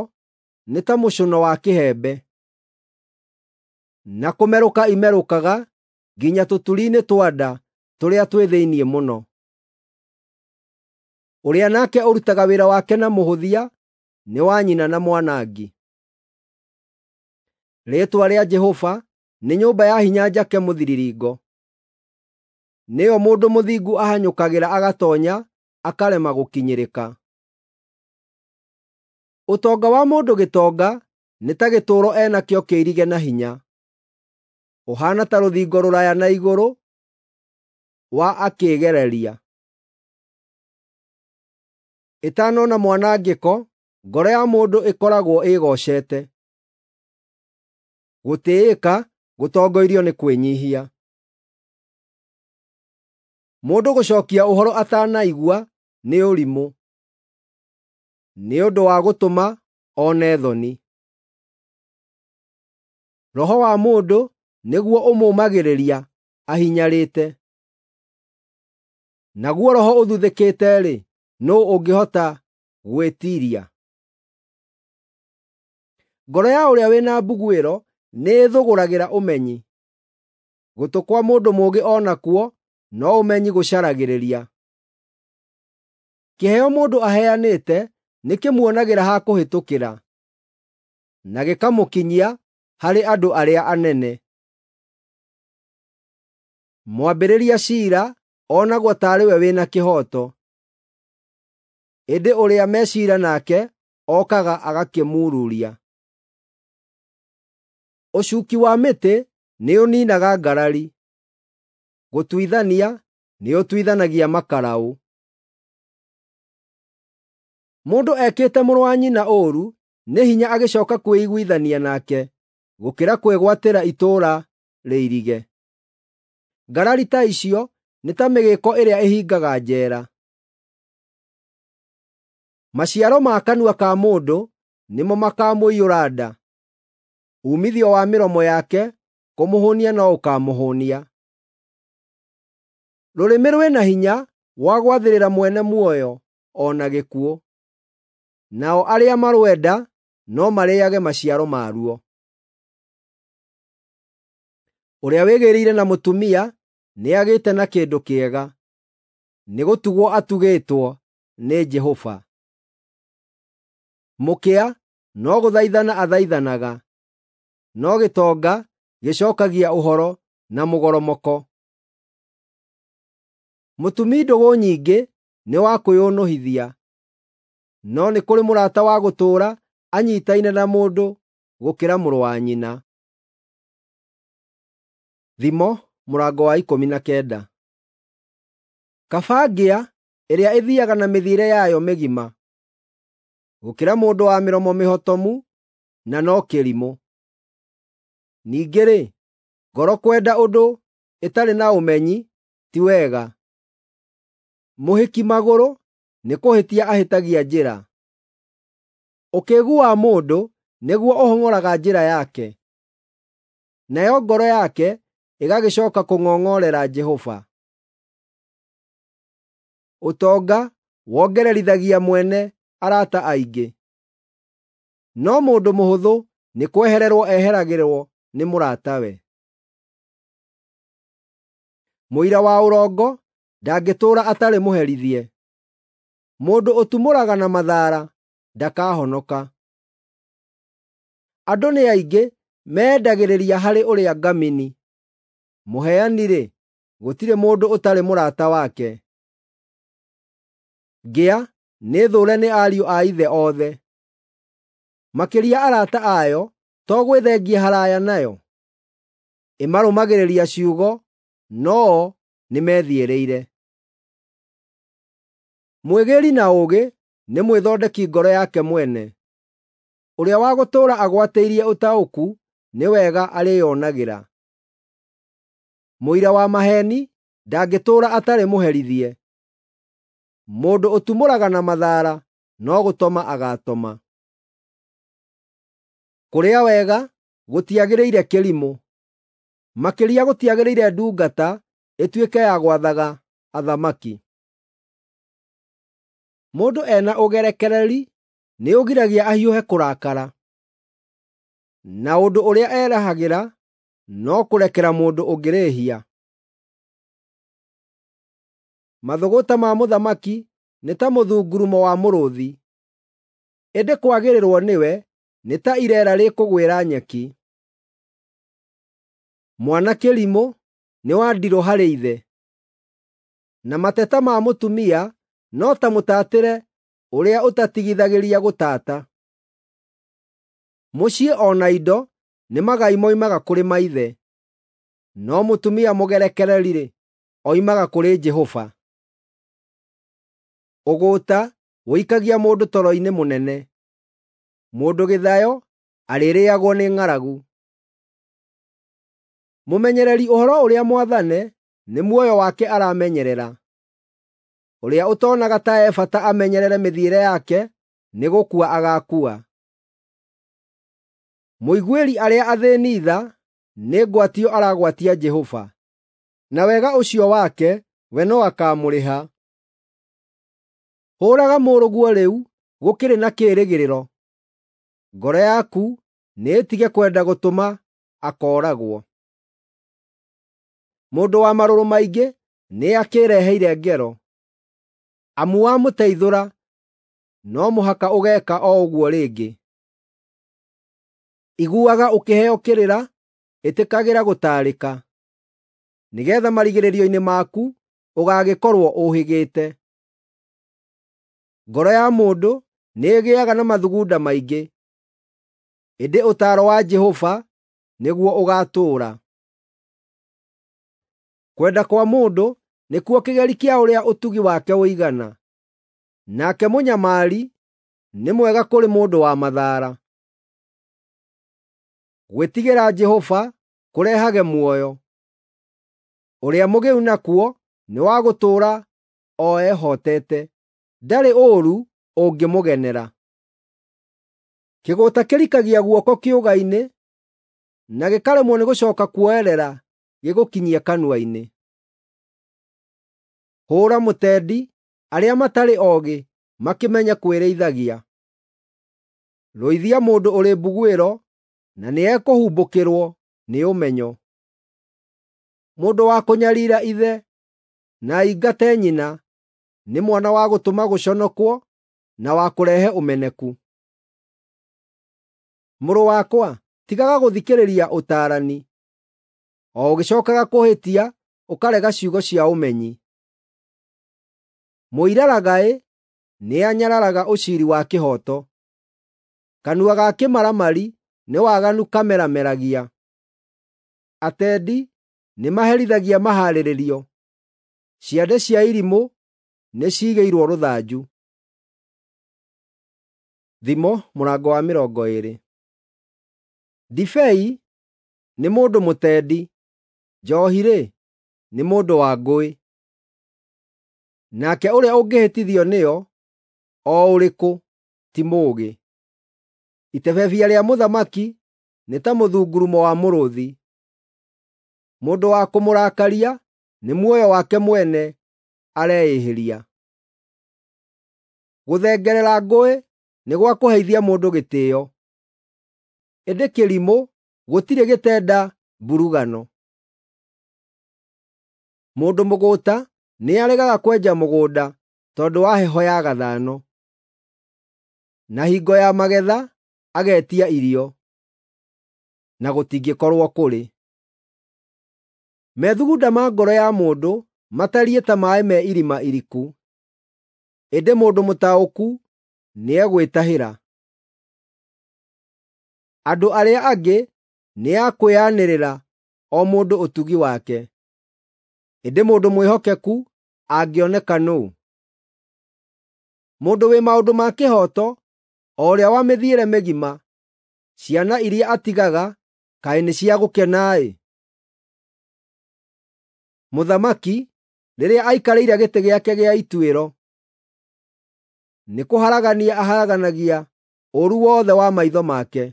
nĩ ta mũcũno wa kĩhembe, na kũmerũka imerũkaga nginya tũturi-inĩ twa nda tũrĩa twĩ thĩinĩ mũno. Ũrĩa nake ũrutaga wĩra wake na mũhũthia nĩ wa nyina na mwanangi. Rĩĩtwa rĩa Jehova nĩ nyũmba ya hinya njake mũthiriringo, nĩyo mũndũ mũthingu ahanyũkagĩra agatoonya akarema gũkinyĩrĩka. Ũtonga wa mũndũ gĩtonga nĩ ta gĩtũũro enakĩo kĩirige na hinya, ũhaana ta rũthingo rũraya na igũrũ wa akĩĩgereria. Ĩtanona mwanangĩko, ngoro ya mũndũ ĩkoragwo ĩĩgocete. Gũtĩĩka gũtongoirio nĩ kwĩnyiihia. Mũndũ gũcookia ũhoro atanaigua nĩ ũrimũ, nĩ ũndũ wa gũtũma one thoni. Roho wa mũndũ nĩguo ũmũũmagĩrĩria ahinyarĩte, naguo roho ũthuthĩkĩte-rĩ, nũũ ũngĩhota gwĩtiiria? Ngoro ya ũrĩa wĩna mbuguĩro nĩĩthũgũragĩra ũmenyi, gũtũ kwa mũndũ mũũgĩ o nakuo no ũmenyi gũcaragĩrĩria. Kĩheo mũndũ aheanĩte nĩkĩmuonagĩra ha kũhĩtũkĩra, na gĩkamũkinyia harĩ andũ arĩa anene. Mwambĩrĩria ciira onagwo taarĩ we wĩna kĩhooto, ĩndĩ ũrĩa me ciira nake okaga agakĩmururia. Ũcuuki wa mĩtĩ nĩũniinaga ngarari, gũtuithania nĩũtuithanagia makaraũ. Mũndũ ekĩte mũrũ wa nyina ũũru nĩ hinya agĩcooka kwĩiguithania nake gũkĩra kwĩgwatĩra itũũra rĩirige. Ngarari ta icio nĩ ta mĩgĩĩko ĩrĩa ĩhingaga njeera. Maciaro ma kanua ka mũndũ nĩmo makaamũiyũra nda, uumithio wa mĩromo yake kũmũhũũnia no ũkaamũhũũnia. Rũrĩmĩ rwĩna hinya wa gwathĩrĩra mwene muoyo o na gĩkuũ, nao arĩa marwenda no marĩĩage maciaro maruo. Ũrĩa wĩgĩĩrĩire na mũtumia nĩagĩte na kĩndũ kĩega, nĩgũtugwo atugĩtwo nĩ Jehova. Mũkĩa no gũthaithana athaithanaga, no gĩtonga gĩcookagia ũhoro na mũgoromoko. Mũtumi ndũgũ nyingĩ nĩ wa kwĩũnũhithia, no nĩ kũrĩ mũrata wa gũtũũra anyiitaine na mũndũ gũkĩra mũrũ wa nyina. Thimo mũrango wa ikũmi na kenda. Kaba ngĩa ĩrĩa ĩthiiaga na mĩthiĩre yayo mĩgima, gũkĩra mũndũ wa mĩromo mĩhotomu na no kĩrimũ. Ningĩ-rĩ, ngoro kwenda ũndũ ĩtarĩ na ũmenyi ti wega. Mũhĩki magũrũ nĩkũhĩtia ahĩtagia njĩra. Ũkĩĩgu wa mũndũ nĩguo ũhong'oraga njĩra yake, nayo ngoro yake ĩgagĩcooka kũng'ong'orera Jehova. Ũtonga wongererithagia mwene arata aingĩ, no mũndũ mũhũthũ nĩ kwehererwo eheragĩrwo nĩ mũratawe. Mũira wa ũrongo ndangĩtũũra atarĩ mũherithie. Mũndũ ũtumũraga na mathaara ndakahonoka. Andũ nĩ aingĩ meendagĩrĩria harĩ ũrĩa ngamini, mũheani-rĩ, gũtirĩ mũndũ ũtarĩ mũrata wake. Ngĩa nĩ thũũre nĩ ariũ a ithe othe, makĩria arata ayo to gwĩthengia haraaya nayo. Ĩmarũmagĩrĩria ciugo, no-o nĩmethiĩrĩire. Mwĩgĩĩri na ũũgĩ nĩ mwĩthondeki ngoro yake mwene, ũrĩa wa gũtũũra agwatĩirie ũtaũku nĩ wega arĩĩonagĩra. Mũira wa maheeni ndangĩtũũra atarĩ mũherithie. Mũndũ ũtumũraga na mathaara no gũtoma agaatoma. Kũrĩa wega gũtiagĩrĩire kĩrimũ, makĩria gũtiagĩrĩire ndungata ĩtuĩke ya gwathaga athamaki. Mũndũ ena ũgerekereri nĩũgiragia ahiũhe kũrakara, na ũndũ ũrĩa erahagĩra no kũrekera mũndũ ũngĩ rĩĩhia. Mathũgũta ma mũthamaki nĩ ta mũthungurumo wa mũrũũthi, ĩndĩ kwagĩrĩrwo nĩwe nĩ ta ireera rĩkũgwĩra nyeki. Mwana kĩrimũ nĩ wa ndirũ harĩ ithe, na mateta ma mũtumia no ta mũtaatĩre ũrĩa ũtatigithagĩria gũtaata. Mũciĩ o na indo nĩ magai moimaga kũrĩ maithe, no mũtumia mũgerekereri-rĩ, oimaga kũrĩ Jehova. Ũgũũta ũikagia mũndũ toro-inĩ mũnene, mũndũ gĩthayo arĩrĩagwo nĩ ng'aragu. Mũmenyereri ũhoro ũrĩa mwathane nĩ muoyo wake aramenyerera. Ũrĩa ũtonaga ta e bata amenyerere mĩthiĩre yake nĩ gũkua agaakua. Mũiguĩri arĩa athĩĩni tha nĩ ngwatio aragwatia Jehova, na wega ũcio wake we no akaamũrĩha. Hũũraga mũrũguo rĩu gũkĩrĩ na kĩĩrĩgĩrĩro, ngoro yaku nĩĩtige kwenda gũtũma akooragwo. Mũndũ wa marũrũ maingĩ nĩakĩĩreheire ngero, amu wamũteithũra no mũhaka ũgeeka o ũguo rĩngĩ. Iguaga ũkĩheo kĩrĩra, ĩtĩkagĩra gũtaarĩka, nĩgeetha marigĩrĩrio-inĩ maku ũgaagĩkorwo ũhĩgĩte. Ngoro ya mũndũ nĩĩgĩaga na mathugunda maingĩ, ĩndĩ ũtaaro wa Jehova nĩguo ũgaatũũra. Kwenda kwa mũndũ nĩkuo kĩgeri kĩa ũrĩa ũtugi wake ũigana, nake mũnyamari nĩ mwega kũrĩ mũndũ wa mathaara. Gwĩtigĩra Jehova kũrehage muoyo, ũrĩa mũgĩu nakuo nĩ wa gũtũũra o ehotete, ndarĩ ũũru ũngĩmũgenera. Kĩgũũta kĩrikagia guoko kĩũga-inĩ, na gĩkaremwo nĩ gũcooka kuoerera gĩgũkinyie kanua-inĩ. Hũũra mũtendi arĩa matarĩ oogĩ makĩmenye kwĩrĩithagia. Rũithia mũndũ ũrĩ mbuguĩro na nĩekũhumbũkĩrwo nĩ ũmenyo. Mũndũ wa kũnyariira ithe na aingate nyina nĩ mwana wa gũtũma gũconokwo na wa kũrehe ũmeneku. Mũrũ wakwa, tigaga gũthikĩrĩria ũtaarani, o ũgĩcookaga kũhĩtia ũkarega ciugo cia ũmenyi. Mũiraragaĩ nĩanyararaga ũciiri wa kĩhooto, kanua ga kĩmaramari nĩ waganu kamerameragia. Atendi nĩmaherithagia mahaarĩrĩrio, ciande cia irimũ nĩciigĩirwo rũthanju. Thimo mũrango wa mĩrongo ĩĩrĩ. Ndibei nĩ mũndũ mũtendi, njoohi-rĩ, nĩ mũndũ wa ngũĩ. Nake ũrĩa ũngĩhĩtithio nĩyo, o ũrĩkũ, ti mũũgĩ. Itebebia rĩa mũthamaki nĩ ta mũthungurumo wa mũrũũthi. Mũndũ wa kũmũrakaria nĩ muoyo wake mwene areĩhĩria. Gũthengerera ngũĩ nĩ gwa kũheithia mũndũ gĩtĩĩo, ĩndĩ kĩrimũ gũtirĩ gĩtenda mburugano. Mũndũ mũgũũta nĩaregaga kwenja mũgũnda tondũ wa heho ya gathano, na hingo ya magetha agetia irio, na gũtingĩkorwo kũrĩ. Methugunda ma ngoro ya mũndũ matariĩ ta maaĩ me irima iriku, ĩndĩ mũndũ mũtaũku nĩegwĩtahĩra. Andũ arĩa angĩ nĩ a kwĩanĩrĩra o mũndũ ũtugi wake, ĩndĩ mũndũ mwĩhokeku angĩoneka nũũ? Mũndũ wĩ maũndũ ma kĩhooto, o ũrĩa wa mĩthiĩre mĩgima, ciana iria atigaga kaĩ nĩ cia gũkena-ĩ! Mũthamaki rĩrĩa aikarĩire gĩtĩ gĩake gĩa ituĩro. Nĩkũharagania aharaganagia ũũru wothe wa maitho make.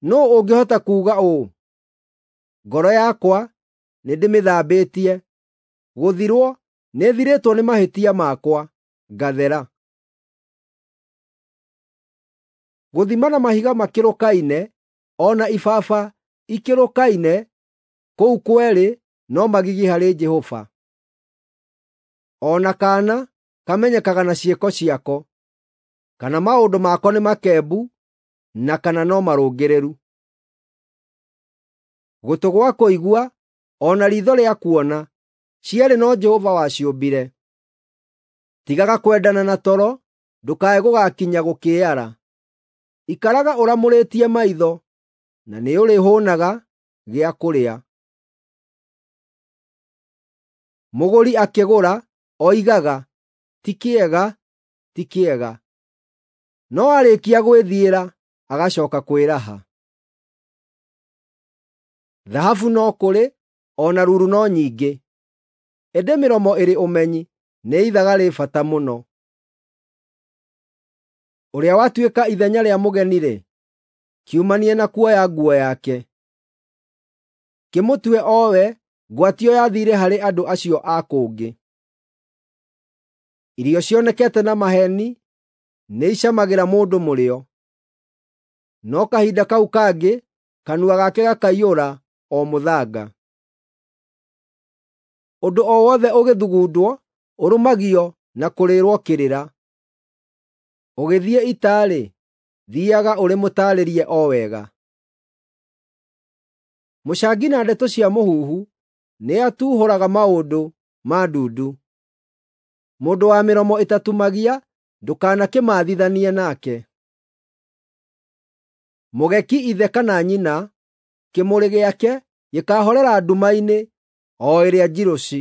Nũũ ũngĩhota kuuga ũũ, “Ngoro yakwa nĩndĩmĩthambĩtie, gũthirwo nĩthirĩtwo nĩ mahĩtia makwa, ngathera”? Gũthima na mahiga makĩrũkaine, o na ibaba ikĩrũkaine, kũu kwerĩ no magigi harĩ Jehova. O na kaana kamenyekaga na ciĩko ciako, kana maũndũ mako nĩ makembu na kana no marũngĩrĩru. Gũtũ gwa kũigua o na riitho rĩa kuona, cierĩ no Jehova waciũmbire. Tigaga kwendana na toro, ndũkae gũgakinya gũkĩara. Ikaraga ũramũrĩtie maitho, na nĩũrĩhũũnaga gĩa kũrĩa. Mũgũri akĩgũra oigaga, “Ti kĩega, ti kĩega,” no aarĩkia gwĩthiĩra agacooka kwĩraha. Thahabu no kũrĩ, o na ruru no nyingĩ, ĩndĩ mĩromo ĩrĩ ũmenyi nĩ ithaga rĩ bata mũno. Ũrĩa watuĩka ithenya rĩa mũgeni-rĩ, kiumanie na kuoya nguo yake. Kĩmũtue o we ngwatio ya thiirĩ harĩ andũ acio a kũngĩ. Irio cionekete na maheeni nĩicamagĩra mũndũ mũrĩo, no kahinda kau kangĩ kanua gake gakaiyũra o mũthanga. Ũndũ o wothe ũgĩthugundwo ũrũmagio na kũrĩĩrwo kĩrĩra. Ũgĩthiĩ ita-rĩ, thiiaga ũrĩ mũtaarĩrie o wega. Mũcangi na ndeto cia mũhuhu nĩatuuhũraga maũndũ ma ndundu. Mũndũ wa mĩromo ĩtatumagia ndũkanakĩmathithanie nake. Mũgeki ithe kana nyina, kĩmũrĩ gĩake gĩkaahorera nduma-inĩ o ĩrĩa njirũ ci.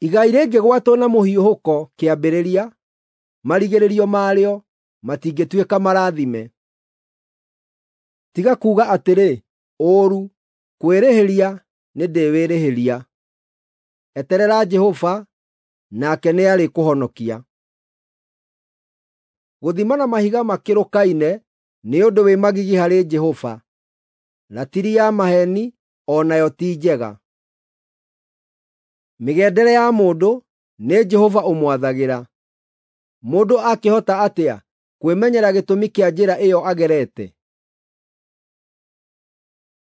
Igai rĩngĩgwatwo na mũhiũhũko kĩambĩrĩria, marigĩrĩrio marĩo matingĩtuĩka marathime. Tiga kuuga atĩrĩ, “Ũũru, kwĩrĩhĩria nĩndĩwĩrĩhĩria.” Eterera Jehova, nake nĩarĩkũhonokia. Gũthima na mahiga makĩrũkaine nĩ ũndũ wĩ magigi harĩ Jehova; ratiri ya maheeni o nayo ti njega. Mĩgendere ya mũndũ nĩ Jehova ũmwathagĩra. Mũndũ akĩhota atĩa kwĩmenyera gĩtũmi kĩa njĩra ĩyo agerete?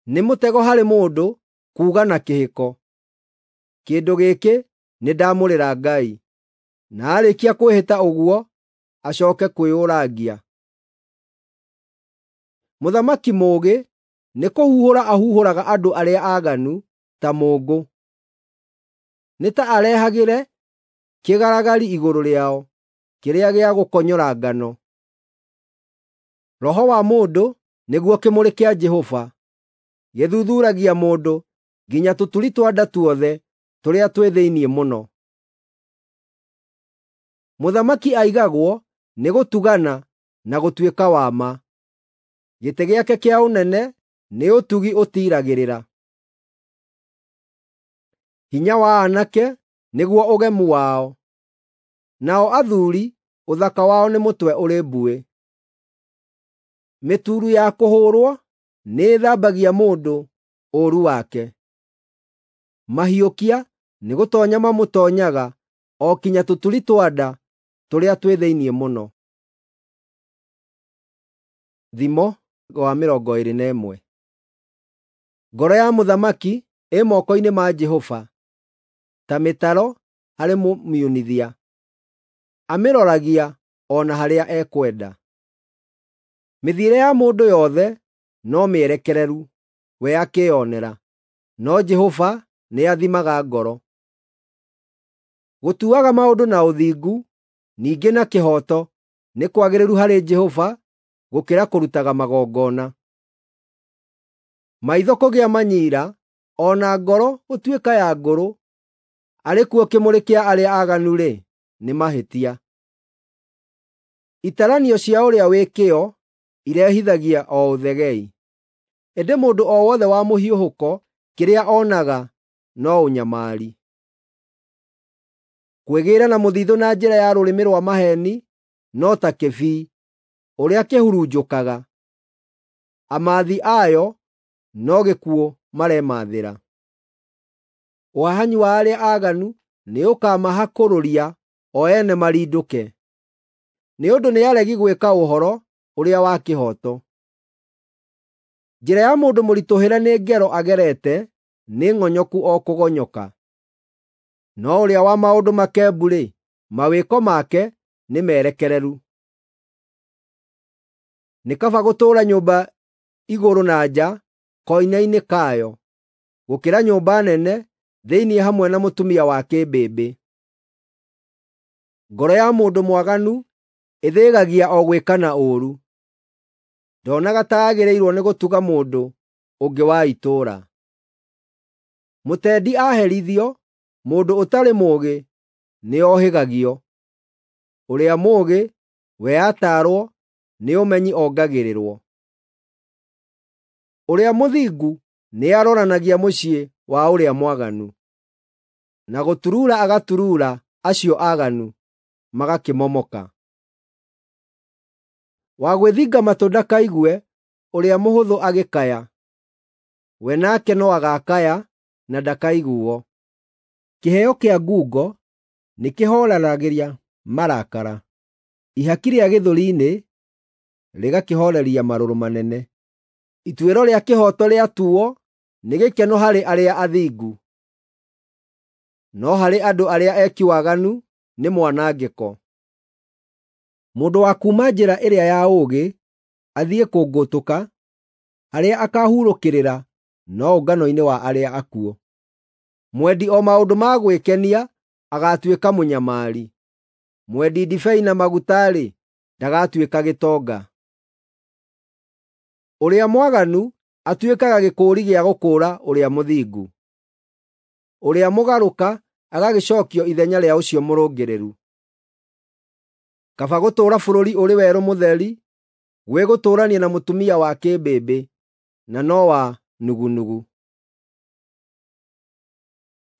Nĩ mũtego harĩ mũndũ kuuga na kĩhĩko, “Kĩndũ gĩkĩ nĩndamũrĩra Ngai,” na aarĩkia kwĩhĩta ũguo acooke kwĩyũrangia. Mũthamaki mũũgĩ nĩkũhuhũra ahuhũraga andũ arĩa aaganu ta mũũngũ. Nĩ ta arehagĩre kĩgaragari igũrũ rĩao, kĩrĩa gĩa gũkonyora ngano. Roho wa mũndũ nĩguo kĩmũrĩ kĩa Jehova, gĩthuthuuragia mũndũ nginya tũturi twa nda tuothe tũrĩa twĩ thĩinĩ mũno. Mũthamaki aigagwo nĩ gũtugana na gũtuĩka wa ma. Gĩtĩ gĩake kĩa ũnene nĩ ũtugi ũtiiragĩrĩra. Hinya wa aanake nĩguo ũgemu wao, nao athuuri ũthaka wao nĩ mũtwe ũrĩ mbuĩ. Mĩturu ya kũhũũrwo nĩĩthambagia mũndũ ũũru wake. Mahiũkia nĩgũtoonya mamũtoonyaga o kinya tũturi twa nda tũrĩa twĩ thĩinĩ mũno. Thimo wa mĩrongo ĩĩrĩ na ĩmwe. Ngoro ya mũthamaki ĩ moko-inĩ ma Jehova, ta mĩtaro harĩ mũmiunithia; amĩroragia o na harĩa ekwenda. Mĩthiĩre ya mũndũ yothe no mĩerekereru we akĩĩonera, no Jehova nĩathimaga ngoro. Gũtuaga maũndũ na ũthingu, ningĩ na kĩhooto nĩ kwagĩrĩru harĩ Jehova gũkĩra kũrutaga magongona. Maitho kũgĩa manyiira, o na ngoro gũtuĩka ya ngũrũ, arĩ kuo kĩmũrĩ kĩa arĩa aaganu-rĩ, nĩ mahĩtia. Itaranio cia ũrĩa wĩ kĩyo irehithagia o ũthegei, ĩndĩ mũndũ o wothe wa mũhiũhũko kĩrĩa onaga no ũnyamari. Kwĩgĩĩra na mũthithũ na njĩra ya rũrĩmĩ rwa maheeni no ta kĩbii ũrĩa kĩhurunjũkaga. Amathi ayo no gĩkuũ maremathĩra. Ũhahanyi wa arĩa aaganu nĩũkamahakũrũria o ene marindũke, nĩ ũndũ nĩ aregi gwĩka ũhoro ũrĩa wa kĩhooto. Njĩra ya mũndũ mũritũhĩre nĩ ngero agerete, nĩ ng'onyoku o kũgonyoka. No ũrĩa wa maũndũ makembu-rĩ, mawĩko make nĩ merekereru. Nĩ kaba gũtũũra nyũmba igũrũ na nja koine-inĩ kayo, gũkĩra nyũmba nene thĩinĩ hamwe na mũtumia wa kĩmbĩmbĩ. Ngoro ya mũndũ mwaganu ĩthĩgagia o gwĩkana ũũru, ndonaga ta agĩrĩirwo nĩ gũtuga mũndũ ũngĩ wa itũũra. Mũtendi aherithio, mũndũ ũtarĩ mũũgĩ nĩohĩgagio. Ũrĩa mũũgĩ we ataarwo nĩ ũmenyi ongagĩrĩrwo. Ũrĩa mũthingu nĩaroranagia mũciĩ wa ũrĩa mwaganu, na gũturuura agaturuura acio aaganu magakĩmomoka. Wa gwĩthinga matũ ndakaigue ũrĩa mũhũthũ agĩkaya, we nake no agaakaya na ndakaiguo. Kĩheo kĩa ngungo nĩkĩhooreragĩria marakara, ihaki rĩa gĩthũri-inĩ rĩgakĩhooreria marũrũ manene. Ituĩro rĩa kĩhooto rĩatuuo nĩ gĩkeno harĩ arĩa athingu, no harĩ andũ arĩa eki waganu nĩ mwanangĩko. Mũndũ wa kuuma njĩra ĩrĩa ya ũũgĩ athiĩ kũngũtũka, harĩa akaahurũkĩrĩra no ũngano-inĩ wa arĩa akuũ. Mwendi o maũndũ ma gwĩkenia agaatuĩka mũnyamari, mwendi ndibei na maguta-rĩ, ndagatuĩka gĩtonga. Ũrĩa mwaganu atuĩkaga gĩkũũri gĩa gũkũũra ũrĩa mũthingu, ũrĩa mũgarũka agagĩcookio ithenya rĩa ũcio mũrũngĩrĩru. Kaba gũtũũra bũrũri ũrĩ werũ mũtheri gwĩ gũtũũrania na mũtumia wa kĩmbĩmbĩ na no wa nugunugu.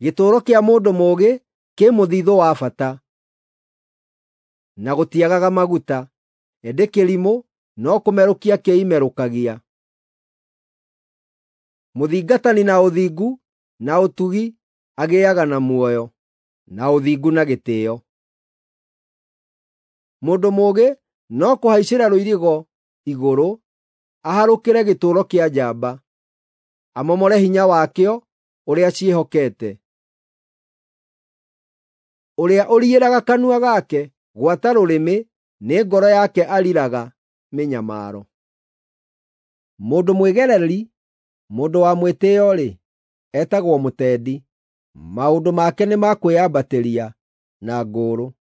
Gĩtũũro kĩa mũndũ mũũgĩ kĩ mũthithũ wa bata, na gũtiagaga maguta, ĩndĩ kĩrimũ no kũmerũkia kĩimerũkagia. Mũthingatani na ũthingu na ũtugi agĩaga na muoyo, na ũthingu na gĩtĩĩo. Mũndũ mũũgĩ no kũhaicĩra rũirigo igũrũ aharũkĩre gĩtũũro kĩa njamba, amomore hinya wakĩo ũrĩa ciĩhokete. Ũrĩa ũriĩraga kanua gake gwata rũrĩmĩ nĩ ngoro yake ariraga mĩnyamaro. Mũndũ mwĩgereri, mũndũ wa mwĩtĩĩo-rĩ, etagwo mũtendi. Maũndũ make nĩ ma kwĩyambatĩria na ngũũrũ.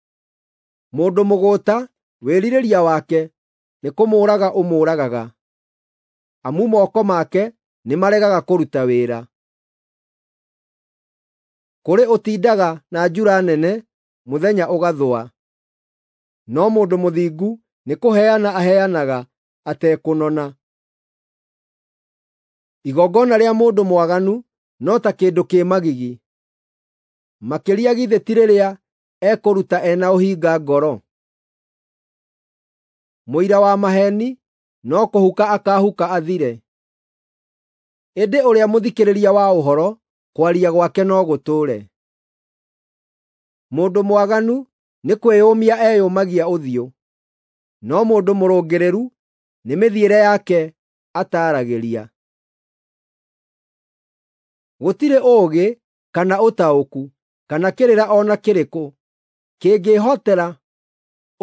Mũndũ mũgũũta wĩrirĩria wake nĩ kũmũũraga ũmũũragaga, amu moko make nĩmaregaga kũruta wĩra. Kũrĩ ũtindaga na njura nene mũthenya ũgathũa, no mũndũ mũthingu nĩkũheana aheanaga atekũnona. Igongona rĩa mũndũ mwaganu no ta kĩndũ kĩ magigi, makĩria githĩ ti rĩrĩa ekũruta ena ũhinga ngoro? Mũira wa maheeni no kũhuka akaahuka athire, ĩndĩ ũrĩa mũthikĩrĩria wa ũhoro kwaria gwake no gũtũũre. Mũndũ mwaganu nĩ kwĩyũmia eyũmagia ũthiũ, no mũndũ mũrũngĩrĩru nĩ mĩthiĩre yake ataaragĩria. Gũtirĩ ũũgĩ kana ũtaũku kana kĩrĩra o na kĩrĩkũ kĩngĩĩhotera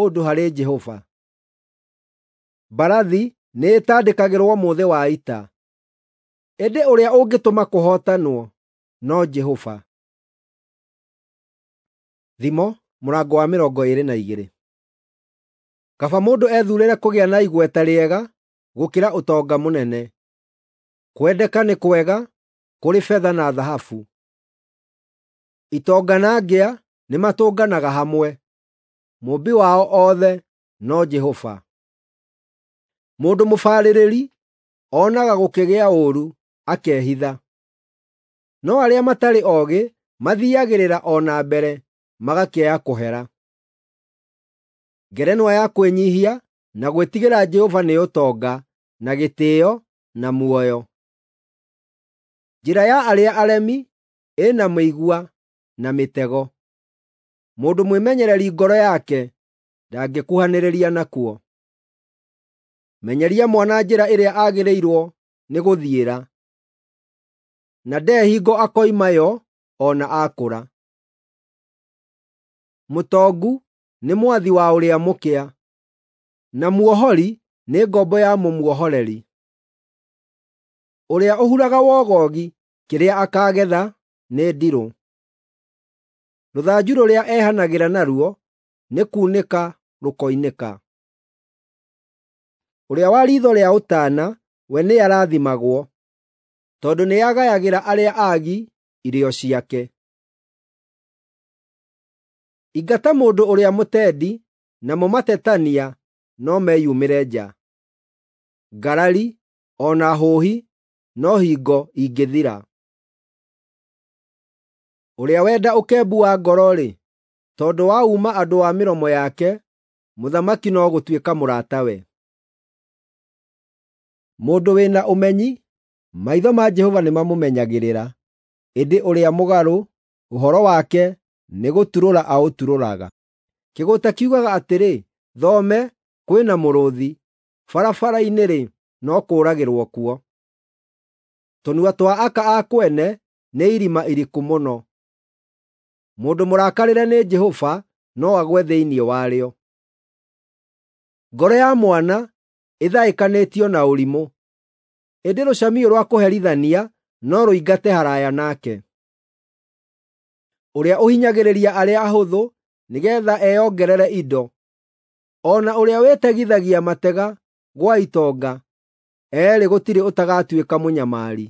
ũndũ harĩ Jehova. Mbarathi nĩĩtandĩkagĩrwo mũthĩ wa ita, ĩndĩ ũrĩa ũngĩtũma kũhootanwo no Jehova. Thimo mũrango wa mĩrongo ĩĩrĩ na igĩrĩ. Kaba mũndũ ethuurĩre kũgĩa na igweta rĩega gũkĩra ũtonga mũnene. Kwendeka nĩ kwega kũrĩ betha na thahabu. Itonga na ngĩa nĩmatũnganaga hamwe, Mũũmbi wao othe no Jehova. Mũndũ mũbarĩrĩri onaga gũkĩgĩa ũũru akehitha. No arĩa matarĩ oogĩ mathiiagĩrĩra o na mbere magakĩaya kũhera. Ngerenwa ya kwĩnyiihia na gwĩtigĩra Jehova nĩ ũtonga, na gĩtĩĩo, na muoyo. Njĩra ya arĩa aremi ĩna mĩigua na mĩtego; mũndũ mwĩmenyereri ngoro yake ndangĩkuhanĩrĩria nakuo. Menyeria mwana njĩra ĩrĩa agĩrĩirwo nĩ gũthiĩra, na nde hingo akoima yo o na akũra. Mũtongu nĩ mwathi wa ũrĩa mũkĩa, na muohori nĩ ngombo ya mũmuohoreri. Ũrĩa ũhuraga wogogi kĩrĩa akaagetha nĩ ndirũ. Rũthanju rũrĩa ehanagĩra naruo nĩ kuunĩka rũkoinĩka. Ũrĩa wa riitho rĩa ũtaana we nĩarathimagwo, tondũ nĩagayagĩra arĩa aagi irio ciake. Ingata mũndũ ũrĩa mũtendi, namo matetania no meyumĩre nja. Ngarari o na hũhi no hingo ingĩthira. Ũrĩa wenda ũkembu wa ngoro-rĩ, tondũ wa uuma andũ wa mĩromo yake, mũthamaki no gũtuĩka mũratawe. Mũndũ wĩna ũmenyi, maitho ma Jehova nĩmamũmenyagĩrĩra, ĩndĩ ũrĩa mũgarũ, ũhoro wake nĩgũturũra aũturũraga. Kĩgũũta kiugaga atĩrĩ, “Thome, kwĩ na mũrũũthi!” Barabara-inĩ-rĩ, no kũũragĩrwo kuo. Tũnua twa aka a kwene nĩ irima iriku mũno. Mũndũ mũrakarĩre nĩ Jehova no agwe thĩinĩ warĩo. Ngoro ya mwana ĩthaĩkanĩtio na ũrimũ, ĩndĩ rũcamiũ rwa kũherithania no rũingate haraya nake. Ũrĩa ũhinyagĩrĩria arĩa ahũthũ nĩgeetha eyongerere indo, o na ũrĩa wĩtegithagia matega gwa itonga, eerĩ gũtirĩ ũtagatuĩka mũnyamari.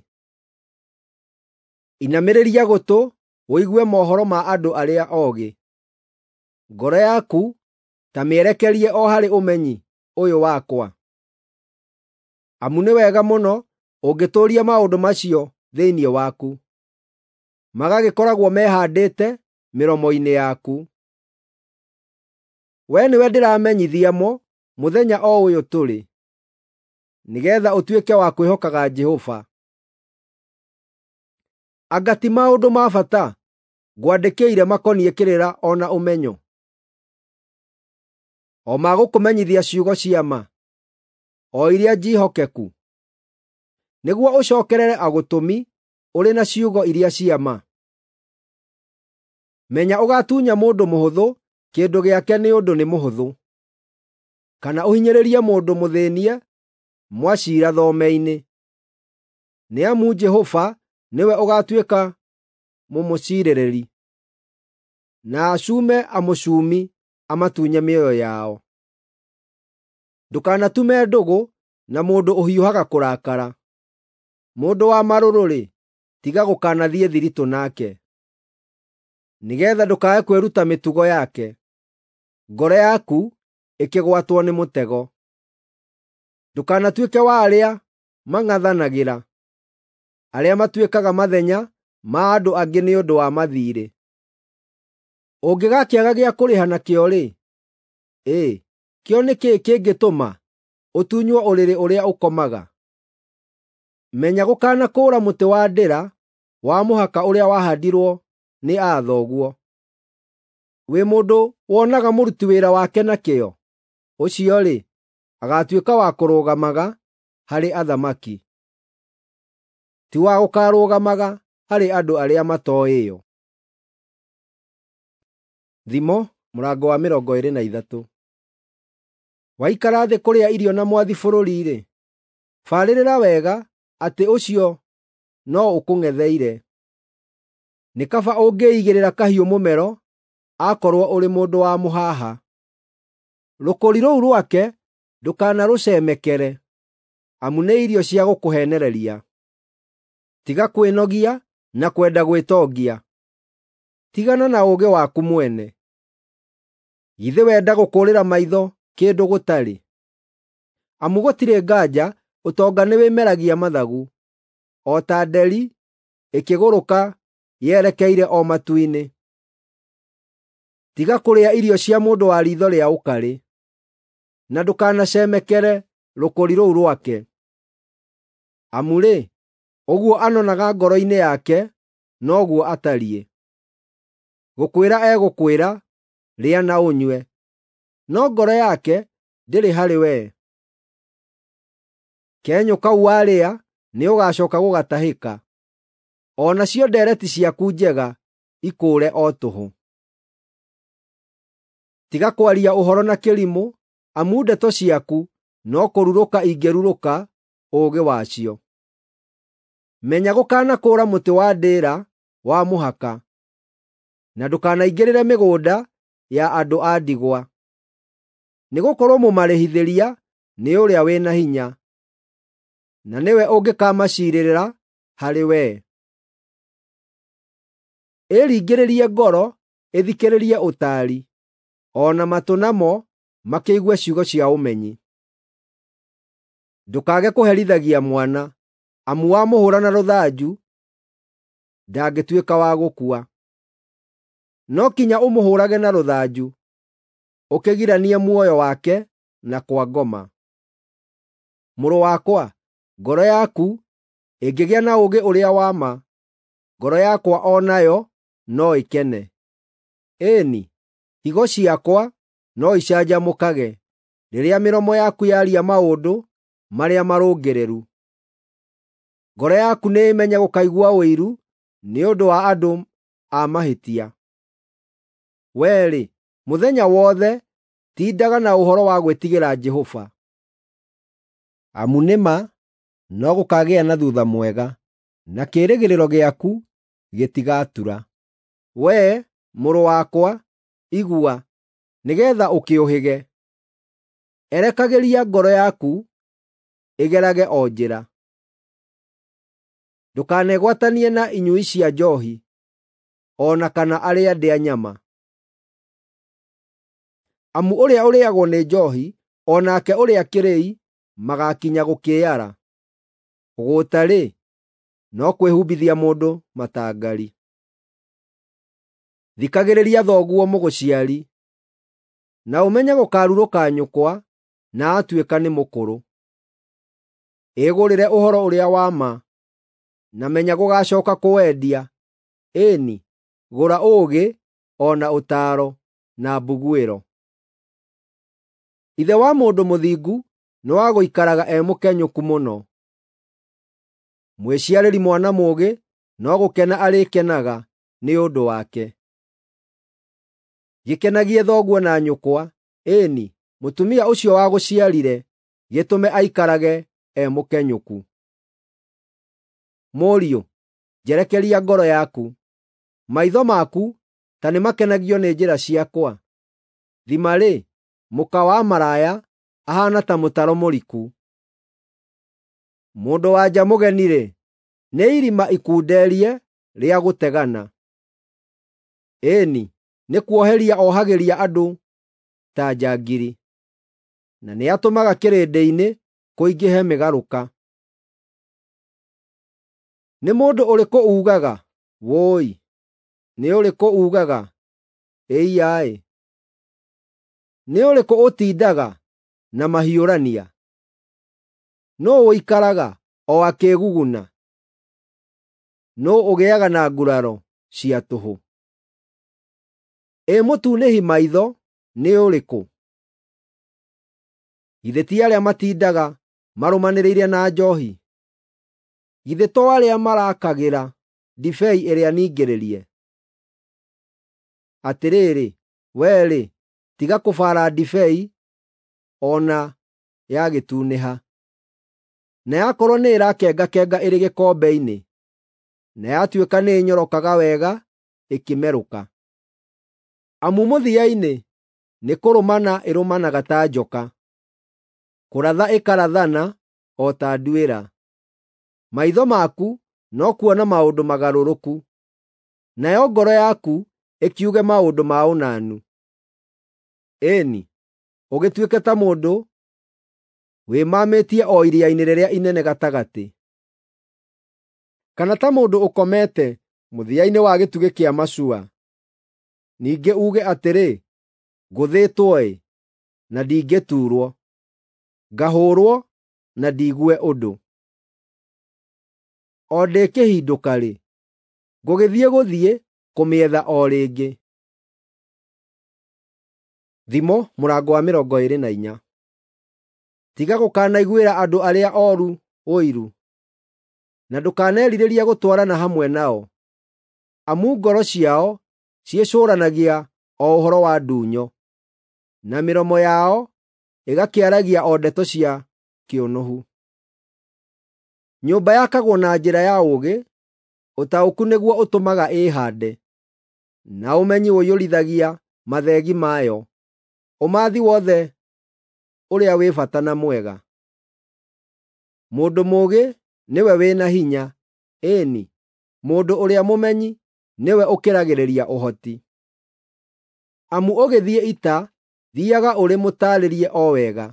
Inamĩrĩria gũtũ ũigue mohoro ma andũ arĩa oogĩ. Ngoro yaku ta mĩerekerie o harĩ ũmenyi ũyũ wakwa, amu nĩ wega mũno ũngĩtũũria maũndũ macio thĩinĩ waku, magagĩkoragwo mehaandĩte mĩromo-inĩ yaku. Wee nĩwe ndĩramenyithia mo mũthenya o ũyũ tũrĩ, nĩgeetha ũtuĩke wa kwĩhokaga Jehova. Anga ti maũndũ ma bata ngwandĩkĩire makoniĩ kĩrĩra o na ũmenyo, o ma gũkũmenyithia ciugo cia ma, o iria njĩhokeku, nĩguo ũcookerere agũtũmi ũrĩ na ciugo iria cia ma. Menya ũgaatunya mũndũ mũhũthũ kĩndũ gĩake nĩ ũndũ nĩ mũhũthũ, kana ũhinyĩrĩrie mũndũ mũthĩnie mwaciira thome-inĩ. Nĩ amu Jehova nĩwe ũgaatuĩka mũmũciirĩrĩri, na acume amũcumi amatunye mĩoyo yao. Ndũkanatume ndũgũ na mũndũ ũhiũhaga kũrakara. Mũndũ wa marũrũ-rĩ, tiga gũkanathiĩ thiritũ nake, nĩgeetha ndũkae kwĩruta mĩtugo yake, ngoro yaku ĩkĩgwatwo nĩ mũtego. Ndũkanatuĩke wa arĩa mang'athanagĩra, arĩa matuĩkaga mathenya ma andũ angĩ nĩ ũndũ wa mathiirĩ. Ũngĩgakĩaga gĩa kũrĩha nakĩo-rĩ, ĩ, kĩo nĩ kĩĩ kĩngĩtũma ũtunywo ũrĩrĩ ũrĩa ũkomaga? Menya gũkanakũũra mũtĩ wa ndĩra wa mũhaka ũrĩa wahaandirwo nĩ aa thoguo. Wĩ mũndũ wonaga mũruti wĩra wake na kĩyo? Ũcio-rĩ, agaatuĩka wa kũrũgamaga harĩ athamaki, ti wa gũkaarũgamaga harĩ andũ arĩa matooĩo. Thimo mũrango wa mĩrongo ĩĩrĩ na ithatũ. Waikara thĩ kũrĩa irio na mwathi bũrũri-rĩ, barĩrĩra wega atĩ ũcio no ũkũng'etheire. Nĩ kaba ũngĩigĩrĩra kahiũ mũmero akorwo ũrĩ mũndũ wa mũhaha. Rũkũri rũu rwake ndũkanarũcemekere, amu nĩ irio cia gũkũheenereria. Tiga kwĩnogia na kwenda gwĩtongia; tigana na ũũgĩ waku mwene. Githĩ wenda gũkũũrĩra maitho kĩndũ gũtarĩ? Amu gũtirĩ nganja ũtonga nĩwĩmeragia mathagu, o ta nderi ĩkĩgũrũka yerekeire o matu-inĩ. Tiga kũrĩa irio cia mũndũ wa riitho rĩa ũkarĩ, na ndũkanacemekere rũkũri rũu rwake. Amu-rĩ, ũguo anonaga ngoro-inĩ yake noguo atariĩ. Gũkwĩra egũkwĩra, “Rĩa na ũnyue,” no ngoro yake ndĩrĩ harĩ wee. Kenyũ kau warĩa nĩũgacooka gũgatahĩka, o nacio ndeereti ciaku njega ikũũre o tũhũ. Tiga kwaria ũhoro na kĩrimũ, amu ndeto ciaku no kũrurũka ingĩrurũka ũũgĩ wacio. Menya gũkanakũũra mũtĩ wa ndĩĩra wa mũhaka, na ndũkanaingĩrĩre mĩgũnda ya andũ a ndigwa. Nĩgũkorwo mũmarĩhithĩria nĩ ũrĩa wĩ na hinya, na nĩwe ũngĩkamaciirĩra harĩ wee. Ĩringĩrĩrie ngoro ĩthikĩrĩrie ũtaari, o na matũ namo makĩigue ciugo cia ũmenyi. Ndũkaage kũherithagia mwana, amu wamũhũũra na rũthanju ndangĩtuĩka wa gũkua. No kinya ũmũhũũrage na rũthanju, ũkĩgiranie muoyo wake na kwa ngoma. Mũrũ wakwa, ngoro yaku ĩngĩgĩa na ũũgĩ ũrĩa wa ma, ngoro yakwa o nayo no ĩkene. Ĩĩ-ni, higo ciakwa no icanjamũkage rĩrĩa mĩromo yaku yaaria maũndũ marĩa marũngĩrĩru. Ngoro yaku nĩĩmenye gũkaigua ũiru nĩ ũndũ wa andũ a mahĩtia. Wee-rĩ, mũthenya wothe tindaga na ũhoro wa gwĩtigĩra Jehova. Amu nĩ ma no gũkaagĩa na thuutha mwega, na kĩĩrĩgĩrĩro gĩaku gĩtigatura. Wee, mũrũ wakwa, igua, nĩgeetha ũkĩũhĩge. Erekagĩria ngoro yaku ĩgerage o njĩra. Ndũkanegwatanie na inyui cia njoohi, o na kana arĩa ndĩa nyama. Amu ũrĩa ũrĩĩagwo nĩ njoohi, o nake ũrĩa kĩrĩi magaakinya gũkĩĩara. Ũgũũta-rĩ, no kwĩhumbithia mũndũ matangari. Thikagĩrĩria thoguo mũgũciari, na ũmenye gũkarurũka nyũkwa na atuĩka nĩ mũkũrũ. Ĩgũrĩre ũhoro ũrĩa wa ma, na menya gũgacooka kũwendia, ĩĩ-ni, gũra ũũgĩ, o na ũtaaro, na mbuguĩro. Ithe wa mũndũ mũthingu nĩ wa gũikaraga e mũkenyũku mũno. Mwĩciarĩri mwana mũũgĩ no gũkena arĩkenaga nĩ ũndũ wake. Gĩkenagie thoguo na nyũkwa, ĩĩ-ni, mũtumia ũcio wagũciarire, gĩtũme aikarage e mũkenyũku. Mũriũ, njerekeria ngoro yaku, maitho maku ta nĩmakenagio nĩ njĩra ciakwa. Thima-rĩ, mũka wa maraya ahaana ta mũtaro mũriku. Mũndũ-wa-nja mũgeni-rĩ, nĩ irima ikunderie rĩa gũtegana. Ĩĩ-ni, nĩ kuoheria ohagĩria andũ ta njangiri, na nĩatũmaga kĩrĩndĩ-inĩ kũingĩhe mĩgarũka. Nĩ mũndũ ũrĩkũ uugaga, “Wũi!”? Nĩ ũrĩkũ uugaga, “Ĩiya-ĩ!”? Nĩ ũrĩkũ ũtindaga na mahiũrania? Nũũ ũikaraga o akĩĩguguna? Nũũ ũgĩaga na nguraro cia tũhũ? Ĩ mũtunĩhi maitho nĩ ũrĩkũ? Githĩ ti arĩa matindaga marũmanĩrĩire na njoohi? Githĩ to arĩa marakagĩra ndibei ĩrĩa ningĩrĩrie? Atĩrĩrĩ, wee-rĩ, tiga kũbaara ndibei o na yagĩtunĩha. Na yakorwo nĩĩrakengakenga ĩrĩ gĩkombe-inĩ, na yatuĩka nĩĩnyorokaga wega ĩkĩmerũka. Amu mũthia-inĩ nĩkũrũmana ĩrũmanaga ta njoka, kũratha ĩkarathana o ta nduĩra. Maitho maku no kuona maũndũ magarũrũku, nayo ngoro yaku ĩkiuge maũndũ ma ũnanu. Ĩĩ-ni, ũgĩtuĩke ta mũndũ wĩmamĩtie o iria-inĩ rĩrĩa inene gatagatĩ, kana ta mũndũ ũkomete mũthia-inĩ wa gĩtugĩ kĩa macua. Ningĩ uuge atĩrĩ, ngũthĩtwo-ĩ, na ndingĩtuurwo, ngahũũrwo na ndiigue ũndũ. O ndĩkĩhindũka-rĩ, ngũgĩthiĩ gũthiĩ kũmĩetha o rĩngĩ. Thimo mũrango wa mĩrongo ĩĩrĩ na inya. Tiga gũkanaiguĩra andũ arĩa ooru ũiru, na ndũkanerirĩrie gũtwarana hamwe nao, amu ngoro ciao ciĩcũũranagia o ũhoro wa ndunyo, na mĩromo yao ĩgakĩaragia o ndeto cia kĩũnũhu. Nyũmba yakagwo na njĩra ya ũũgĩ, ũtaũku nĩguo ũtũmaga ĩĩhaande, na ũmenyi ũiyũrithagia mathegi mayo, ũmathi wothe ũrĩa wĩ bata na mwega. Mũndũ mũũgĩ nĩwe wĩna hinya, ĩĩni, mũndũ ũrĩa mũmenyi nĩwe ũkĩragĩrĩria ũhoti. Amu ũgĩthiĩ ita, thiiaga ũrĩ mũtaarĩrie o wega.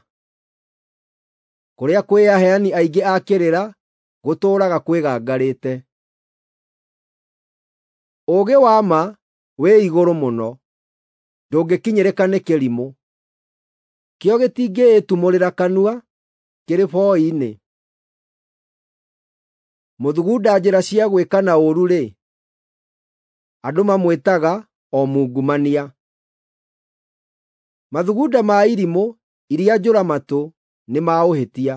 Kũrĩa kwĩ aheani aingĩ a kĩrĩra, gũtũũraga kwĩgangarĩte. Ũũgĩ wa ma wĩ igũrũ mũno, ndũngĩkinyĩrĩka nĩ kĩrimũ. Kĩo gĩtingĩĩtumũrĩra kanua kĩrĩ boi-inĩ. Mũthugunda njĩra cia gwĩkana ũũru-rĩ, andũ mamwĩtaga o mungumania. Mathugunda ma irimũ iria njũra-matũ nĩ ma ũhĩtia,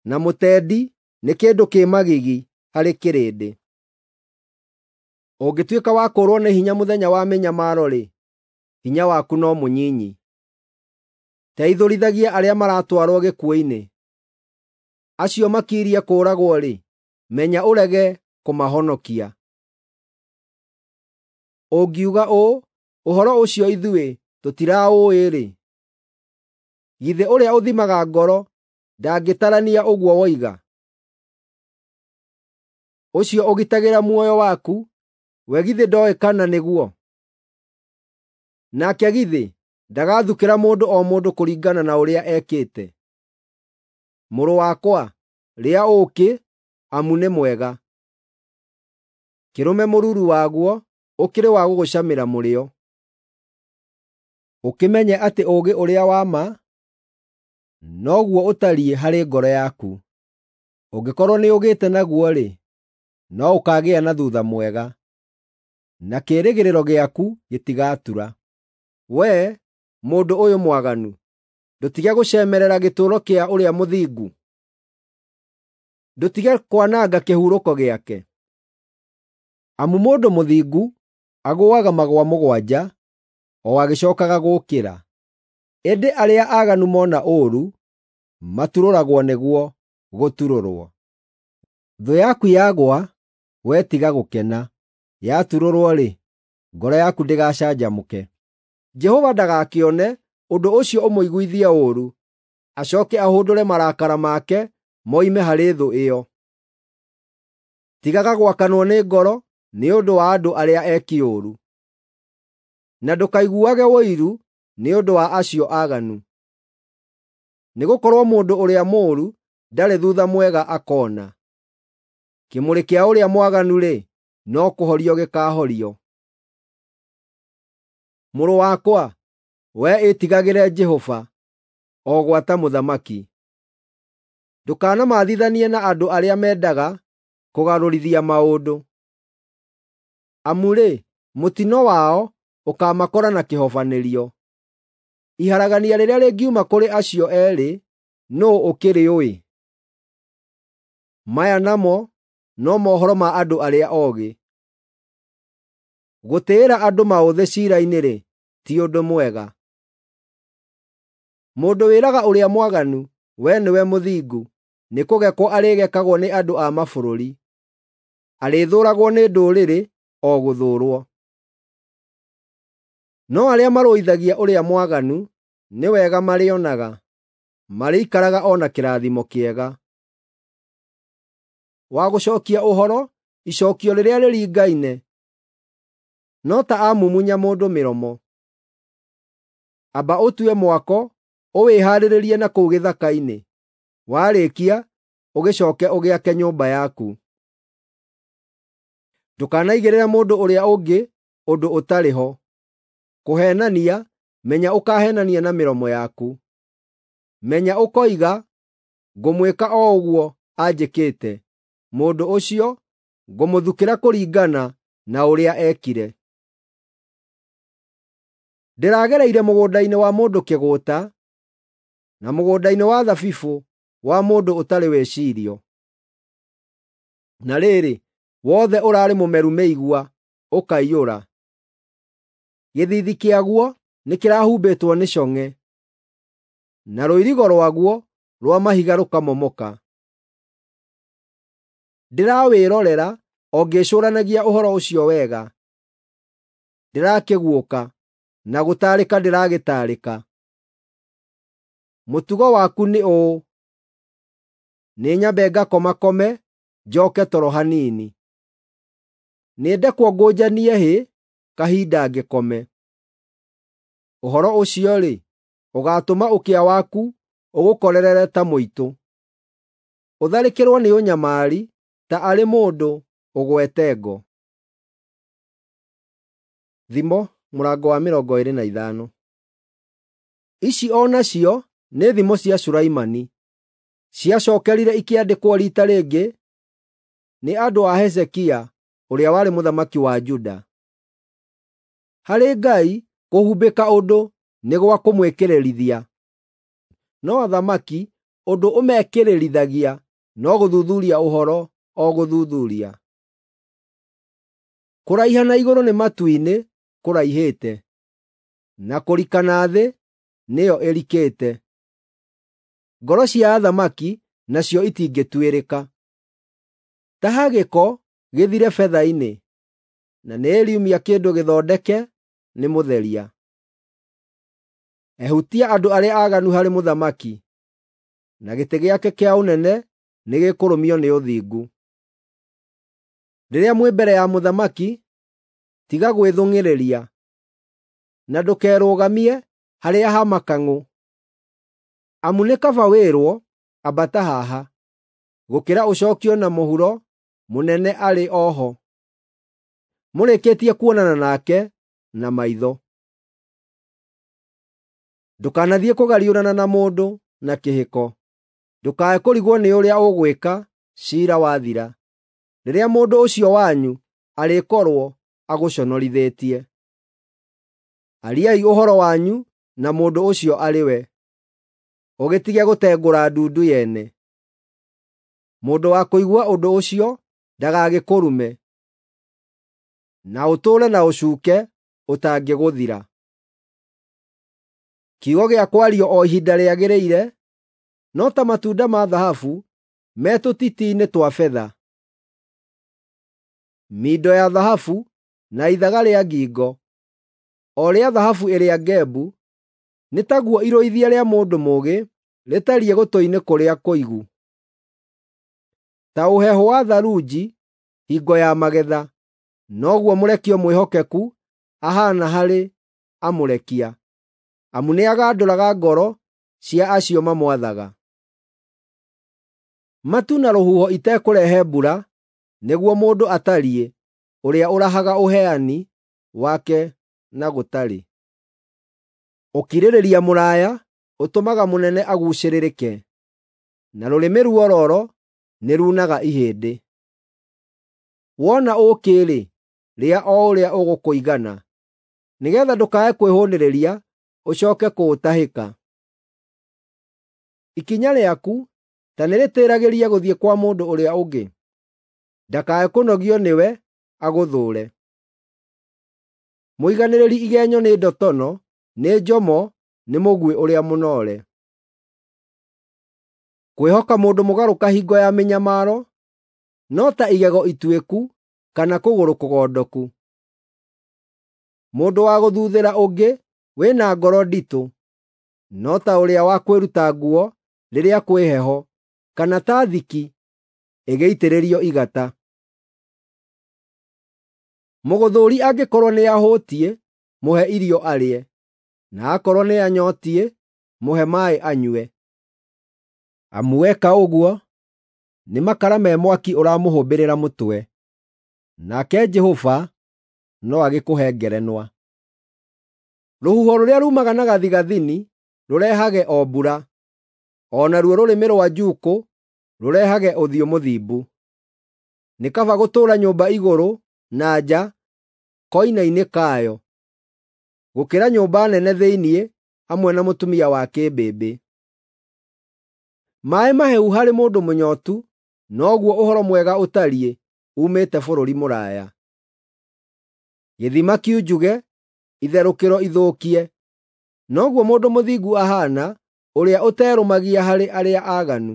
na mũtendi nĩ kĩndũ kĩ magigi harĩ kĩrĩndĩ. Ũngĩtuĩka wa kũũrwo nĩ hinya mũthenya wa mĩnyamaro-rĩ, hinya waku no mũnyinyi. Teithũrithagia arĩa maratwarwo gĩkuũ-inĩ. Acio makirie kũũragwo-rĩ, menya ũrege kũmahonokia. Ũngiuga ũũ, “Ũhoro ũcio ithuĩ tũtiraũũĩ-rĩ,” githĩ ũrĩa ũthimaga ngoro ndangĩtarania ũguo woiga? Ũcio ũgitagĩra muoyo waku, we githĩ ndooĩ kana nĩguo? Nake githĩ ndagathukĩra mũndũ o mũndũ kũringana na ũrĩa ekĩte? Mũrũ wakwa, rĩa ũũkĩ, amu nĩ mwega; kĩrũme mũruru waguo ũkĩrĩ wa gũgũcamĩra mũrĩo. Ũkĩmenye atĩ ũũgĩ ũrĩa wa ma noguo ũtariĩ harĩ ngoro yaku. Ũngĩkorwo nĩũgĩte naguo-rĩ, no ũkaagĩa na thuutha mwega, na kĩĩrĩgĩrĩro gĩaku gĩtigatura. Wee, mũndũ ũyũ mwaganu, ndũtige gũcemerera gĩtũũro kĩa ũrĩa mũthingu, ndũtige kwananga kĩhurũko gĩake. Amu mũndũ mũthingu agũaga magũa mũgwanja o agĩcookaga gũũkĩra, ĩndĩ arĩa aaganu mona ũũru maturũragwo nĩguo gũturũrwo. Thũ yaku yagũa, wee tiga gũkena; yaturũrwo-rĩ, ngoro yaku ndĩgacanjamũke. Jehova ndagakĩone ũndũ ũcio ũmũiguithie ũũru, acooke ahũndũre marakara make moime harĩ thũ ĩyo. Tigaga gwakanwo nĩ ngoro nĩ ũndũ wa andũ arĩa eki ũũru, na ndũkaiguage ũiru nĩ ũndũ wa acio aaganu. Nĩgũkorwo mũndũ ũrĩa mũũru ndarĩ thuutha mwega akoona. Kĩmũrĩ kĩa ũrĩa mwaganu-rĩ, no kũhorio gĩkaahorio. Mũrũ wakwa, wee ĩtigagĩre Jehova, o gwata mũthamaki. Ndũkanamathithanie na andũ arĩa mendaga kũgarũrithia maũndũ. Amu-rĩ, mũtino wao ũkaamakora na kĩhobanĩrio. Iharagania rĩrĩa rĩngiuma kũrĩ acio eerĩ, nũũ ũkĩrĩũĩ? Maya namo no mohoro ma andũ arĩa oogĩ. Gũtĩĩra andũ maũthĩ ciira-inĩ-rĩ, ti ũndũ mwega. Mũndũ wĩraga ũrĩa mwaganu, “Wee nĩwe mũthingu,” nĩkũgekwo arĩgekagwo nĩ andũ a mabũrũri. Arĩthũũragwo nĩ ndũrĩrĩ o gũthũũrwo. No arĩa marũithagia ũrĩa mwaganu nĩ wega marĩonaga, marĩikaraga o na kĩrathimo kĩega. Wa gũcookia ũhoro icookio rĩrĩa rĩringaine, no ta amumunya mũndũ mĩromo. Amba ũtue mwako ũwĩhaarĩrie na kũu gĩthaka-inĩ; warĩkia, ũgĩcooke ũgĩake nyũmba yaku. Ndũkanaigĩrĩre mũndũ ũrĩa ũngĩ ũndũ ũtarĩ ho. Kũheenania, menya ũkaheenania na mĩromo yaku. Menya ũkoiga, “Ngũmwĩka o ũguo anjĩkĩte,” mũndũ ũcio ngũmũthukĩra kũringana na ũrĩa eekire. Ndĩragereire mũgũnda-inĩ wa mũndũ kĩgũũta, na mũgũnda-inĩ wa thabibũ wa mũndũ ũtarĩ wĩcirio. Na rĩrĩ, wothe ũraarĩ mũmeru mĩigua, ũkaiyũra. Gĩthiithi kĩaguo nĩkĩrahumbĩtwo nĩ cong'e, na rũirigo rwaguo rwa mahiga rũkamomoka. Ndĩrawĩrorera o ngĩĩcũũranagia ũhoro ũcio wega. Ndĩrakĩguũka, na gũtaarĩka ndĩragĩtaarĩka. Mũtugo waku nĩ ũũ: nĩnyambe ngakomakome, njooke toro hanini. Nĩndekwo ngũnjanie hĩ kahinda ngĩkome. Ũhoro ũcio-rĩ, ũgaatũma ũkĩa waku ũgũkorerere ta mũitũ, ũtharĩkĩrwo nĩ ũnyamari ta arĩ mũndũ ũgwete ngo. Thimo mũrango wa mĩrongo ĩĩrĩ na ithano. Ici o nacio nĩ thimo cia Sulaimani, ciacookerire ikĩandĩkwo riita rĩngĩ nĩ andũ a Hezekia ũrĩa warĩ mũthamaki wa Juda. Harĩ Ngai kũhumbĩka ũndũ nĩ gwa kũmwĩkĩrĩrithia, no athamaki ũndũ ũmekĩrĩrithagia no gũthuthuria ũhoro o gũthuthuria. Kũraiha na igũrũ nĩ matu-inĩ kũraihĩte, na kũrika na thĩ nĩyo ĩrikĩte. Ngoro cia athamaki nacio itingĩtuĩrĩka. Taha gĩko gĩthire betha-inĩ, na nĩĩriumia kĩndũ gĩthondeke nĩ mũtheria. Ehutia andũ arĩa aaganu harĩ mũthamaki, na gĩtĩ gĩake kĩa ũnene nĩgĩkũrũmio nĩ ũthingu. Rĩrĩa mwĩ mbere ya mũthamaki, tiga gwĩthũng'ĩrĩria, na ndũkerũgamie harĩa ha makang'ũ. Amu nĩ kaba wĩrwo, “Ambata haha,” gũkĩra ũcookio na mũhuro mũnene arĩ o ho, mũrĩkĩtie kuonana nake na maitho. Ndũkanathiĩ kũgariũrana na mũndũ na kĩhĩko, ndũkae kũrigwo nĩ ũrĩa ũgwĩka ciira wathira, rĩrĩa mũndũ ũcio wanyu arĩkorwo agũconorithĩtie. Ariai ũhoro wanyu na mũndũ ũcio arĩ we, ũgĩtige gũtengũra ndundu yene. Mũndũ wa kũigua ũndũ ũcio ndagagĩkũrume, na ũtũũre na ũcuuke ũtangĩgũthira. Kiugo gĩa kwario o ihinda rĩagĩrĩire no ta matunda ma thahabu me tũtiti-inĩ twa betha. Mindo ya thahabu na ithaga rĩa ngingo, o rĩa thahabu ĩrĩa ngembu, nĩ taguo irũithia rĩa mũndũ mũũgĩ rĩtariĩ gũtũ-inĩ kũrĩa kũigu. Ta ũhehu wa tharunji hingo ya magetha, noguo mũrekio mwĩhokeku ahaana harĩ amũrekia, amu nĩagandũraga ngoro cia acio mamwathaga. Matu na rũhuho itekũrehe mbura nĩguo mũndũ atariĩ ũrĩa ũrahaga ũheani wake na gũtarĩ. Ũkirĩrĩria mũraya ũtũmaga mũnene aguucĩrĩrĩke, na rũrĩmĩ ruororo nĩruunaga ihĩndĩ. Wona ũũkĩ-rĩ, rĩa o ũrĩa ũgũkũigana, nĩgeetha ndũkae kwĩhũũnĩrĩria ũcooke kũũtahĩka. Ikinya rĩaku ta nĩrĩtĩĩragĩrie gũthiĩ kwa mũndũ ũrĩa ũngĩ, ndakae kũnogio nĩwe agũthũũre. Mũiganĩrĩri igenyo nĩ ndotono, nĩ njomo nĩ mũguĩ ũrĩa mũnoore. Kwĩhoka mũndũ mũgarũka hingo ya mĩnyamaro no ta igego ituĩku kana kũgũrũ kũgondoku. Mũndũ wa gũthuuthĩra ũngĩ wĩna ngoro nditũ no ta ũrĩa wa kwĩruta nguo rĩrĩa kwĩ heho, kana ta thiki ĩgĩitĩrĩrio igata. Mũgũthũũri angĩkorwo nĩahũtiĩ, mũhe irio arĩe, na aakorwo nĩanyootiĩ, mũhe maaĩ anyue. Amu weka ũguo, nĩ makara me mwaki ũramũhũmbĩrĩra mũtwe, nake Jehova no agĩkũhe ngerenwa. Rũhuho rũrĩa ruumaga na gathigathini rũrehage o mbura, o naruo rũrĩmĩ rwa njuukũ rũrehage ũthiũ mũthimbu. Nĩ kaba gũtũũra nyũmba igũrũ na nja koine-inĩ kayo, gũkĩra nyũmba nene thĩinĩ hamwe na mũtumia wa kĩmbĩmbĩ. Maaĩ mahehu harĩ mũndũ mũnyootu noguo ũhoro mwega ũtariĩ uumĩte bũrũri mũraya. Gĩthima kiunjuge, itherũkĩro ithũkie, noguo mũndũ mũthingu ahaana ũrĩa ũterũmagia harĩ arĩa aaganu.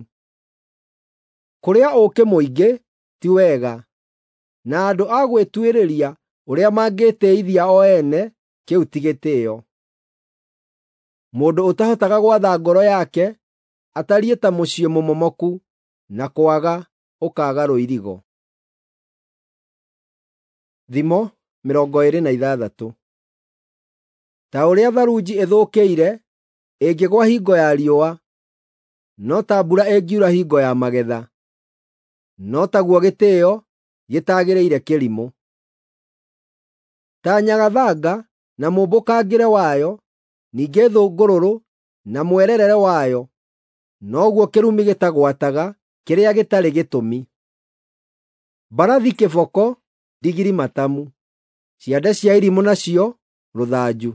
Kũrĩa ũũkĩ mũingĩ ti wega, na andũ a gwĩtuĩrĩria ũrĩa mangĩĩtĩĩithia o ene kĩu ti gĩtĩĩo. Mũndũ ũtahotaga gwatha ngoro yake atariĩ ta mũciĩ mũmomoku, na kwaga ũkaaga rũirigo. Thimo mĩrongo ĩĩrĩ na ithathatũ. Ta ũrĩa tharunji ĩthũkĩire ĩngĩgũa hingo ya riũa, no ta mbura ĩngiura hingo ya magetha, no taguo gĩtĩĩo gĩtagĩrĩire kĩrimũ. Ta nyagathanga na mũmbũkangĩre wayo, ningĩ thũngũrũrũ na mwererere wayo, noguo kĩrumi gĩtagwataga kĩrĩa gĩtarĩ gĩtũmi. Mbarathi kĩboko, ndigiri matamu, ciande cia irimũ nacio rũthanju.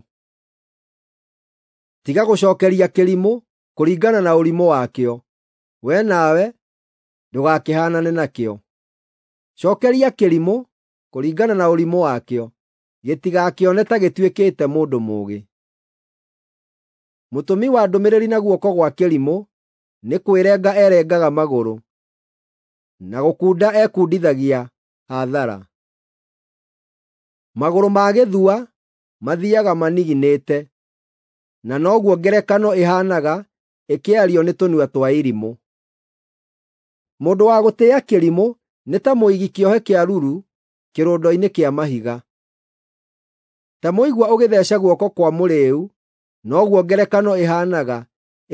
Tiga gũcookeria kĩrimũ kũringana na ũrimũ wakĩo, wee nawe ndũgakĩhaanane nakĩo. Cookeria kĩrimũ kũringana na ũrimũ wakĩo, gĩtigakĩone ta gĩtuĩkĩte mũndũ mũũgĩ. Mũtũmi wa ndũmĩrĩri na guoko gwa kĩrimũ nĩ kwĩrenga erengaga magũrũ, na gũkunda ekundithagia hathara. Magũrũ ma gĩthua mathiiaga maniginĩte, na noguo ngerekano ĩhaanaga ĩkĩario nĩ tũnua twa irimũ. Mũndũ wa gũtĩĩa kĩrimũ nĩ ta mũigi kĩohe kĩa ruru kĩrũndo-inĩ kĩa mahiga. Ta mũigua ũgĩtheeca guoko kwa mũrĩĩu, noguo ngerekano ĩhaanaga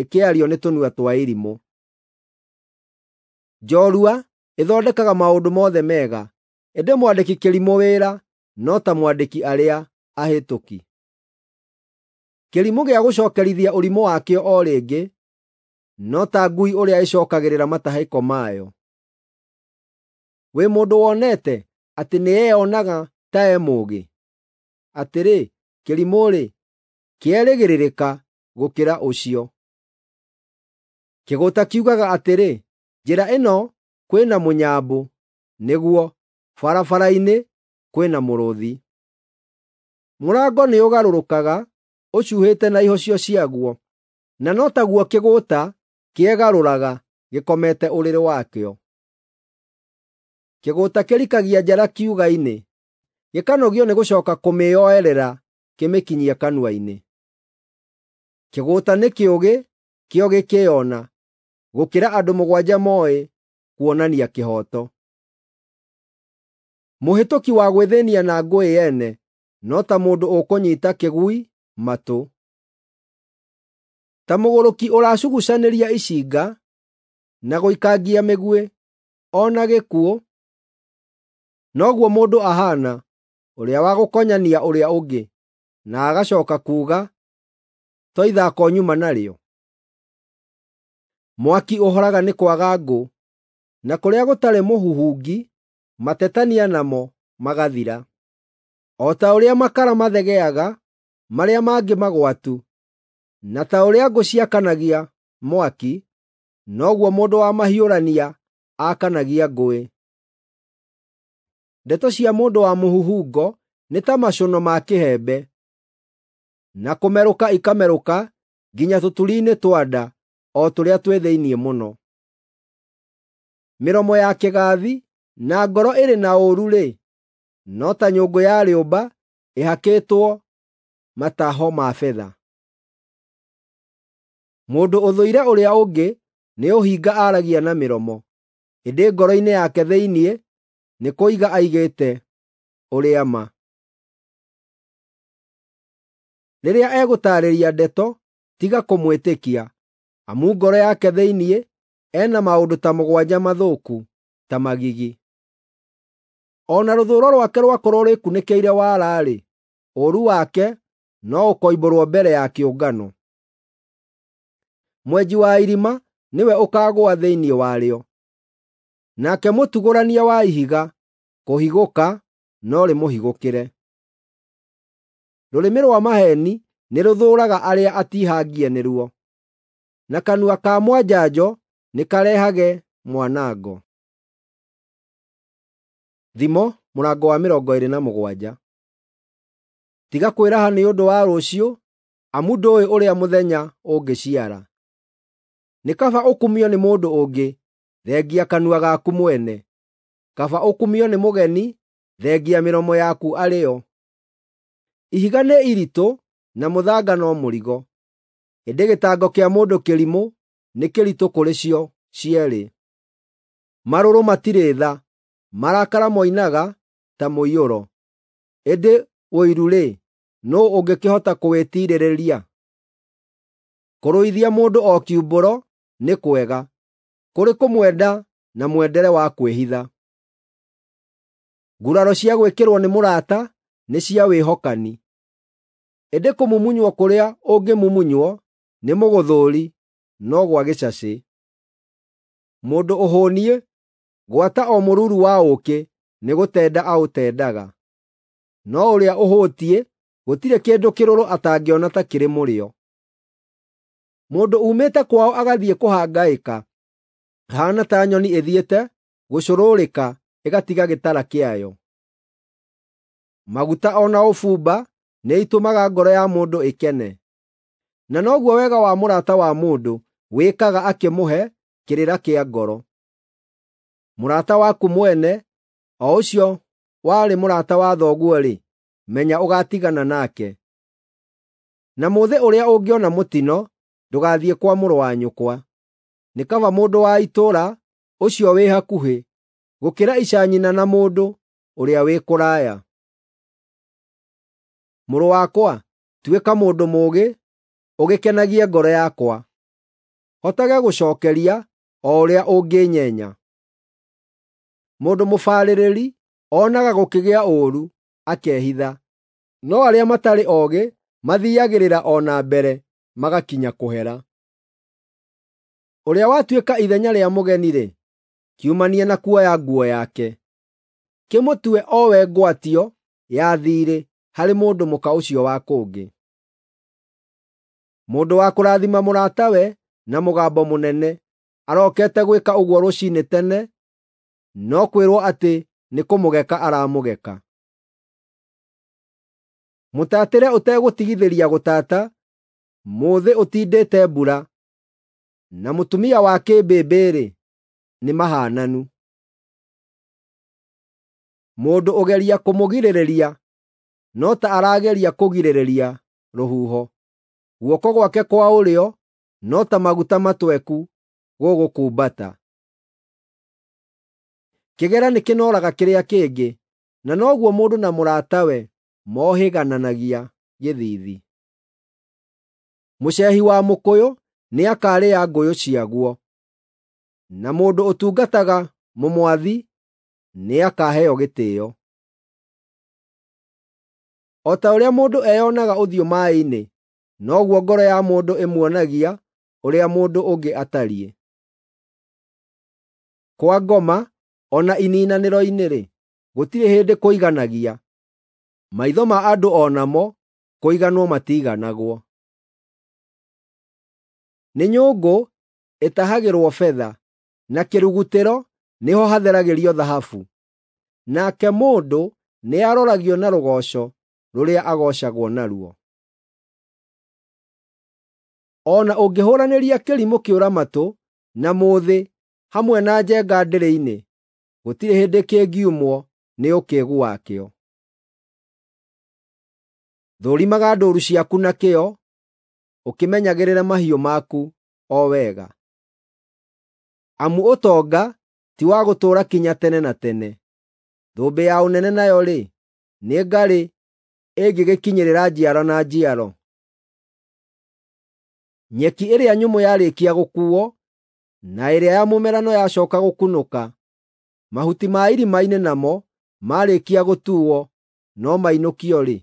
ĩkĩario nĩ tũnua twa irimũ. Njorua ĩthondekaga maũndũ mothe mega, ĩndĩ mwandĩki kĩrimũ wĩra no ta mwandĩki arĩa ahĩtũki. Kĩrimũ gĩa gũcookerithia ũrimũ wakĩo o rĩngĩ, no ta ngui ũrĩa ĩcookagĩrĩra matahĩko mayo. Wĩ mũndũ wonete atĩ nĩeyonaga ta e mũũgĩ? Atĩrĩ, kĩrimũ-rĩ, kĩerĩgĩrĩrĩka gũkĩra ũcio. Kĩgũũta kiugaga atĩrĩ, “Njĩra ĩno kwĩ na mũnyambũ,” nĩguo, barabara-inĩ kwĩ na mũrũũthi. Mũrango nĩũgarũrũkaga ũcuhĩte na ihocio ciaguo, na no taguo kĩgũũta kĩegarũraga gĩkomete ũrĩrĩ wakĩo. Kĩgũũta kĩrikagia njara kiuga-inĩ, gĩkanogio nĩ gũcooka kũmĩoerera kĩmĩkinyie kanua-inĩ. Kĩgũũta nĩ kĩũgĩ kĩo gĩkĩĩona, gũkĩra andũ mũgwanja mooĩ kuonania kĩhooto. Mũhĩtũki wa gwĩthĩnia na ngũĩ ene no ta mũndũ ũkũnyiita kĩgui matũ. Ta mũgũrũki ũracugucanĩria icinga na gũikangia mĩguĩ o na gĩkuũ, noguo mũndũ ahaana ũrĩa wa gũkonyania ũrĩa ũngĩ, na agacooka kuuga, “To ithako nyuma narĩo?” Mwaki ũhoraga nĩ kwaga ngũ, na kũrĩa gũtarĩ mũhuhungi, matetania namo magathira. O ta ũrĩa makara mathegeaga marĩa mangĩ magwatu, na ta ũrĩa ngũ ciakanagia mwaki, noguo mũndũ wa mahiũrania aakanagia ngũĩ. Ndeto cia mũndũ wa mũhuhungo nĩ ta macũno ma kĩhembe, na kũmerũka ikamerũka nginya tũturi-inĩ twa nda o tũrĩa twĩ thĩinĩ mũno. Mĩromo ya kĩgaathi na ngoro ĩrĩ na ũũru-rĩ, no ta nyũngũ ya rĩũmba ĩhakĩtwo mataho ma betha. Mũndũ ũthũire ũrĩa ũngĩ nĩ ũhinga aaragia na mĩromo, ĩndĩ ngoro-inĩ yake thĩinĩ nĩ kũiga aigĩte ũrĩa ma. Rĩrĩa egũtaarĩria ndeto, tiga kũmwĩtĩkia, amu ngoro yake thĩinĩ ena maũndũ ta mũgwanja mathũku ta magigi. O na rũthũũro rwake rwakorwo rwĩkunĩkĩire wara-rĩ, ũũru wake no ũkoimbũrwo mbere ya kĩũngano. Mwenji wa irima nĩwe ũkaagũa thĩinĩ warĩo, nake mũtugũrania wa ihiga kũhigũka no rĩmũhigũkĩre. Rũrĩmĩ rwa maheeni nĩrũthũũraga arĩa atiihangie nĩruo, na kanua ka mwanjanjo nĩkarehage mwanango. Thimo mũrango wa mĩrongo ĩĩrĩ na mũgwanja. Tiga kwĩraha nĩ ũndũ wa rũciũ, amu ndũũĩ ũrĩa mũthenya ũngĩciara. Nĩ kaba ũkumio nĩ mũndũ ũngĩ, thengia kanua gaku mwene. Kaba ũkumio nĩ mũgeni, thengia mĩromo yaku arĩ yo. Ihiga nĩ iritũ na mũthanga no mũrigo, ĩndĩ gĩtango kĩa mũndũ kĩrimũ nĩ kĩritũ kũrĩ cio cierĩ. Marũrũ matirĩ tha, marakara moinaga ta mũiyũro, ĩndĩ ũiru-rĩ, nũũ ũngĩkĩhota kũwĩtiirĩrĩria? Kũrũithia mũndũ o kiumbũro nĩ kwega, kũrĩ kũmwenda na mwendere wa kwĩhitha. Nguraro cia gwĩkĩrwo nĩ mũrata nĩ cia wĩhokani, ĩndĩ kũmumunywo kũrĩa ũngĩmumunywo nĩ mũgũthũũri no gwa gĩcacĩ. Mũndũ ũhũniĩ gwata o mũruru wa ũũkĩ nĩgũtenda aũtendaga, no ũrĩa ũhũtiĩ gũtirĩ kĩndũ kĩrũrũ atangĩona ta kĩrĩ mũrĩo. Mũndũ uumĩte kwao agathiĩ kũhangaĩka ahaana ta nyoni ĩthiĩte gũcũrũrĩka ĩgatiga gĩtara kĩayo. Maguta o na ũbumba nĩitũmaga ngoro ya mũndũ ĩkene, na noguo wega wa mũrata wa mũndũ wĩkaga akĩmũhe kĩrĩra kĩa ngoro. Mũrata waku mwene, o ũcio warĩ mũrata wa thoguo-rĩ, menya ũgaatigana nake. Na mũthĩ ũrĩa ũngĩona mũtino, ndũgathiĩ kwa mũrũ wa nyũkwa. Nĩ kaba mũndũ wa itũũra ũcio wĩ hakuhĩ gũkĩra ica nyina na mũndũ ũrĩa wĩ kũraya. Mũrũ wakwa, tuĩka mũndũ mũũgĩ, ũgĩkenagie ngoro yakwa. Hotage gũcookeria o ũrĩa ũngĩnyenya. Mũndũ mũbarĩrĩri onaga gũkĩgĩa ũũru akehitha, no arĩa matarĩ oogĩ mathiiagĩrĩra o na mbere magakinya kũhera. Ũrĩa watuĩka ithenya rĩa mũgeni-rĩ, kiumanie na kuoya nguo yake, kĩmũtue o we ngwatio ya thiirĩ harĩ mũndũ mũka ũcio wa kũngĩ. Mũndũ wa kũrathima mũratawe na mũgambo mũnene arokete gwĩka ũguo rũciinĩ tene, no kwĩrwo atĩ nĩ kũmũgeka aramũgeka. Mũtaatĩre ũtegũtigithĩria gũtata, mũũthĩ ũtindĩte mbura, na mũtumia wa kĩmbĩmbĩ-rĩ, nĩ mahaananu. Mũndũ ũgeria kũmũgirĩrĩria no ta arageria kũgirĩrĩria rũhuho. Guoko gwake kwa ũrĩo no ta maguta matweku gũgũkumbata. Kĩgera nĩkĩnooraga kĩrĩa kĩngĩ, na noguo mũndũ na mũratawe mohĩgananagia gĩthiithi. Mũceehi wa mũkũyũ nĩakarĩa ngũyũ ciaguo, na mũndũ ũtungataga mũmwathi nĩakaheo gĩtĩĩo. O ta ũrĩa mũndũ eyonaga ũthiũ maaĩ-inĩ, noguo ngoro ya mũndũ ĩmuonagia ũrĩa mũndũ ũngĩ atariĩ. Kwa ngoma o na ininanĩro-inĩ-rĩ, gũtirĩ hĩndĩ kũiganagia; maitho ma andũ o namo kũiganwo matiiganagwo. Nĩ nyũngũ ĩtahagĩrwo betha, na kĩrugutĩro nĩho hatheragĩrio thahabu, nake mũndũ nĩaroragio na rũgooco rũrĩa agoocagwo naruo. O na ũngĩhũũranĩria kĩrimũ kĩũra-matũ na mũũthĩ hamwe na njenga ndĩrĩ-inĩ, gũtirĩ hĩndĩ kĩngiumwo nĩ ũkĩĩgu wakĩo. Thũrimaga ndũũru ciaku na kĩyo, ũkĩmenyagĩrĩre mahiũ maku o wega. Amu ũtonga ti wa gũtũũra kinya tene na tene, thũmbĩ ya ũnene nayo-rĩ, nĩ ngarĩ ĩngĩgĩkinyĩrĩra njiaro na njiaro. Nyeki ĩrĩa nyũmũ yarĩkia gũkuuo, na ĩrĩa ya mũmerano yacooka gũkunũka, mahuti ma irima-inĩ namo maarĩkia gũtuuo no mainũkio rĩ?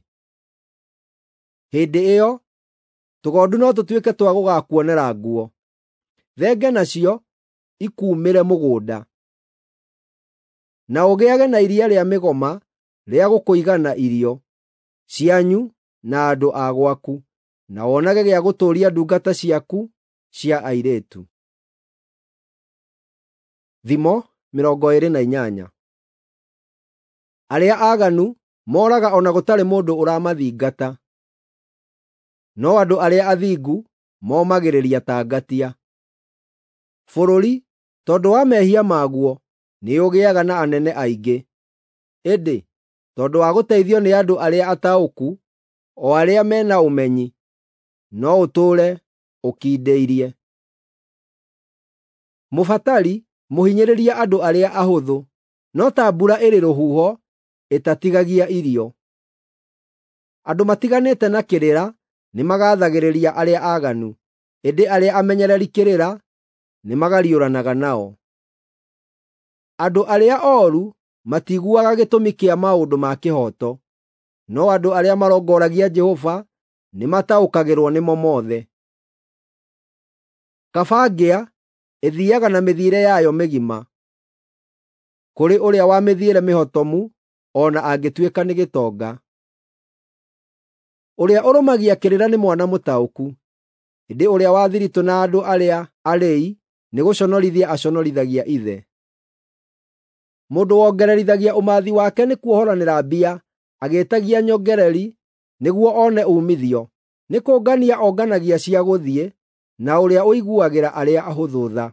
Hĩndĩ ĩyo tũgondu no tũtuĩke twa gũgaakuonera nguo, thenge nacio ikuumĩre mũgũnda. Na ũgĩage na iria rĩa mĩgoma rĩa gũkũigana irio cianyu na andũ a gwaku, na wonage gĩa gũtũũria ndungata ciaku cia airĩtu. Thimo mĩrongo ĩĩrĩ na inyanya. Arĩa aaganu mooraga o na gũtarĩ mũndũ ũramathingata, no andũ arĩa athingu momagĩrĩria ta ngatia. Bũrũri, tondũ wa mehia maguo, nĩũgĩaga na anene aingĩ, ĩndĩ tondũ wa gũteithio nĩ andũ arĩa ataũku, o arĩa mena ũmenyi, no ũtũũre ũkindĩirie. Mũbatari mũhinyĩrĩria andũ arĩa ahũthũ, no ta mbura ĩrĩ rũhuho ĩtatigagia irio. Andũ matiganĩte na kĩrĩra nĩmagathagĩrĩria arĩa aaganu, ĩndĩ arĩa amenyereri kĩrĩra nĩmagariũranaga nao. Andũ arĩa ooru matiiguaga gĩtũmi kĩa maũndũ ma kĩhooto, no andũ arĩa marongoragia Jehova nĩmataũkagĩrwo nĩmo mothe. Kaba ngĩa ĩthiiaga na mĩthiĩre yayo mĩgima, kũrĩ ũrĩa wa mĩthiĩre mĩhotomu o na angĩtuĩka nĩ gĩtonga. Ũrĩa ũrũmagia kĩrĩra nĩ mwana mũtaũku, ĩndĩ ũrĩa wa thiritũ na andũ arĩa arĩi nĩgũconorithia aconorithagia ithe. Mũndũ wongererithagia ũmathi wake nĩ kuohoranĩra mbia, agĩĩtagia nyongereri nĩguo one uumithio, nĩ kũngania onganagia cia gũthiĩ, na ũrĩa ũiguagĩra arĩa ahũthũ tha.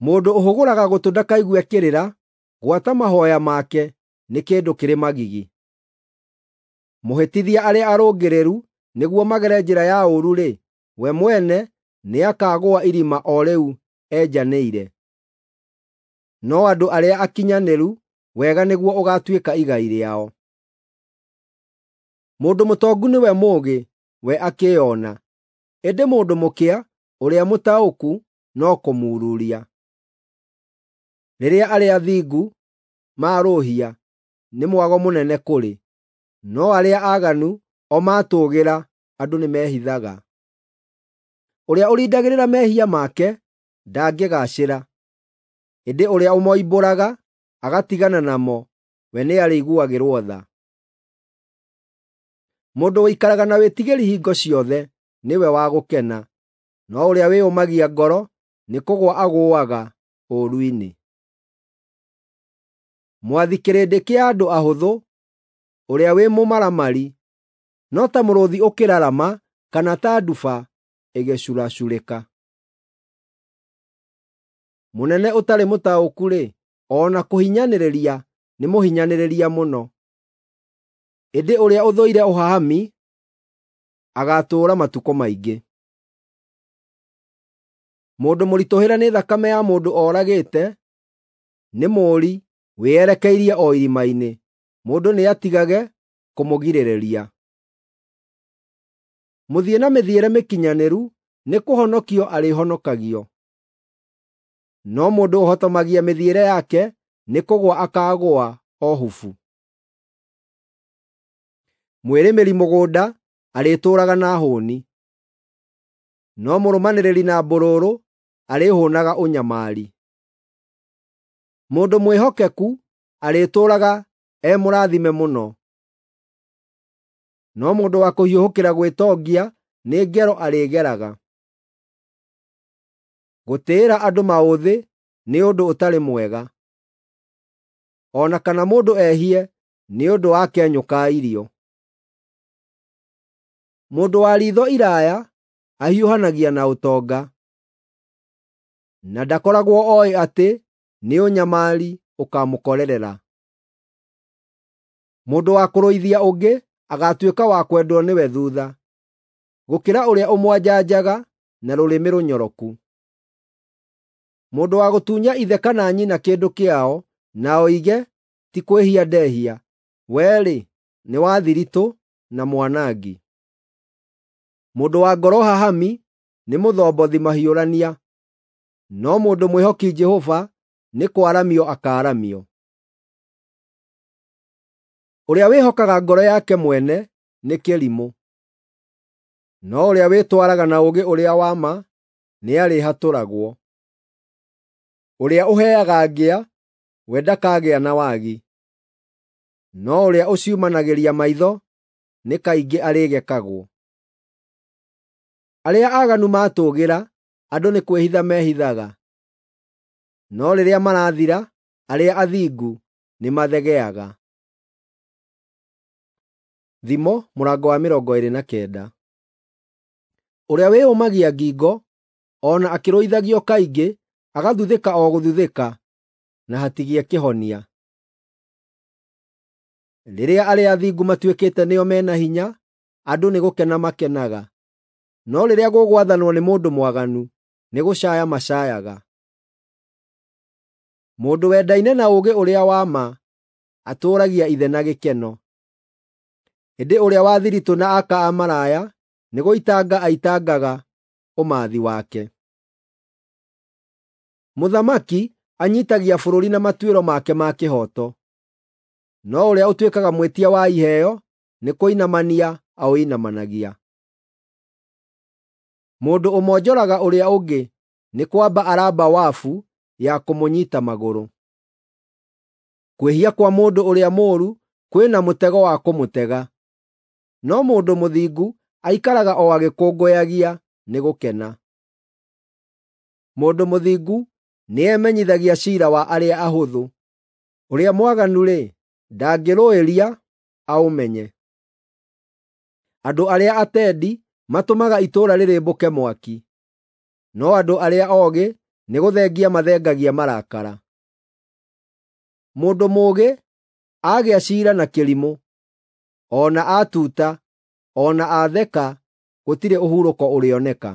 Mũndũ ũhũgũraga gũtũ ndakaigue kĩrĩra, gwata mahooya make nĩ kĩndũ kĩrĩ magigi. Mũhĩtithia arĩa arũngĩrĩru nĩguo magere njĩra ya ũũru-rĩ, we mwene nĩakagũa irima o rĩu enjanĩire. No andũ arĩa akinyanĩru, wega nĩguo ũgaatuĩka igai rĩao. Mũndũ mũtongu nĩwe mũũgĩ, we akĩĩona, ĩndĩ mũndũ mũkĩa, ũrĩa mũtaũku, no kũmururia. Rĩrĩa arĩa athingu maarũhia, nĩ mwago mũnene kũrĩ, no arĩa aaganu o maatũũgĩra, andũ nĩmehithaga. Ũrĩa ũrindagĩrĩra mehia make ndangĩgaacĩra, ĩndĩ ũrĩa ũmoimbũraga agatigana namo, we nĩarĩiguagĩrwo tha. Mũndũ ũikaraga na wĩtigĩri hingo ciothe nĩwe wa gũkena, no ũrĩa wĩyũmagia ngoro nĩkũgũa agũũaga ũũru-inĩ. Mwathi kĩrĩndĩ kĩa andũ ahũthũ, ũrĩa wĩ mũmaramari, no ta mũrũũthi ũkĩrarama kana ta nduba ĩgĩcuracurĩka. Mũnene ũtarĩ mũtaũku-rĩ, o na kũhinyanĩrĩria nĩ mũhinyanĩrĩria mũno, ĩndĩ ũrĩa ũthũire ũhahami agaatũũra matukũ maingĩ. Mũndũ mũritũhĩre nĩ thakame ya mũndũ oragĩte nĩ mũũri wĩerekeirie o irima-inĩ, mũndũ nĩatigage kũmũgirĩrĩria. Mũthiĩ na mĩthiĩre mĩkinyanĩru nĩkũhonokio arĩhonokagio, no mũndũ ũhotomagia mĩthiĩre yake nĩkũgũa akaagũa o hubu. Mwĩrĩmĩri mũgũnda arĩtũũraga na hũũni, no mũrũmanĩrĩri na mbũrũrũ arĩhũũnaga ũnyamari. Mũndũ mwĩhokeku arĩtũũraga e mũrathime mũno, no mũndũ wa kũhiũhũkĩra gwĩtongia nĩ ngero arĩgeraga. Gũtĩĩra andũ maũthĩ nĩ ũndũ ũtarĩ mwega, o na kana mũndũ ehie nĩ ũndũ wa kenyũ ka irio. Mũndũ wa riitho iraaya ahiũhanagia na ũtonga, na ndakoragwo oĩ atĩ nĩ ũnyamari ũkaamũkorerera. Mũndũ wa kũrũithia ũngĩ agaatuĩka wa kwendwo nĩwe thuutha, gũkĩra ũrĩa ũmwanjanjaga na rũrĩmĩ rũnyoroku. Mũndũ wa gũtunya ithe kana nyina kĩndũ kĩao na oige, “Ti kwĩhia ndehia,” we-rĩ, nĩ wa thiritũ na mwanangi. Mũndũ wa ngoro hahami nĩ mũthombothi mahiũrania, no mũndũ mwĩhoki Jehova nĩ kwaramio akaaramio. Ũrĩa wĩhokaga ngoro yake mwene nĩ kĩrimũ, no ũrĩa wĩtwaraga na ũũgĩ ũrĩa wa ma nĩarĩhatũragwo. Ũrĩa ũheaga ngĩa, we ndakagĩa na wagi, no ũrĩa ũciumanagĩria maitho nĩ kaingĩ arĩgekagwo. Arĩa aaganu maatũũgĩra, andũ nĩ kwĩhitha mehithaga, no rĩrĩa marathira, arĩa athingu nĩmathegeaga. Thimo mũrango wa mĩrongo ĩĩrĩ na kenda. Ũrĩa wĩyũmagia ngingo, o na akĩrũithagio kaingĩ, agathuthĩka o gũthuthĩka, na hatigĩe kĩhonia. Rĩrĩa arĩa athingu matuĩkĩte nĩo me na hinya, andũ nĩ gũkena makenaga, no rĩrĩa gũgwathanwo nĩ mũndũ mwaganu, nĩ gũcaaya macaayaga. Mũndũ wendaine na ũũgĩ ũrĩa wa ma atũũragia ithe na gĩkeno, ĩndĩ ũrĩa wa thiritũ na aka a maraya nĩ gũitanga aitangaga ũmathi wake. Mũthamaki anyiitagia bũrũri na matuĩro make ma kĩhooto, no ũrĩa ũtuĩkaga mwĩtia wa iheo nĩ kũinamania aũinamanagia. Mũndũ ũmonjoraga ũrĩa ũngĩ nĩ kwamba aramba wabu ya kũmũnyiita magũrũ. Kwĩhia kwa mũndũ ũrĩa mũũru kwĩna mũtego wa kũmũtega, no mũndũ mũthingu aikaraga o agĩkũngũyagia nĩ gũkena. Mũndũ mũthingu nĩemenyithagia ciira wa arĩa ahũthũ, ũrĩa mwaganu-rĩ, ndangĩrũĩria aũmenye. Andũ arĩa atendi matũmaga itũũra rĩrĩmbũke mwaki, no andũ arĩa oogĩ nĩgũthengia mathengagia marakara. Mũndũ mũũgĩ aagĩa ciira na kĩrimũ, o na atuta, o na atheka, gũtirĩ ũhurũko ũrĩoneka.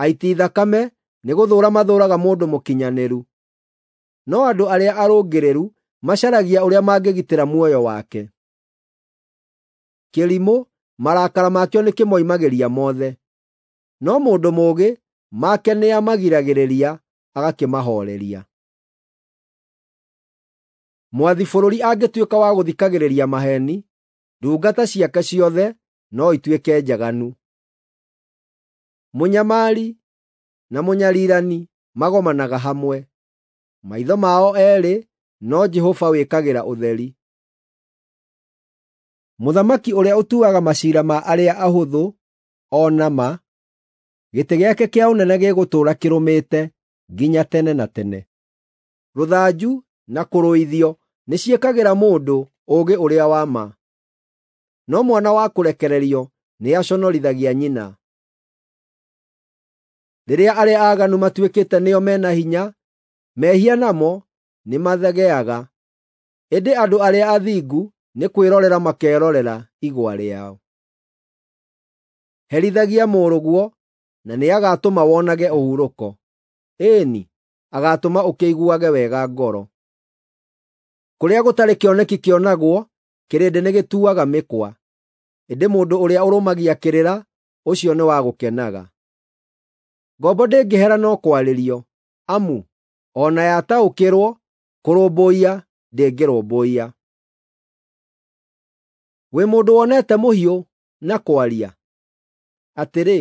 Aiti thakame nĩgũthũũra mathũũraga mũndũ mũkinyanĩru, no andũ arĩa arũngĩrĩru macaragia ũrĩa mangĩgitĩra muoyo wake. Kĩrimũ marakara makĩo nĩkĩmoimagĩria mothe, no mũndũ mũũgĩ make nĩamagiragĩrĩria agakĩmahooreria. Mwathi bũrũri angĩtuĩka wa gũthikagĩrĩria maheeni, ndungata ciake ciothe no ituĩke njaganu. Mũnyamari na mũnyarirani magomanaga hamwe, maitho mao eerĩ no Jehova wĩkagĩra ũtheri. Mũthamaki ũrĩa ũtuaga maciira ma arĩa ahũthũ o na ma, gĩtĩ gĩake kĩa ũnene gĩgũtũũra kĩrũmĩte nginya tene na tene. Rũthanju na kũrũithio nĩciĩkagĩra mũndũ ũũgĩ ũrĩa wa ma, no mwana wa kũrekererio nĩaconorithagia nyina. Rĩrĩa arĩa aaganu matuĩkĩte nĩo me na hinya, mehia namo nĩmathegeaga, ĩndĩ andũ arĩa athingu nĩ kwĩrorera makerorera igwa rĩao. Herithagia mũrũguo na nĩagatũma wonage ũhurũko, ĩĩni, agaatũma ũkĩiguage wega ngoro. Kũrĩa gũtarĩ kĩoneki kĩonagwo, kĩrĩndĩ nĩgĩtuaga mĩkwa, ĩndĩ mũndũ ũrĩa ũrũmagia kĩrĩra, ũcio nĩ wa gũkenaga. Ngombo ndĩngĩhera no kwarĩrio, amu o na yataũkĩrwo, kũrũmbũiya ndĩngĩrũmbũiya. Wĩ mũndũ wonete mũhiũ na kwaria? Atĩrĩ,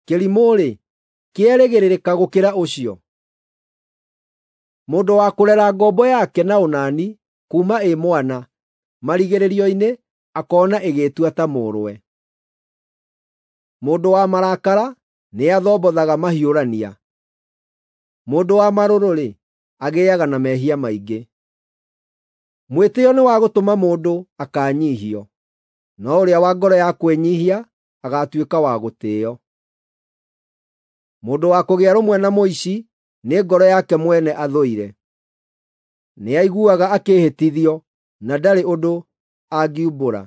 kĩrimũ-rĩ, kĩerĩgĩrĩrĩka gũkĩra ũcio. Mũndũ wa kũrera ngombo yake na ũnani kuuma ĩ mwana, marigĩrĩrio-inĩ akoona ĩgĩĩtua ta mũrũwe. Mũndũ wa marakara nĩathombothaga mahiũrania, mũndũ wa marũrũ-rĩ, agĩaga na mehia maingĩ. Mwĩtĩĩo nĩ wa gũtũma mũndũ akaanyiihio, no ũrĩa wa ngoro ya kwĩnyiihia agaatuĩka wa gũtĩĩo. Mũndũ wa kũgĩa rũmwe na mũici nĩ ngoro yake mwene athũire. Nĩaiguaga akĩĩhĩtithio na ndarĩ ũndũ angiumbũra.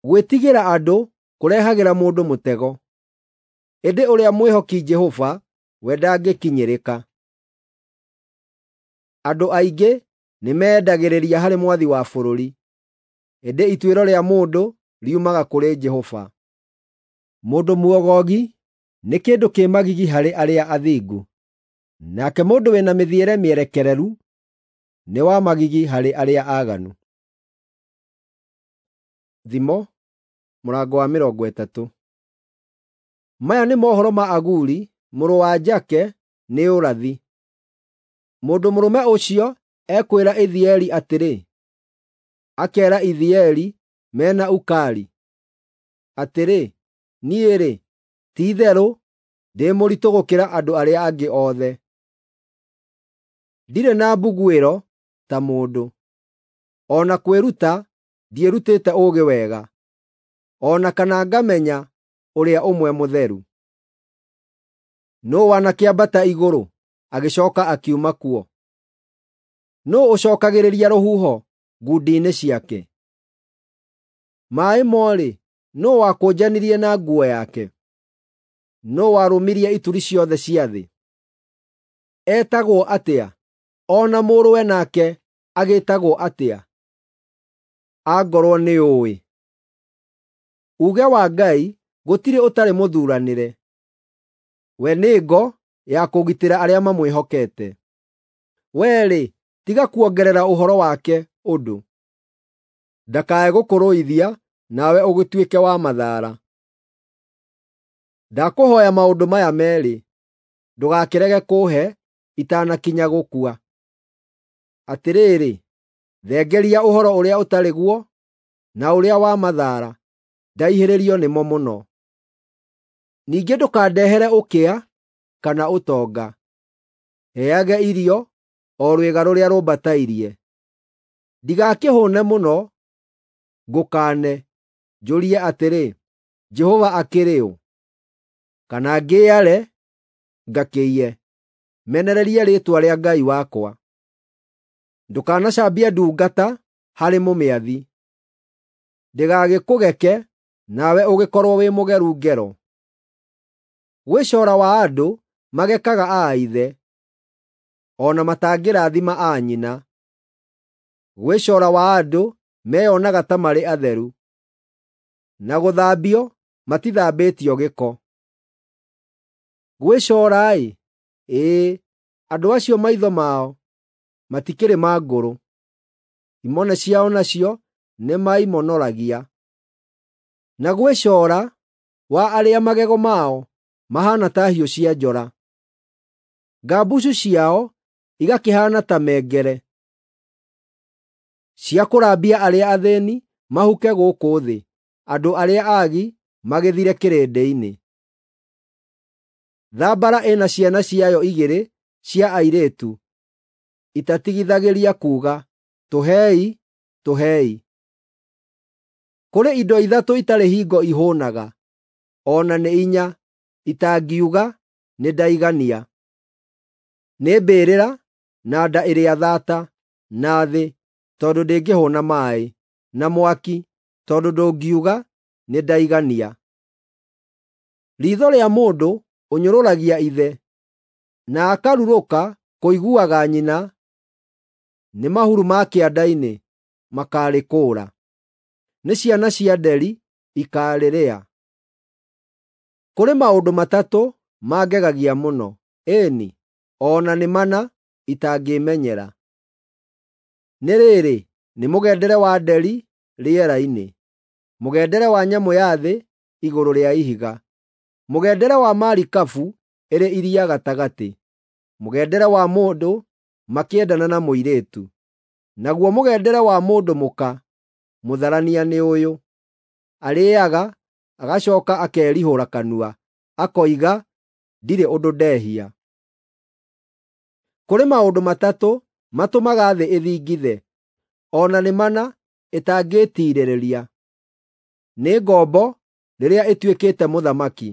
Gwĩtigĩra andũ kũrehagĩra mũndũ mũtego, ĩndĩ ũrĩa mwĩhoki Jehova we ndangĩkinyĩrĩka. Andũ aingĩ nĩmeendagĩrĩria harĩ mwathi wa bũrũri, ĩndĩ ituĩro rĩa mũndũ riumaga kũrĩ Jehova. Mũndũ muogogi nĩ kĩndũ kĩ magigi harĩ arĩa athingu, nake mũndũ wĩna mĩthiĩre mĩerekereru nĩ wa magigi harĩ arĩa aaganu. Thimo mũrango wa mĩrongo ĩtatũ. Maya nĩ mohoro ma Aguri mũrũ wa Jake nĩ ũrathi. Mũndũ mũrũme ũcio ekwĩra Ithieli atĩrĩ, akeera Ithieli mena Ukali, atĩrĩ, “Niĩ-rĩ, ti-itherũ ndĩ mũritũ gũkĩra andũ arĩa angĩ othe. Ndirĩ na mbuguĩro ta mũndũ, o na kwĩruta ndiĩrutĩte ũũgĩ wega, o na kana ngamenya Ũrĩa Ũmwe Mũtheru. Nũũ wanakĩambata igũrũ, agĩcooka akiuma kuo? Nũũ ũcookagĩrĩria rũhuho ngundi-inĩ ciake? Maaĩ mo-rĩ, nũũ wakũnjanirie na nguo yake? Nũũ warũmirie ituri ciothe cia thĩ? Etagwo atĩa, o na mũrũwe nake agĩĩtagwo atĩa? Angorwo nĩũũĩ. Uuge wa Ngai gũtirĩ ũtarĩ mũthuuranĩre. We nĩ ngo ya kũgitĩra arĩa mamwĩhokete. Wee-rĩ, tiga kuongerera ũhoro wake ũndũ. Ndakae gũkũrũithia nawe ũgĩtuĩke wa mathaara. Ndakũhooya maũndũ maya meerĩ, ndũgakĩrege kũũhe itanakinya gũkua. Atĩrĩrĩ, thengeria ũhoro ũrĩa ũtarĩ guo na ũrĩa wa mathaara, ndaihĩrĩrio nĩmo mũno. Ningĩ ndũkandehere ũkĩa kana ũtonga. Heage irio o rwĩga rũrĩa rũmbatairie. Ndigakĩhũũne mũno, ngũkaane, njũrie atĩrĩ, “Jehova akĩrĩ ũ?” Kana ngĩĩare, ngakĩiye, menererie rĩĩtwa rĩa Ngai wakwa. Ndũkanacambie ndungata harĩ mũmĩathi, ndĩgagĩkũgeke nawe ũgĩkorwo wĩ mũgeru ngero. Gwĩ cora wa andũ magekaga a ithe, o na matangĩrathima a nyina. Gwĩ cora wa andũ meyonaga ta marĩ atheru, na gũthambio matithambĩtio gĩko. Gwĩ cora-ĩ, ĩĩ, andũ acio maitho mao matikĩrĩ ma ngũrũ, imone ciao nacio nĩmaimonoragia. Na gwĩ cora wa arĩa magego mao mahaana ta hiũ cia njora, ngambucu ciao igakĩhaana ta mengere, cia kũrambia arĩa athĩĩni mahuke gũkũ thĩ, andũ arĩa aagi magĩthire kĩrĩndĩ-inĩ. Thambara ĩna ciana ciayo igĩrĩ cia airĩtu itatigithagĩria kuuga, “Tũhei, tũhei!” Kũrĩ indo ithatũ itarĩ hingo ihũũnaga, o na nĩ inya itangiuga, “Nĩndaigania.” Nĩ mbĩrĩra, na nda ĩrĩa thaata, na thĩ, tondũ ndĩngĩhũũna maaĩ, na mwaki, tondũ ndũngiuga, “Nĩndaigania.” Riitho rĩa mũndũ ũnyũrũragia ithe, na akarurũka kũiguaga nyina, nĩ mahuru ma kĩanda-inĩ makaarĩkũũra, nĩ ciana cia nderi ikaarĩrĩa. Kũrĩ maũndũ matatũ mangegagia mũno, ĩĩ-ni, o na nĩ mana itangĩĩmenyera. Nĩ rĩrĩ, nĩ mũgendere wa nderi rĩera-inĩ, mũgendere wa nyamũ ya thĩ igũrũ rĩa ihiga, mũgendere wa marikabu ĩrĩ iria gatagatĩ, mũgendere wa mũndũ makĩendana na mũirĩtu, naguo mũgendere wa mũndũ mũka mũtharania nĩ ũyũ: arĩĩaga, agacooka akerihũra kanua, akoiga, “Ndirĩ ũndũ ndehia.” Kũrĩ maũndũ matatũ matũmaga thĩ ĩthingithe, o na nĩ mana ĩtangĩĩtiirĩrĩria: nĩ ngombo rĩrĩa ĩtuĩkĩte mũthamaki,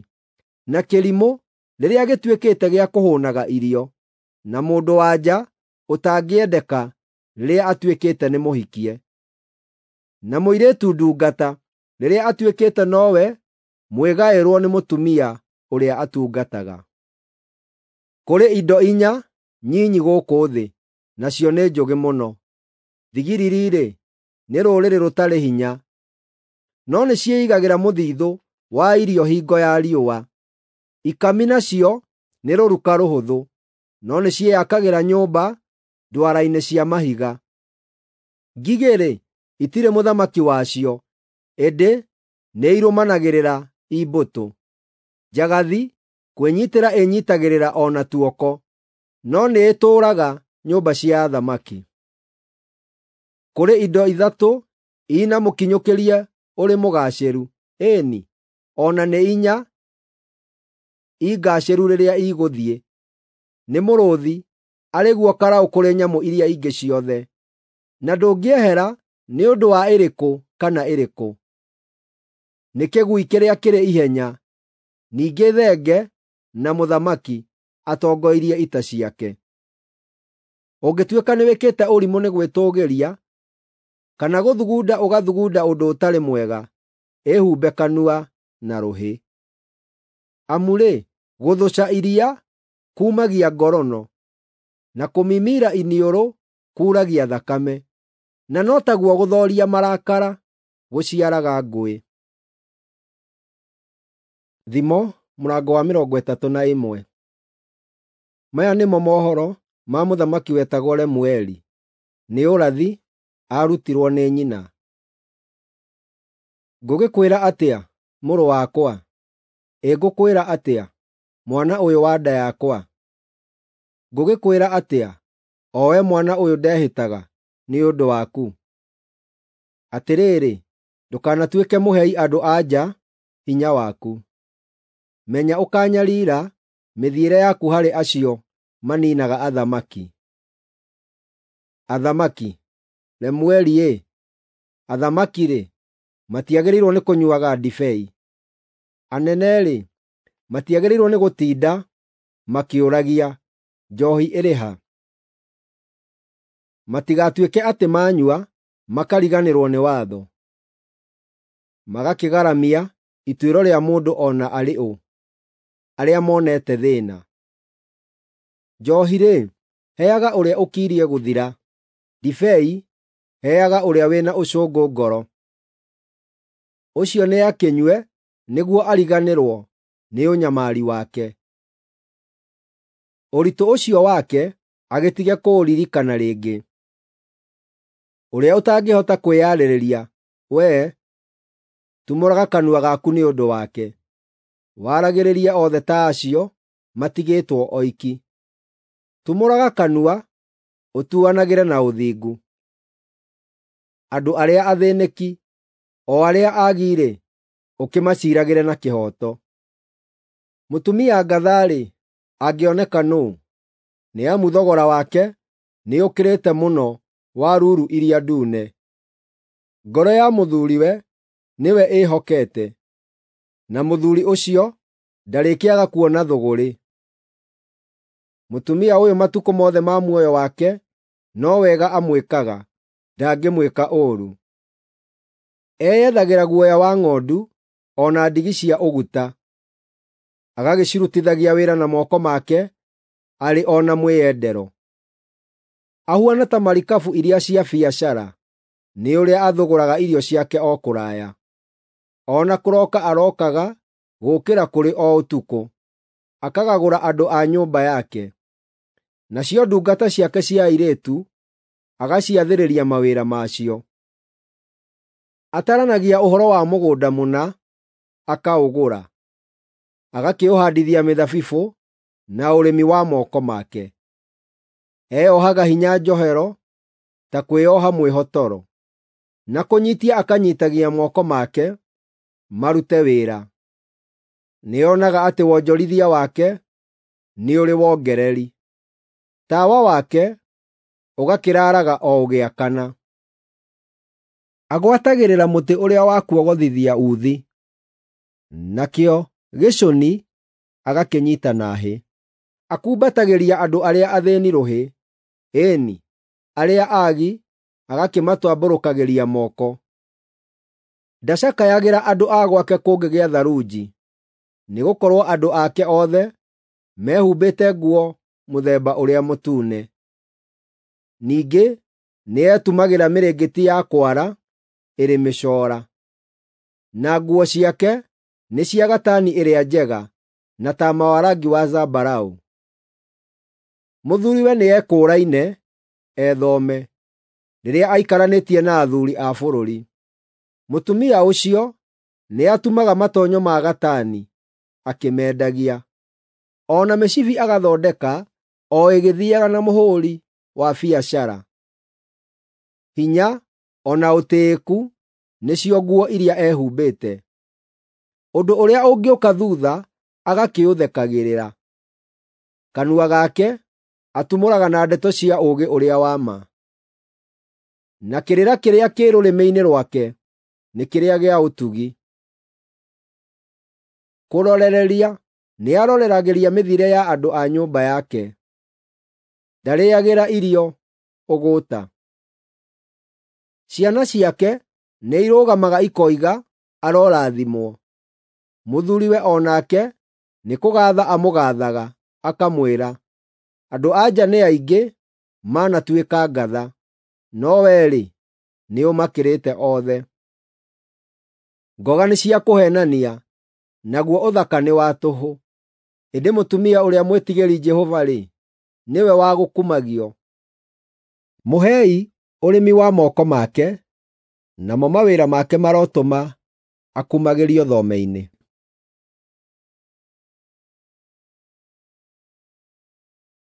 na kĩrimũ rĩrĩa gĩtuĩkĩte gĩa kũhũũnaga irio, na mũndũ-wa-nja ũtangĩendeka rĩrĩa atuĩkĩte nĩ mũhikie, na mũirĩtu ndungata rĩrĩa atuĩkĩte nowe mwĩgaĩrwo nĩ mũtumia ũrĩa atungataga. Kũrĩ indo inya nyinyi gũkũ thĩ, nacio nĩ njũgĩ mũno. Thigiriri-rĩ, nĩ rũrĩrĩ rũtarĩ hinya, no nĩciĩigagĩra mũthithũ wa irio hingo ya riũa. Ikami nacio nĩ rũruka rũhũthũ, no nĩciĩakagĩra nyũmba ndwara-inĩ cia mahiga. Ngigĩ-rĩ, itirĩ mũthamaki wacio, ĩndĩ nĩirũmanagĩrĩra i mbũtũ. Njagathi kwĩnyiitĩra ĩnyiitagĩrĩra o na tuoko, no nĩĩtũũraga nyũmba cia athamaki. Kũrĩ indo ithatũ i na mũkinyũkĩrie ũrĩ mũgaacĩru, ĩĩ-ni, o na nĩ inya i ngaacĩru rĩrĩa igũthiĩ: nĩ mũrũũthi, arĩ guo karaũ kũrĩ nyamũ iria ingĩ ciothe, na ndũngĩehera nĩ ũndũ wa ĩrĩkũ kana ĩrĩkũ. Nĩ kĩgui kĩrĩa kĩrĩ ihenya, ningĩ thenge na mũthamaki atongoirie ita ciake. Ũngĩtuĩka nĩwĩkĩte ũrimũ nĩ gwĩtũũgĩria, kana gũthugunda ũgathugunda ũndũ ũtarĩ mwega, ĩhumbe kanua na rũhĩ. Amu-rĩ, gũthũca iria kuumagia ngorono, na kũmimira iniũrũ kuuragia thakame, na no taguo gũthooria marakara gũciaraga ngũĩ. Thimo mũrango wa mĩrongo ĩtatũ na ĩmwe. Maya nĩmo mohoro ma mũthamaki wetagwo Lemueli. Nĩ ũrathi aarutirwo nĩ nyina. Ngũgĩkwĩra atĩa, mũrũ wakwa? Ĩ ngũkwĩra atĩa, mwana ũyũ wa nda yakwa? Ngũgĩkwĩra atĩa, o we mwana ũyũ ndehĩtaga nĩ ũndũ waku? Atĩrĩrĩ, ndũkanatuĩke mũhei andũ-a-nja hinya waku. Menya ũkanyariira mĩthiĩre yaku harĩ acio maniinaga athamaki. Athamaki, Lemueli-ĩ, athamaki-rĩ, matiagĩrĩirwo nĩ kũnyuuaga ndibei. Anene-rĩ, matiagĩrĩirwo nĩ gũtinda makĩũragia, “Njoohi ĩrĩ ha?” Matigatuĩke atĩ maanyua makariganĩrwo nĩ watho, magakĩgaramia ituĩro rĩa mũndũ o na arĩ ũ, arĩa monete thĩĩna. Njoohi-rĩ, heaga ũrĩa ũkirie gũthira; ndibei heaga ũrĩa wĩna ũcũngũ ngoro. Ũcio nĩakĩnyue nĩguo ariganĩrwo nĩ ũnyamari wake. Ũritũ ũcio wake agĩtige kũũririkana rĩngĩ. Ũrĩa ũtangĩhota kwĩyarĩrĩria, wee, tumũraga kanua gaku nĩ ũndũ wake; waragĩrĩrie othe ta acio matigĩtwo oiki. Tumũraga kanua ũtuanagĩre na ũthingu. Andũ arĩa athĩĩnĩki, o arĩa aagi-rĩ, ũkĩmaciiragĩre na kĩhooto. Mũtumia ngatha-rĩ, angĩoneka nũũ? Nĩ amu thogora wake nĩũkĩrĩte mũno wa ruru iria ndune. Ngoro ya mũthuuriwe nĩwe ĩĩhokete, na mũthuuri ũcio ndarĩkĩaga kuona thũgũrĩ. Mũtumia ũyũ matukũ mothe ma muoyo wake no wega amwĩkaga, ndangĩmwĩka ũũru. Eyethagĩra guoya wa ng'ondu o na ndigi cia ũguta, agagĩcirutithagia wĩra na moko make arĩ o na mwĩyendero. Ahuana ta marikabu iria cia biacara, nĩ ũrĩa athũgũraga irio ciake o kũraya. O na kũroka arookaga gũũkĩra kũrĩ o ũtukũ, akagagũra andũ a nyũmba yake. Nacio ndungata ciake cia airĩtu agaciathĩrĩria mawĩra macio. Ataranagia ũhoro wa mũgũnda mũna, akaũgũra, agakĩũhaandithia mĩthabibũ na ũrĩmi wa moko make. Eyohaga hinya njohero ta kwĩoha mwĩhotoro, na kũnyiitia akanyiitagia moko make marute wĩra. Nĩonaga atĩ wonjorithia wake nĩ ũrĩ wongereri. Tawa wake ũgakĩraaraga o ũgĩakana. Agwatagĩrĩra mũtĩ ũrĩa wa kuogothithia uuthi, nakĩo gĩcũni agakĩnyiita na hĩ. Akumbatagĩria andũ arĩa athĩĩni rũhĩ, ĩĩ-ni, arĩa aagi agakĩmatambũrũkagĩria moko. Ndacakayagĩra andũ a gwake kũngĩgĩa tharunji, nĩgũkorwo andũ ake othe mehumbĩte nguo mũthemba ũrĩa mũtune. Ningĩ nĩetumagĩra mĩrĩngĩti ya kwara ĩrĩ mĩcoora, na nguo ciake nĩ cia gatani ĩrĩa njega na taama wa rangi wa zambarau. Mũthuuriwe nĩekũũraine ethome, rĩrĩa aikaranĩtie na athuuri a bũrũri. Mũtumia ũcio nĩatumaga matonyo ma gatani, akĩmendagia. O na mĩcibi agathondeka o ĩgĩthiiaga na mũhũũri wa biacara. Hinya o na ũtĩĩku nĩcio nguo iria ehumbĩte. Ũndũ ũrĩa ũngĩũka thuutha agakĩũthekagĩrĩra. Kanua gake atumũraga na ndeto cia ũũgĩ ũrĩa wa ma. Na kĩrĩra kĩrĩa kĩ rũrĩmĩ-inĩ rwake nĩ kĩrĩa gĩa ũtugi. Kũrorereria nĩaroreragĩria mĩthiĩre ya andũ a nyũmba yake. Ndarĩĩagĩra irio ũgũũta. Ciana ciake nĩirũgamaga ikoiga, arorathimwo. Mũthuuriwe o nake nĩkũgaatha amũgaathaga, akamwĩra, “Andũ-a-nja nĩ aingĩ manatuĩka ngatha, no wee-rĩ, nĩũmakĩrĩte othe.” Ngoga nĩ cia kũheenania, naguo ũthaka nĩ wa tũhũ, ĩndĩ mũtumia ũrĩa mwĩtigĩri Jehova-rĩ, nĩwe wa gũkumagio. Mũhei ũrĩmi wa moko make, namo mawĩra make marotũma akumagĩrio thome-inĩ.